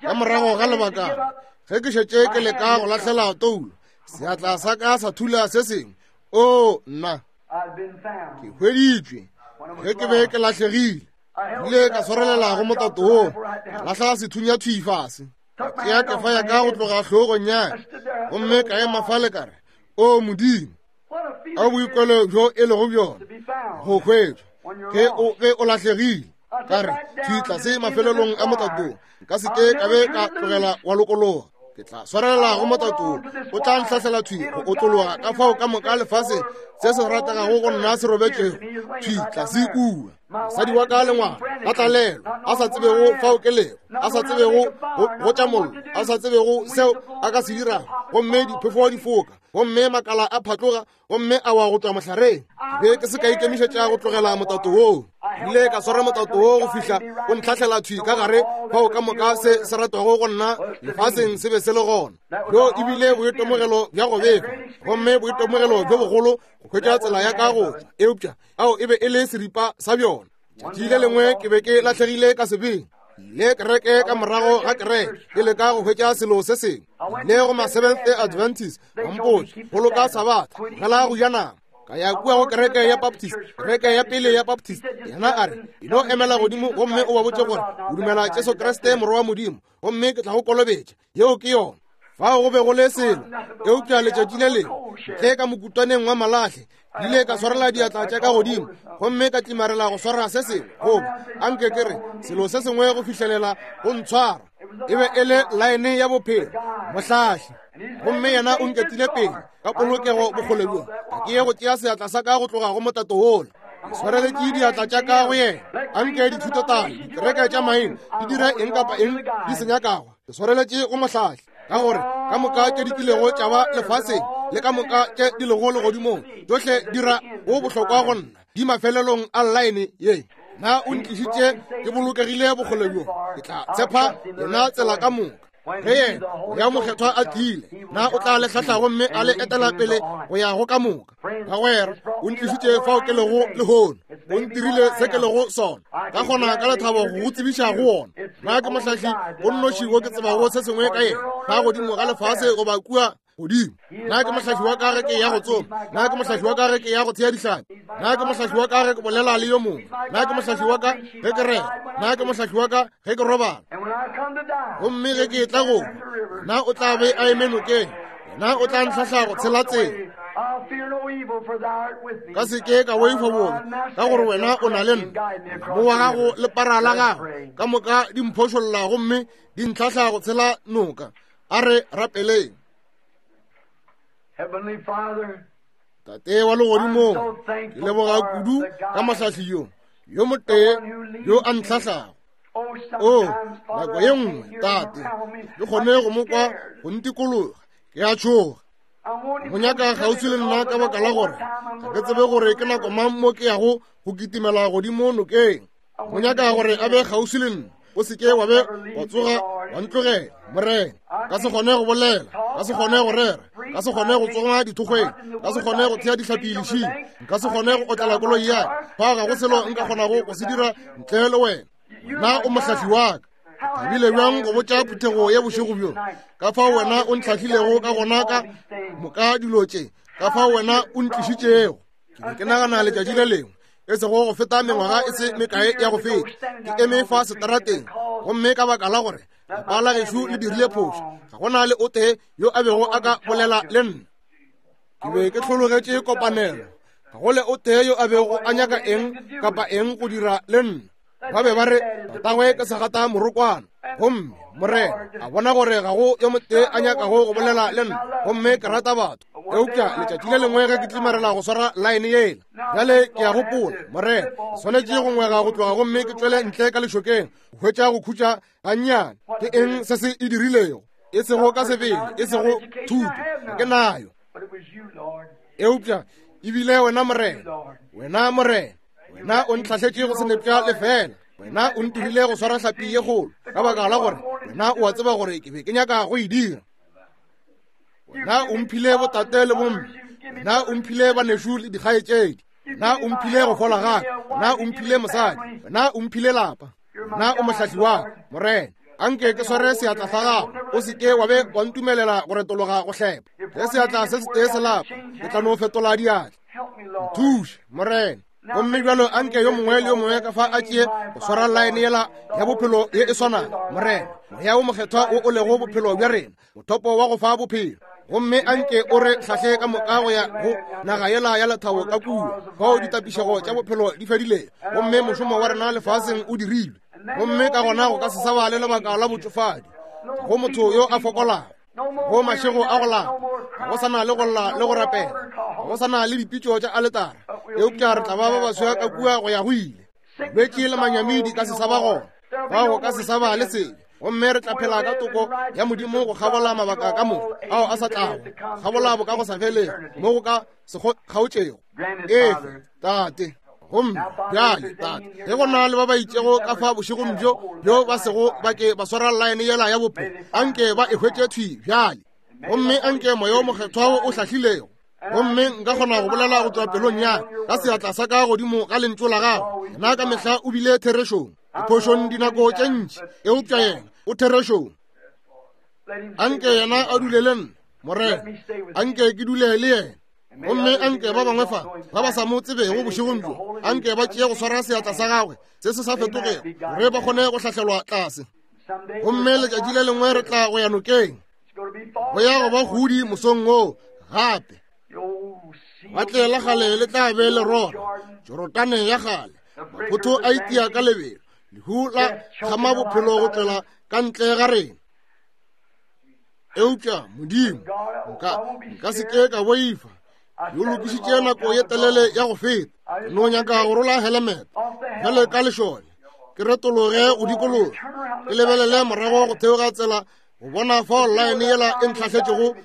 Ka morago ga lebakana, ge ke šetše ke leka go lahlela toulo, seatla sa ka sa thula se sengwe. O, nna, ke hweditšwe ge ke be ke lahlegile. Ile ka swarelela go motato woo, ka lahla sethunya thwi fase, ka tšea kefa ya ka go tloga hlogong ya ka, gomme ka ema fale ka re, O Modimo, a boikwelo bjo e lego bjona go hwetšwa ge o be o lahlegile. Ka re, thwi tlase mafelelong a motatong, nka se ke ka be ka tlogela wa lokologa. Ke tla swarelela go motatong, o tla nhlahlela thwi go otlologa ka fao ka moka lefase se se rategago go nna se robetšego thwi tlase kua. Mosadi wa ka le ngwana a tlalelwa, a sa tsebego fao ke lego, a sa tsebego go tša mollo, a sa tsebego seo a ka se dirago, gomme diphefo di foka, gomme makala a phatloga, gomme a wa go tšwa mohlareng. Ke be ke se ka ikemišetša go tlogela motato woo. Ile ka swara motato woo go fihla o ntlhahlela thwi ka gare fao ka moka se se ratwago go nna lefaseng se be se le gona. Bjo e bile boitemogelo bja go befa, gomme boitemogelo bjo bogolo go hwetša tsela ya ka go tšwa, eupša ao e be e le seripa sa bjona. Tšatši le lengwe ke be ke lahlegile ka sebeng, le kereke ka morago ga kereke, ke leka go hwetša selo se sengwe. Le go ma Seventh Day Adventist, ba mpotša, boloka Sabatha, tlogela go ja nama. Ka ya kua go kereke ya Baptist, kereke ya pele ya Baptist. Yena a re, e no emela godimo gomme o ba botše gore o dumela Jesu Kriste Morwa wa Modimo, gomme ke tla go kolobetša. Yeo ke yona. Fao go be go le selo, eupša letšatši le lengwe ntle ka mokutwaneng wa malahle, ke ile ka swarela diatla tša ka godimo gomme ka tlimarela go swara se sengwe, goba anke ke re selo se sengwe go fihlelela go ntshwara. E be e le laene ya bophelo, mohlahli, gomme yena o nketile pele ka polokego bokgole bjo. Ga ke ye go tšea seatla sa ka go tloga go motato wola. Ke swareletše diatla tša ka go yena. Anke dithutotalo, dikereke tša maina di dire eng kapa eng di se nyakago. Ke swareletše go mohlahli, ka gore ka moka tše di kilego tša ba lefaseng le ka moka tše di lego legodimong, tšohle di ra go bohlokwa go nna, di mafelelong a llaene ye. Na o ntlišitše ke bolokegile bokgole bjo, ke tla tshepa yena tsela ka moka. Ge yena ya Mokgethwa a tlile, na o tla le hlahla gomme a le etela pele go ya go ka moka. Bagwera, o ntlišitše fao ke lego lehono, o ntirile se ke lego sona, ka kgona ka lethabo go go tsebiša go wona. Na ke mohlahli o nnoši wo ke tsebago se sengwe ka yena, fa godimo ga lefase goba kua godimo. Na ke mohlahli wa ka ge ke ya go tsoma? Na ke mohlahli wa ka ge ke ya go thea dihlapi? Na ke mohlahli wa ka ge ke bolela le yo mongwe? Na ke mohlahli wa ka ge ke rera? Na ke mohlahli wa ka ge ke robala? Gomme ge ke etla go, na o tla be a eme nokeng? Na o tla ntlhahla go tshela tsela? Ka se ke ka boifa bobe, ka gore wena o na le nna. Mo wa gago le para la gago ka moka di mphošolla gomme di ntlhahla go tshela noka. A re rapeleng. Tate wa legodimong, ke leboga kudu ka mohlahli yo, yo motee yo a ntlhahlago. O, nako ye nngwe, Tate, ke kgone go mo kwa go ntikologa, ke a tšhoga. Go nyaka kgauswi le nna ka baka la gore ga ke tsebe gore ke nako mang mo ke yago go kitimela godimo nokeng. Go nyaka gore a be kgauswi le nna. O se ke wa be wa tsoga wa ntlogela, Morena. Ka se kgone go bolela, ka se kgone go rera, ka se kgone go tsoma dithokgweng, ka se kgone go thea dihlapi lešing, nka se kgone go otlela koloi ya ka. Fa ga go selo nka kgonago go se dira ntle le wena. Wena o mohlahli wa ka. Thabile bjang go botša phuthego ya bošego bjo ka fao wena o ntlhahlilego ka gona ka moka dilo tše, ka fao wena o ntlišitšego. Ke be ke nagana letšatši le lengwe, e sego go feta mengwaga e se mekae ya go feta, ke eme fa setarateng, gomme ka baka la gore lapa la gešo le dirile phošo, ga go na le o tee yo a bego a ka bolela le nna. Ke be ke hlologetše kopanelo, ga go le o tee yo a bego a nyaka eng kapa eng go dira le nna. Ba be ba re tatagwe ke segata morokwana, gomme Morena a bona gore ga go yo motee a nyakago go bolela le nna, gomme ke rata batho. Eupša letšatši le lengwe ge ke tlimarela go swara laene yela, bjale ke a gopola, Morena, ke swanetše go ngwega go tloga gomme ke tšwele ntle ka lešokeng go hwetša go khutša gannyane. Ke eng se se e dirilego? E sego ka sebele, e sego thuto, ga ke nayo. Eupša e bile wena Morena, wena Morena, wena o ntlhahletše go senepša lefela, wena o ntirile go swara hlapi ye kgolo, ka baka la gore wena o a tseba gore ke be ke nyaka go e dira. Wena o mphile botate le bomme, wena o mphile banešu le dikgaetšedi, wena o mphile go fola gaka, wena o mphile mosadi, wena o mphile lapa, wena o mohlahli wa ka. Morena, anke ke sware seatla sa gago, o se ke wa be wa ntumelela go retologa go hlepa. Ge seatla se setee se lapa, ke tla no fetola diatla. Nthuše, Morena. Gomme bjalo anke yo mongwe le yo mongwe ka fa a tšee go swara laene yela ya bophelo ye e swanago, Morena, Moya wo Mokgethwa wo o lego bophelo bja rena, mothopo wa go fa bophelo. Gomme anke o re hlahle ka moka go ya go naga yela ya lethabo ka kua, fao ditapišego tša bophelo di fedilego, gomme mošomo wa rena lefaseng o dirilwe. Gomme ka gona go ka se sa ba le lebaka la botšofadi go motho yo a fokolago, go mašego a go lapa, go sa na le go lla le go rapela, go sa na le dipitšo tša aletara, eupša re tla ba ba baswa ka kua go ya go ile. Bolwetši le manyami di ka se sa ba gona, fao go ka se sa ba le sebe, gomme re tla phela ka toko ya Modimo go kgabola mabaka ka moka ao a sa tlago, kgabola bo ka go sa felego mo go ka se kgaotšego. Efe, Tate. Gomme bjale, Tate, ge go na le ba ba itšego ka fa bošegong bjo bjo ba sego ba ke ba swara laene yela ya bophelo, anke ba e hwetše thwi bjale. Gomme anke Moya wo Mokgethwa wo o hlahlilego, gomme nka kgona go bolela go tšwa pelong ya ka seatla sa ka godimo ga lentšu la gago, yena ka mehla o bile therešong, diphošong dinako tše ntši, eupša yena o therešong. Anke yena a dule le nna, Morena, anke ke dule le yena. Gomme anke ba bangwe fa ba ba sa mo tsebego bošegong bjo, anke ba tšee go swara seatla sa gagwe se se sa fetogego, gore ba kgone go hlahlelwa tlase. Gomme letšatši le lengwe re tla go ya nokeng, go ya go ba godi mosong woo gape. Lewatle la kgale le tla be le rora, Jorodane ya kgale, maphotho a itia ka lebelo, lehu la kgama bophelo go tšwela ka ntle ga rena. Eupša Modimo, nka se ke ka boifa. Yo lokišitše nako ye telele ya go feta. No nyaka go rola helemete bjale ka lešole, ke retologe go dikologa, ke lebelele morago go theoga tsela go bona fao laene yela e ntlhahletšego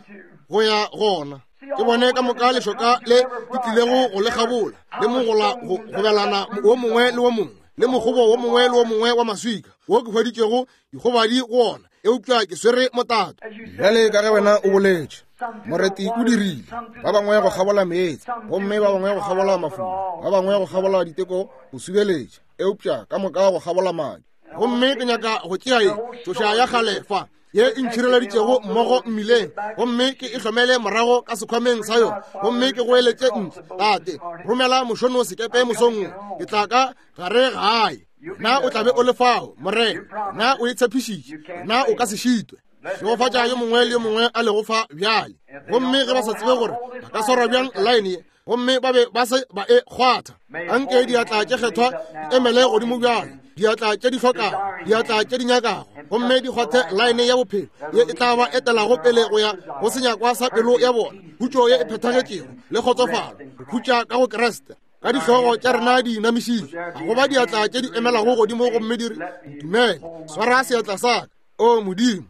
go ya gona. Ke bone ka moka lešoka le ke tlilego go le kgabola, le mogola go gobelana wo mongwe le wo mongwe, le mogobo wo mongwe le wo mongwe wa maswika wo ke hweditšego dikgobadi go ona, eupša ke swere motato. Bjale ka ge wena o boletše, moreti o dirile ba bangwe go kgabola meetse, gomme ba bangwe go kgabola mafula, ba bangwe go kgabola diteko go subeletša, eupša ka moka go kgabola madi. Gomme ke nyaka go tšea ye tšoša ya kgale fa ye e ntšhireleditšego mmogo mmileng, gomme ke e hlomele morago ka sekhwameng sa yona, gomme ke goeletše ntle, Tate, romela mošono sekepe mosong wo, ke tla ka gare gae. Na o tla be o le fao, Morena? Na o e tshepišitše? Na o ka se šitwe? Šegofatša yo mongwe le yo mongwe a lego fa bjale. Gomme ge ba sa tsebe gore ba ka swarwa bjang laene ye, gomme ba be ba se ba e kgwatha, anke diatla tše kgethwa di emele godimo bjale, diatla tše di hlokago, diatla tše di nyakago, gomme di kgwathe laene ya bophelo ye e tla ba etelago pele go ya go senyakwa sa pelo ya bona, khutšo ye e phethagetšego le kgotsofalo, go khutša ka go Kriste. Ka dihlogo tša rena di inamišitšwe, ga go ba diatla tše di emelago godimo gomme di re, Ntumele, swara seatla sa ka. O Modimo,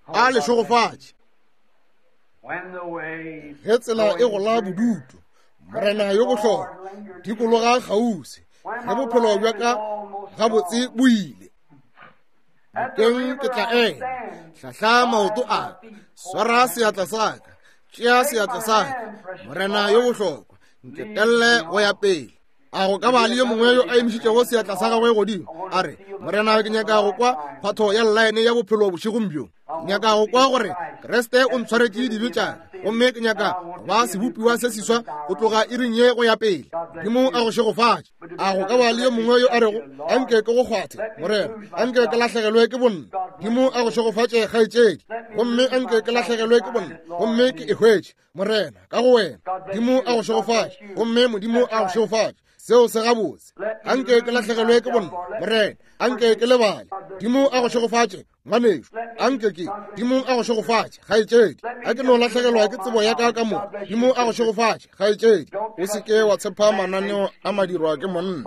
a le šegofatše. Ge tsela e gola bodutu, Morena yo bohlokwa, dikologa kgauswi, ge bophelo bja ka gabotse bo ile. Nokeng ke tla ema, hlahla maoto a ka, swara seatla sa ka, tšea seatla sa ka, Morena yo bohlokwa, nketelle go ya pele. A go ka ba le yo mongwe yo a emišitšego seatla sa gagwe godimo, a re, Morena, ke nyaka go kwa kgwatho ya llaene ya bophelo bošegong bjo. Ke nyaka go kwa gore Kriste o ntshwaretše dibe tša ka, gomme ke nyaka go ba sebopiwa se seswa go tloga iring ye go ya pele. Modimo a go šegofatše. A go ka ba le yo mongwe yo a rego, Anke ke go kgwathe, Morena, anke ke lahlegelwe ke bonna. Modimo a go šegofatše, kgaetšedi. Gomme anke ke lahlegelwe ke bonna, gomme ke e hwetše, Morena, ka go wena. Modimo a go šegofatše, gomme Modimo a go šegofatše. Seo se gabotse. Anke ke lahlegelwe ke bonna, Morena, anke ke lebale. Modimo a go šegofatše, ngwanešu. Anke ke, Modimo a go šegofatše, kgaetšedi. A ke no lahlegelwa ke tsebo ya ka ka moka. Modimo a go šegofatše, kgaetšedi. O se ke wa tshepa mananeo a madirwa ke monna.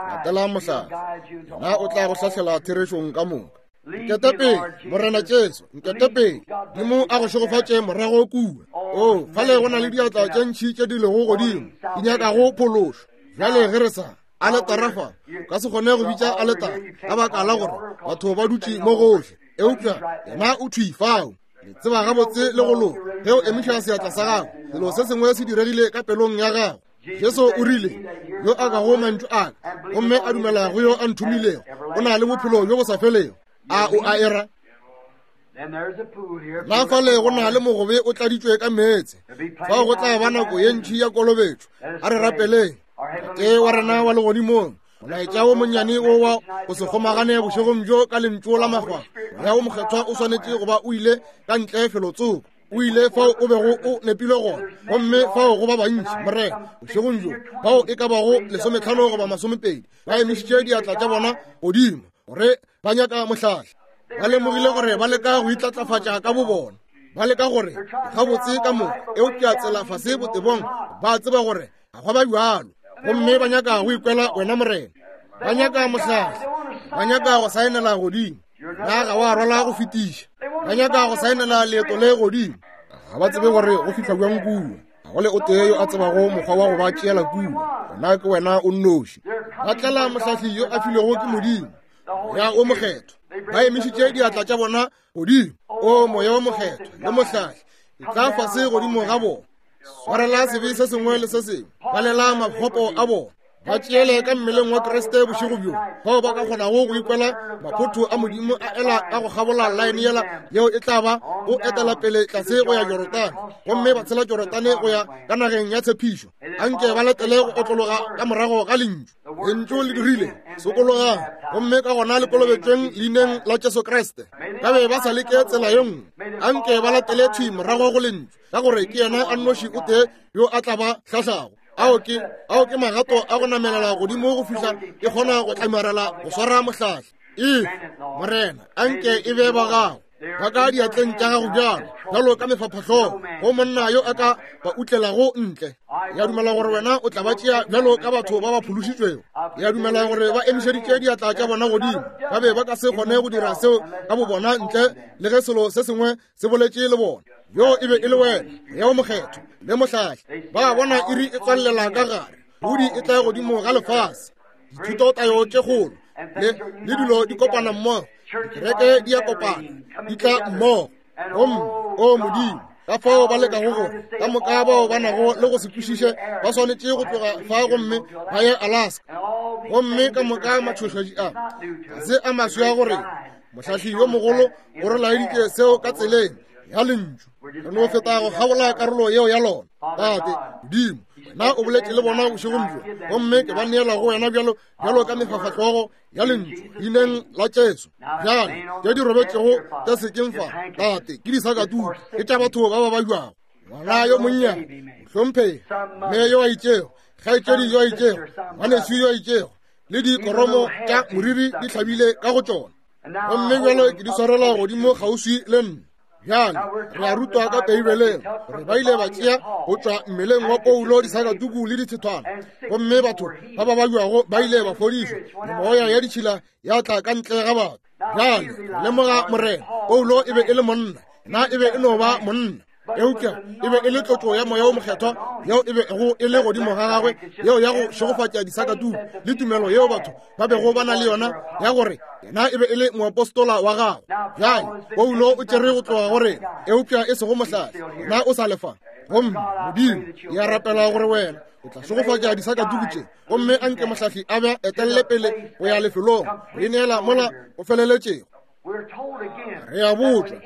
Latela mohlala, yena o tla go hlahlela therešong ka moka. Nkete pele, Morena Jesu, nkete pele. Modimo a go šegofatše morago kua. O, fale go na le diatla tše ntši tše di lego godimo, di nyakago phološo. Bjale ge re sa aletara fa, o ka se kgone go bitša aletara ka baka la gore batho ba dutše mo gohle, eupša yena o thwi fao. Le tseba gabotse le go loka ge o emiša seatla sa gago, selo se sengwe se diregile ka pelong ya gago. Jesu o rile, yo a kago mantšu a ka gomme a dumela go yo a nthomilego o na le bophelo bjo bo sa felego. A o a era? Na fale go na le mogobe o tladitšwe ka meetse, fao go tla ba nako ye ntši ya kolobetšo. A re rapeleng. Tate wa rena wa legodimong, molaetša wo monnyane wo wa go se kgomagane bošegong bjo ka lentšu la magwa, Moya wo Mokgethwa o swanetše go ba o ile ka ntle felotsoko, o ile fao o bego o nepile gona, gomme fao go ba bantši, Morena, bošegong bjo, bao e ka bago 15 goba 20 ba emišitše diatla tša bona godimo gore ba nyaka mohlahli. Ba lemogile gore ba leka go itlatlafatša ka bobona, ba leka gore gabotse ka moka, eupša tsela fase botebong ba tseba gore ga go ba bjalo, gomme ba nyaka go ikwela wena Morena. Ba nyaka mohlahli, ba nyaka go saenela godimo. Na ga wa rwala go fetiša? Ba nyaka go saenela leeto le godimo. Ga ba tsebe gore go fihla bjang kua. Ga go le o tee yo a tsebago mokgwa wa go ba tšeela kua. Gona ke wena o nnoši. Ba tlela mohlahli yo a filwego ke Modimo, Moya wo Mokgethwa. Ba emišitše diatla tša bona godimo. O Moya wo Mokgethwa le mohlahli, etla fase godimo ga bona. Swarela sebe se sengwe le se sengwe, balela makgopo a bona. Ba tšeele ka mmeleng wa Kriste bošego bjo, bao ba ka kgonago go ikwela maphotho a Modimo a ela ka go kgabola laene yela yeo e tla ba go etela pele tlase go ya Jorodane, gomme ba tshela Jorodane go ya ka nageng ya tshepišo. Anke ba latele go otlologa ka morago ga lentšu. Lentšu le dirile, sokologang, gomme ka gona le kolobetšweng leineng la Jesu Kriste. Ba be ba sa leke tsela ye nngwe. Anke ba latele thwi morago go lentšu, ka gore ke yena a nnoši o tee yo a tla ba hlahlago. Ao ke magato a go namelela godimo go fihla ke kgona go tlamarela go swara mohlahli. Efe, Morena, anke e be ba gago, ba ka diatleng tša gago bjalo, bjalo ka mefaphahlogo go monna yo a ka ba utlelago ntle. Ya dumela gore wena o tla ba tšea bjalo ka batho ba ba phološitšwego. Ya dumela gore ba emišeditše diatla tša bona godimo. Ba be ba ka se kgone go dira seo ka bobona ntle le ge selo se sengwe se boletše le bona. Yo e be e le wena, Moya wo Mokgethwa le mohlahli. Ba bona iri e tswallela ka gare, pudi e tla godimo ga lefase, dithutotayo tše kgolo le dilo di kopana mmogo, dikereke di a kopana, di tla mmogo. Gomme o Modimo, ka fao ba lekago gore ka moka bao ba nago le go se kwešiše ba swanetše go tloga fa gomme ba ye Alaska. Gomme ka moka matšhošetši a ga se a maswi a gore mohlahli yo mogolo o re laeditše seo ka tseleng ya lentšu. Re no feta go kgabola karolo yeo ya lona. Tate Modimo, wena o boletše le bona bošegong bjo, gomme ke ba neela go wena bjalo bjalo ka mefafahlogo ya lentšu leineng la Jesu. Bjale tše di robetšego tša sekeng fa, Tate, ke disakatuku, ke tša batho ba ba bajwago. Ngwana yo monnyane, mohlomphegi, mme yo a itšego, kgaetšedi yo a itšego, ngwanešu yo a itšego, le dikoromo tša moriri di hlabile ka go tšona, gomme bjalo ke di swarela godimo kgauswi le nna. Bjale re a rutwa ka Beibeleng gore ba ile ba tšea go tšwa mmeleng wa Paulo disakatuku le dithethwana, gomme batho ba ba bajwago ba ile ba fodišwa, le moya ya ditšhila ya tla ka ntle ga batho. Bjale lemoga, Morena, Paulo e be e le monna, na e be e no ba monna, eupša e be e le tlotšo ya Moya wo Mokgethwa yeo e bego e le godimo ga gagwe, yeo ya go šegofatša disakatuku le tumelo yeo batho ba bego ba na le yona ya gore yena e be e le moapostola wa gagwe. Bjale Paulo o tšere go tloga go rena, eupša e sego mohlahli, yena o sa lefa. Gomme Modimo, ke a rapela gore wena o tla šegofatša disakatuku tše, gomme anke mohlahli a be etelele pele go ya lefelong go ineela mola o feleletšego. Re a botšwa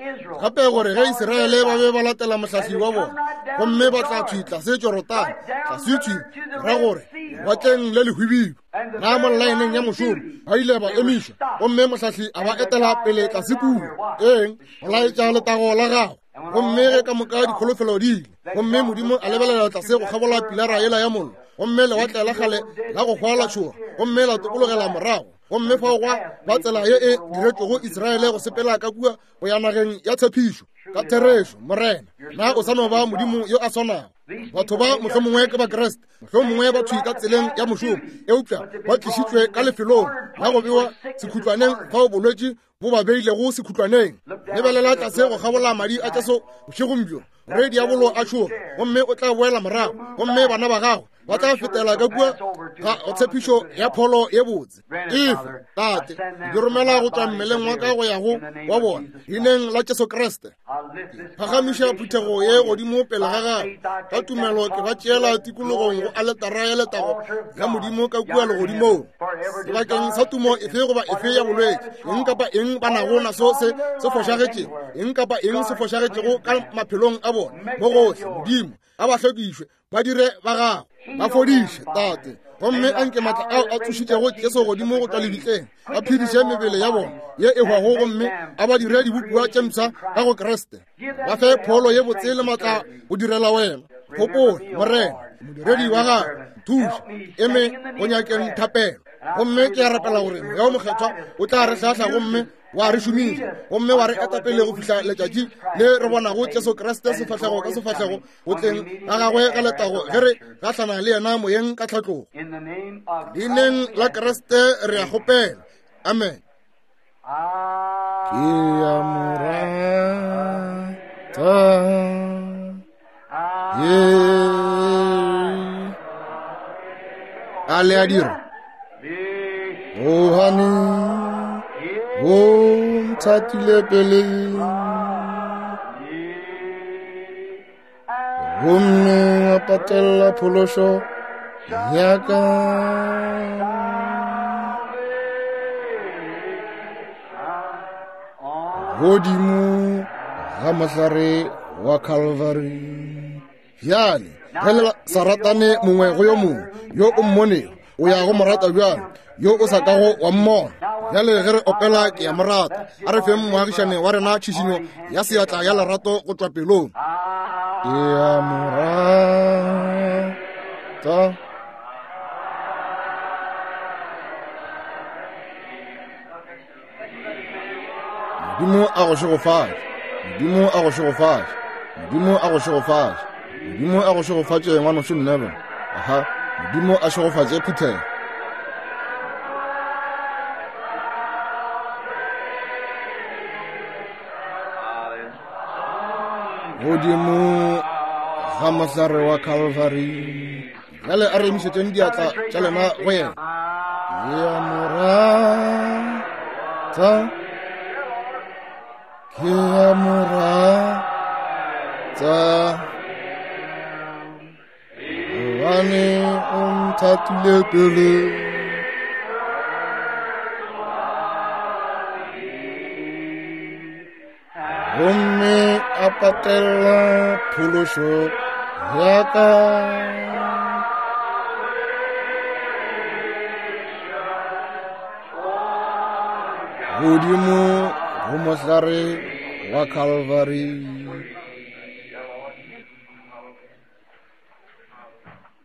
gape gore ge Israele ba be ba latela mohlahli wa bona gomme ba tla thwi tlase Jorodane, tlase thwi ra gore lewatleng le lehwibidu, na mo laeneng ya mošomo ba ile ba emišwa, gomme mohlahli a ba etela pele tlase kua, eng, go laetša letago la gagwe. Gomme ge ka moka dikholofelo di ile, gomme Modimo a lebelela tlase go kgabola pilara yela ya mollo, gomme lewatle la kgale la go hwa la tšhoga, gomme la tokologela morago, gomme fao gwa ba tsela ye e diretšwego Israele go sepela ka kua go ya nageng ya tshepišo. Ka therešo, Morena, na o sa no ba Modimo yo a swanago? Batho ba mohlomongwe ke Bakriste, mohlomongwe ba thwi ka tseleng ya mošomo, eupša ba tlišitšwe ka lefelong la go bewa sekhutlwaneng fao bolwetši bo ba beilego sekhutlwaneng. Lebelela tlase go kgabola madi a Jesu bošegong bjo, gore diabolo a tšhoge, gomme o tla boela morago, gomme bana ba gago ba tla fetela ka kua ga tshepišo ya pholo ye botse. Efe, Tate, ke romela go tšwa mmeleng wa ka go ya go wa bona, leineng la Jesu Kriste. Phagamiša phuthego ye godimo pele ga gago. Ka tumelo ke ba tšeela tikologong go aletara ya letago ya Modimo ka kua legodimong. Sebakeng sa tumo efe goba efe ya bolwetši, eng kapa eng ba nago naso se se fošagetšego, eng kapa eng se fošagetšego ka maphelong a bona, mo gohle, Modimo, a ba hlwekišwe, ba dire ba gago. Ba fodiše, Tate. Gomme a nke maatla ao a tsošitšego Jesu godimo go tšwa lebitleng a phediše mebele ya bona ye e hwago gomme a ba dire dibopiwa tše mpsha ka go Kriste. Ba fe pholo ye botse le maatla go direla wena. Gopola, Morena, modiredi wa gago, nthuše eme go nyakeng thapelo. Gomme ke a rapela gore Moya wo Mokgethwa o tla re hlahla gomme wa re šomiša gomme wa re eta pele go fihla letšatši le re bonago Jesu Kriste sefahlego ka sefahlego go tleng ga gagwe ga letago ge re gahlana le yena moyeng ka tlhatlogo. Leineng la Kriste re a kgopela. Amen. Ke a mo rata. Ye. A le a dira? Gobane o nthatile pele gomme wa patella phološo ya ka. Godimo ga mohlare wa Calvary. Bjale ge le sa ratane mongwe go yo mongwe, yo o mmonego o ya go mo rata bjalo yo o sa kago wa mmona. Bjale ge re opela ke ya mo rata, a re feng moagišane wa rena tšhišinyo ya seatla ya lerato go tšwa pelong. Ke ya mo rata. Modimo a go šegofatše. Modimo a go šegofatše. Modimo a go šegofatše. Modimo a go šegofatše, ngwanošo Neville. Aha, Modimo a šegofatše phuthego. Godimo ga mohlare wa Calvary. Bjale a re emišetšeng diatla tša lena go yena. Ke a mo rata, ke a mo rata, gobane o nthatile pele. Gomme a patela phološo ya ka. Godimo go mohlare wa Calvary.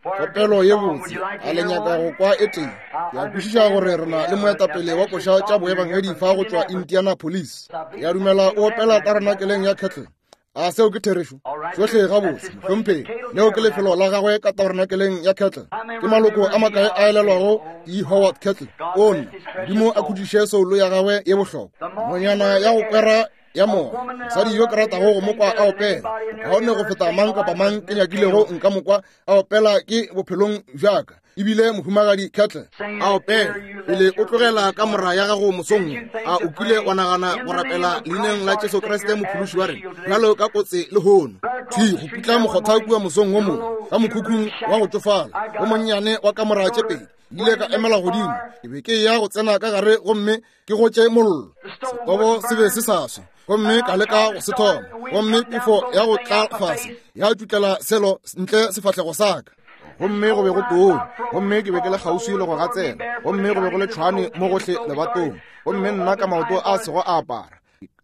Kopelo ye botse, a le nyaka go kwa e tee? Ke a kwešiša gore re na le moetapele wa koša tša boebangedi fa go tšwa Indianapolis. Ke a dumela o opela tabernakeleng ya Kettle. A seo ke therešo? Tšohle gabotse, mohlomphegi. Leo ke lefelo la gagwe ka tabernakeleng ya Kettle. Ke maloko a makae a elelwago E. Howard Kettle? O nna, Modimo a khutšiše soulo ya gagwe ye bohlokwa. Nonyana ya go kwera ya moya, mosadi yo ke ratago go mo kwa a opela kaone go feta mang kapa mang ke nyakilego nka mo kwa a opela ke bophelong bjaka, ebile mohumagadi Kettle a opela. Pele o tlogela kamora ya gago mosong, a o kile wa nagana go rapela leineng la Jesu Kriste mophološi wa rena bjalo ka kotse lehono? Thwi go putla mokgotha kua mosong wo mongwe ka mokhukhung wa go tšofala wo monnyane wa kamora tše pedi, ile ka emela godimo. Ke be ke ya go tsena ka gare gomme ke gotše mollo. Setobo se be se sa swe, gomme ka leka go se thoma, gomme pefo ya go tla fase ya tšutlela selo ntle sefahlego sa ka. Gomme go be go tonya, gomme ke be ke le kgauswi le go gatsela, gomme go be go le tšhwane mo gohle lebatong, gomme nna ka maoto a sego a apara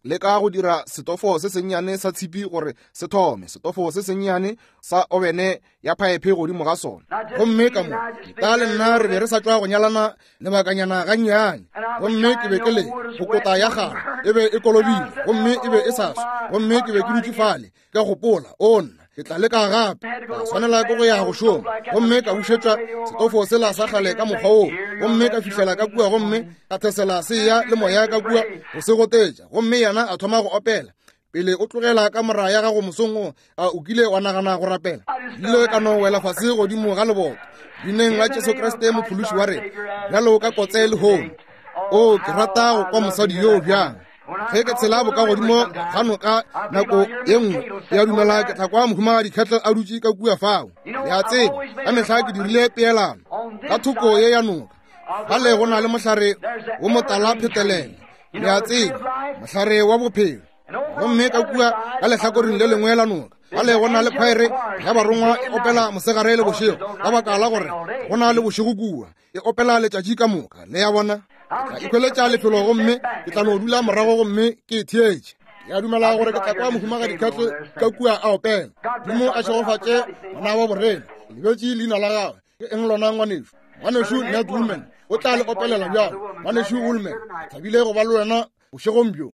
leka go dira setofo se sennyane sa tshipi gore se thome, setofo se sennyane sa obene ya phaephe godimo ga sona. Gomme ka mo ka le nna re be re sa tšwa go nyalana lebakanyana gannyane, gomme ke be ke le go kota ya gagwe e be e kolobile gomme e be e sa swe, gomme ke be ke dutše fale ka gopola, o nna ke tla leka gape. Ka swanela ke go ya go šoma, gomme ka bušetša setofo sela sa kgale ka mokgwa woo, gomme ka fihlela ka kua gomme ka thesela se ya le moya ka kua go se gotetša, gomme yena a thoma go opela. Pele o tlogela kamora ya gago mosong wo, a o kile wa nagana go rapela? Ile ka no wela fase godimo ga leboto leineng la Jesu Kriste mophološi wa rena, bjalo ka kotse lehono. O, ke rata go kwa mosadi yoo bjang. Ge ke tshela bokagodimo ga noka nako ye nngwe, ke a dumela ke tla kwa mohumagadi Kettle a dutše ka kua fao. Le a tseba, ka mehla ke dirile peelano ka thoko ye ya noka. Fale go na le mohlare wo motala phetelele, le a tseba, mohlare wa bophelo. Gomme ka kua ka lehlakoreng le lengwe la noka Bale go na le khwaere ya barongwa e opela mosegare le bošego, ka baka la gore go na le bošego kua, e opela letšatši ka moka. Le ya bona? Ke tla ikhweletša lefelo gomme ke tla no dula morago gomme ke e theetše. Ke a dumela gore ke tla kwa Mohumagadi Kettle ka kua a opela. Modimo a šegofatše ngwana wa borena. Ke lebetše leina la gagwe. Ke eng lona, ngwanešu? Ngwanešu Ned Woolman o tla le opelela bjalo. Ngwanešu Woolman, ke thabile go ba le wena bošegong bjo.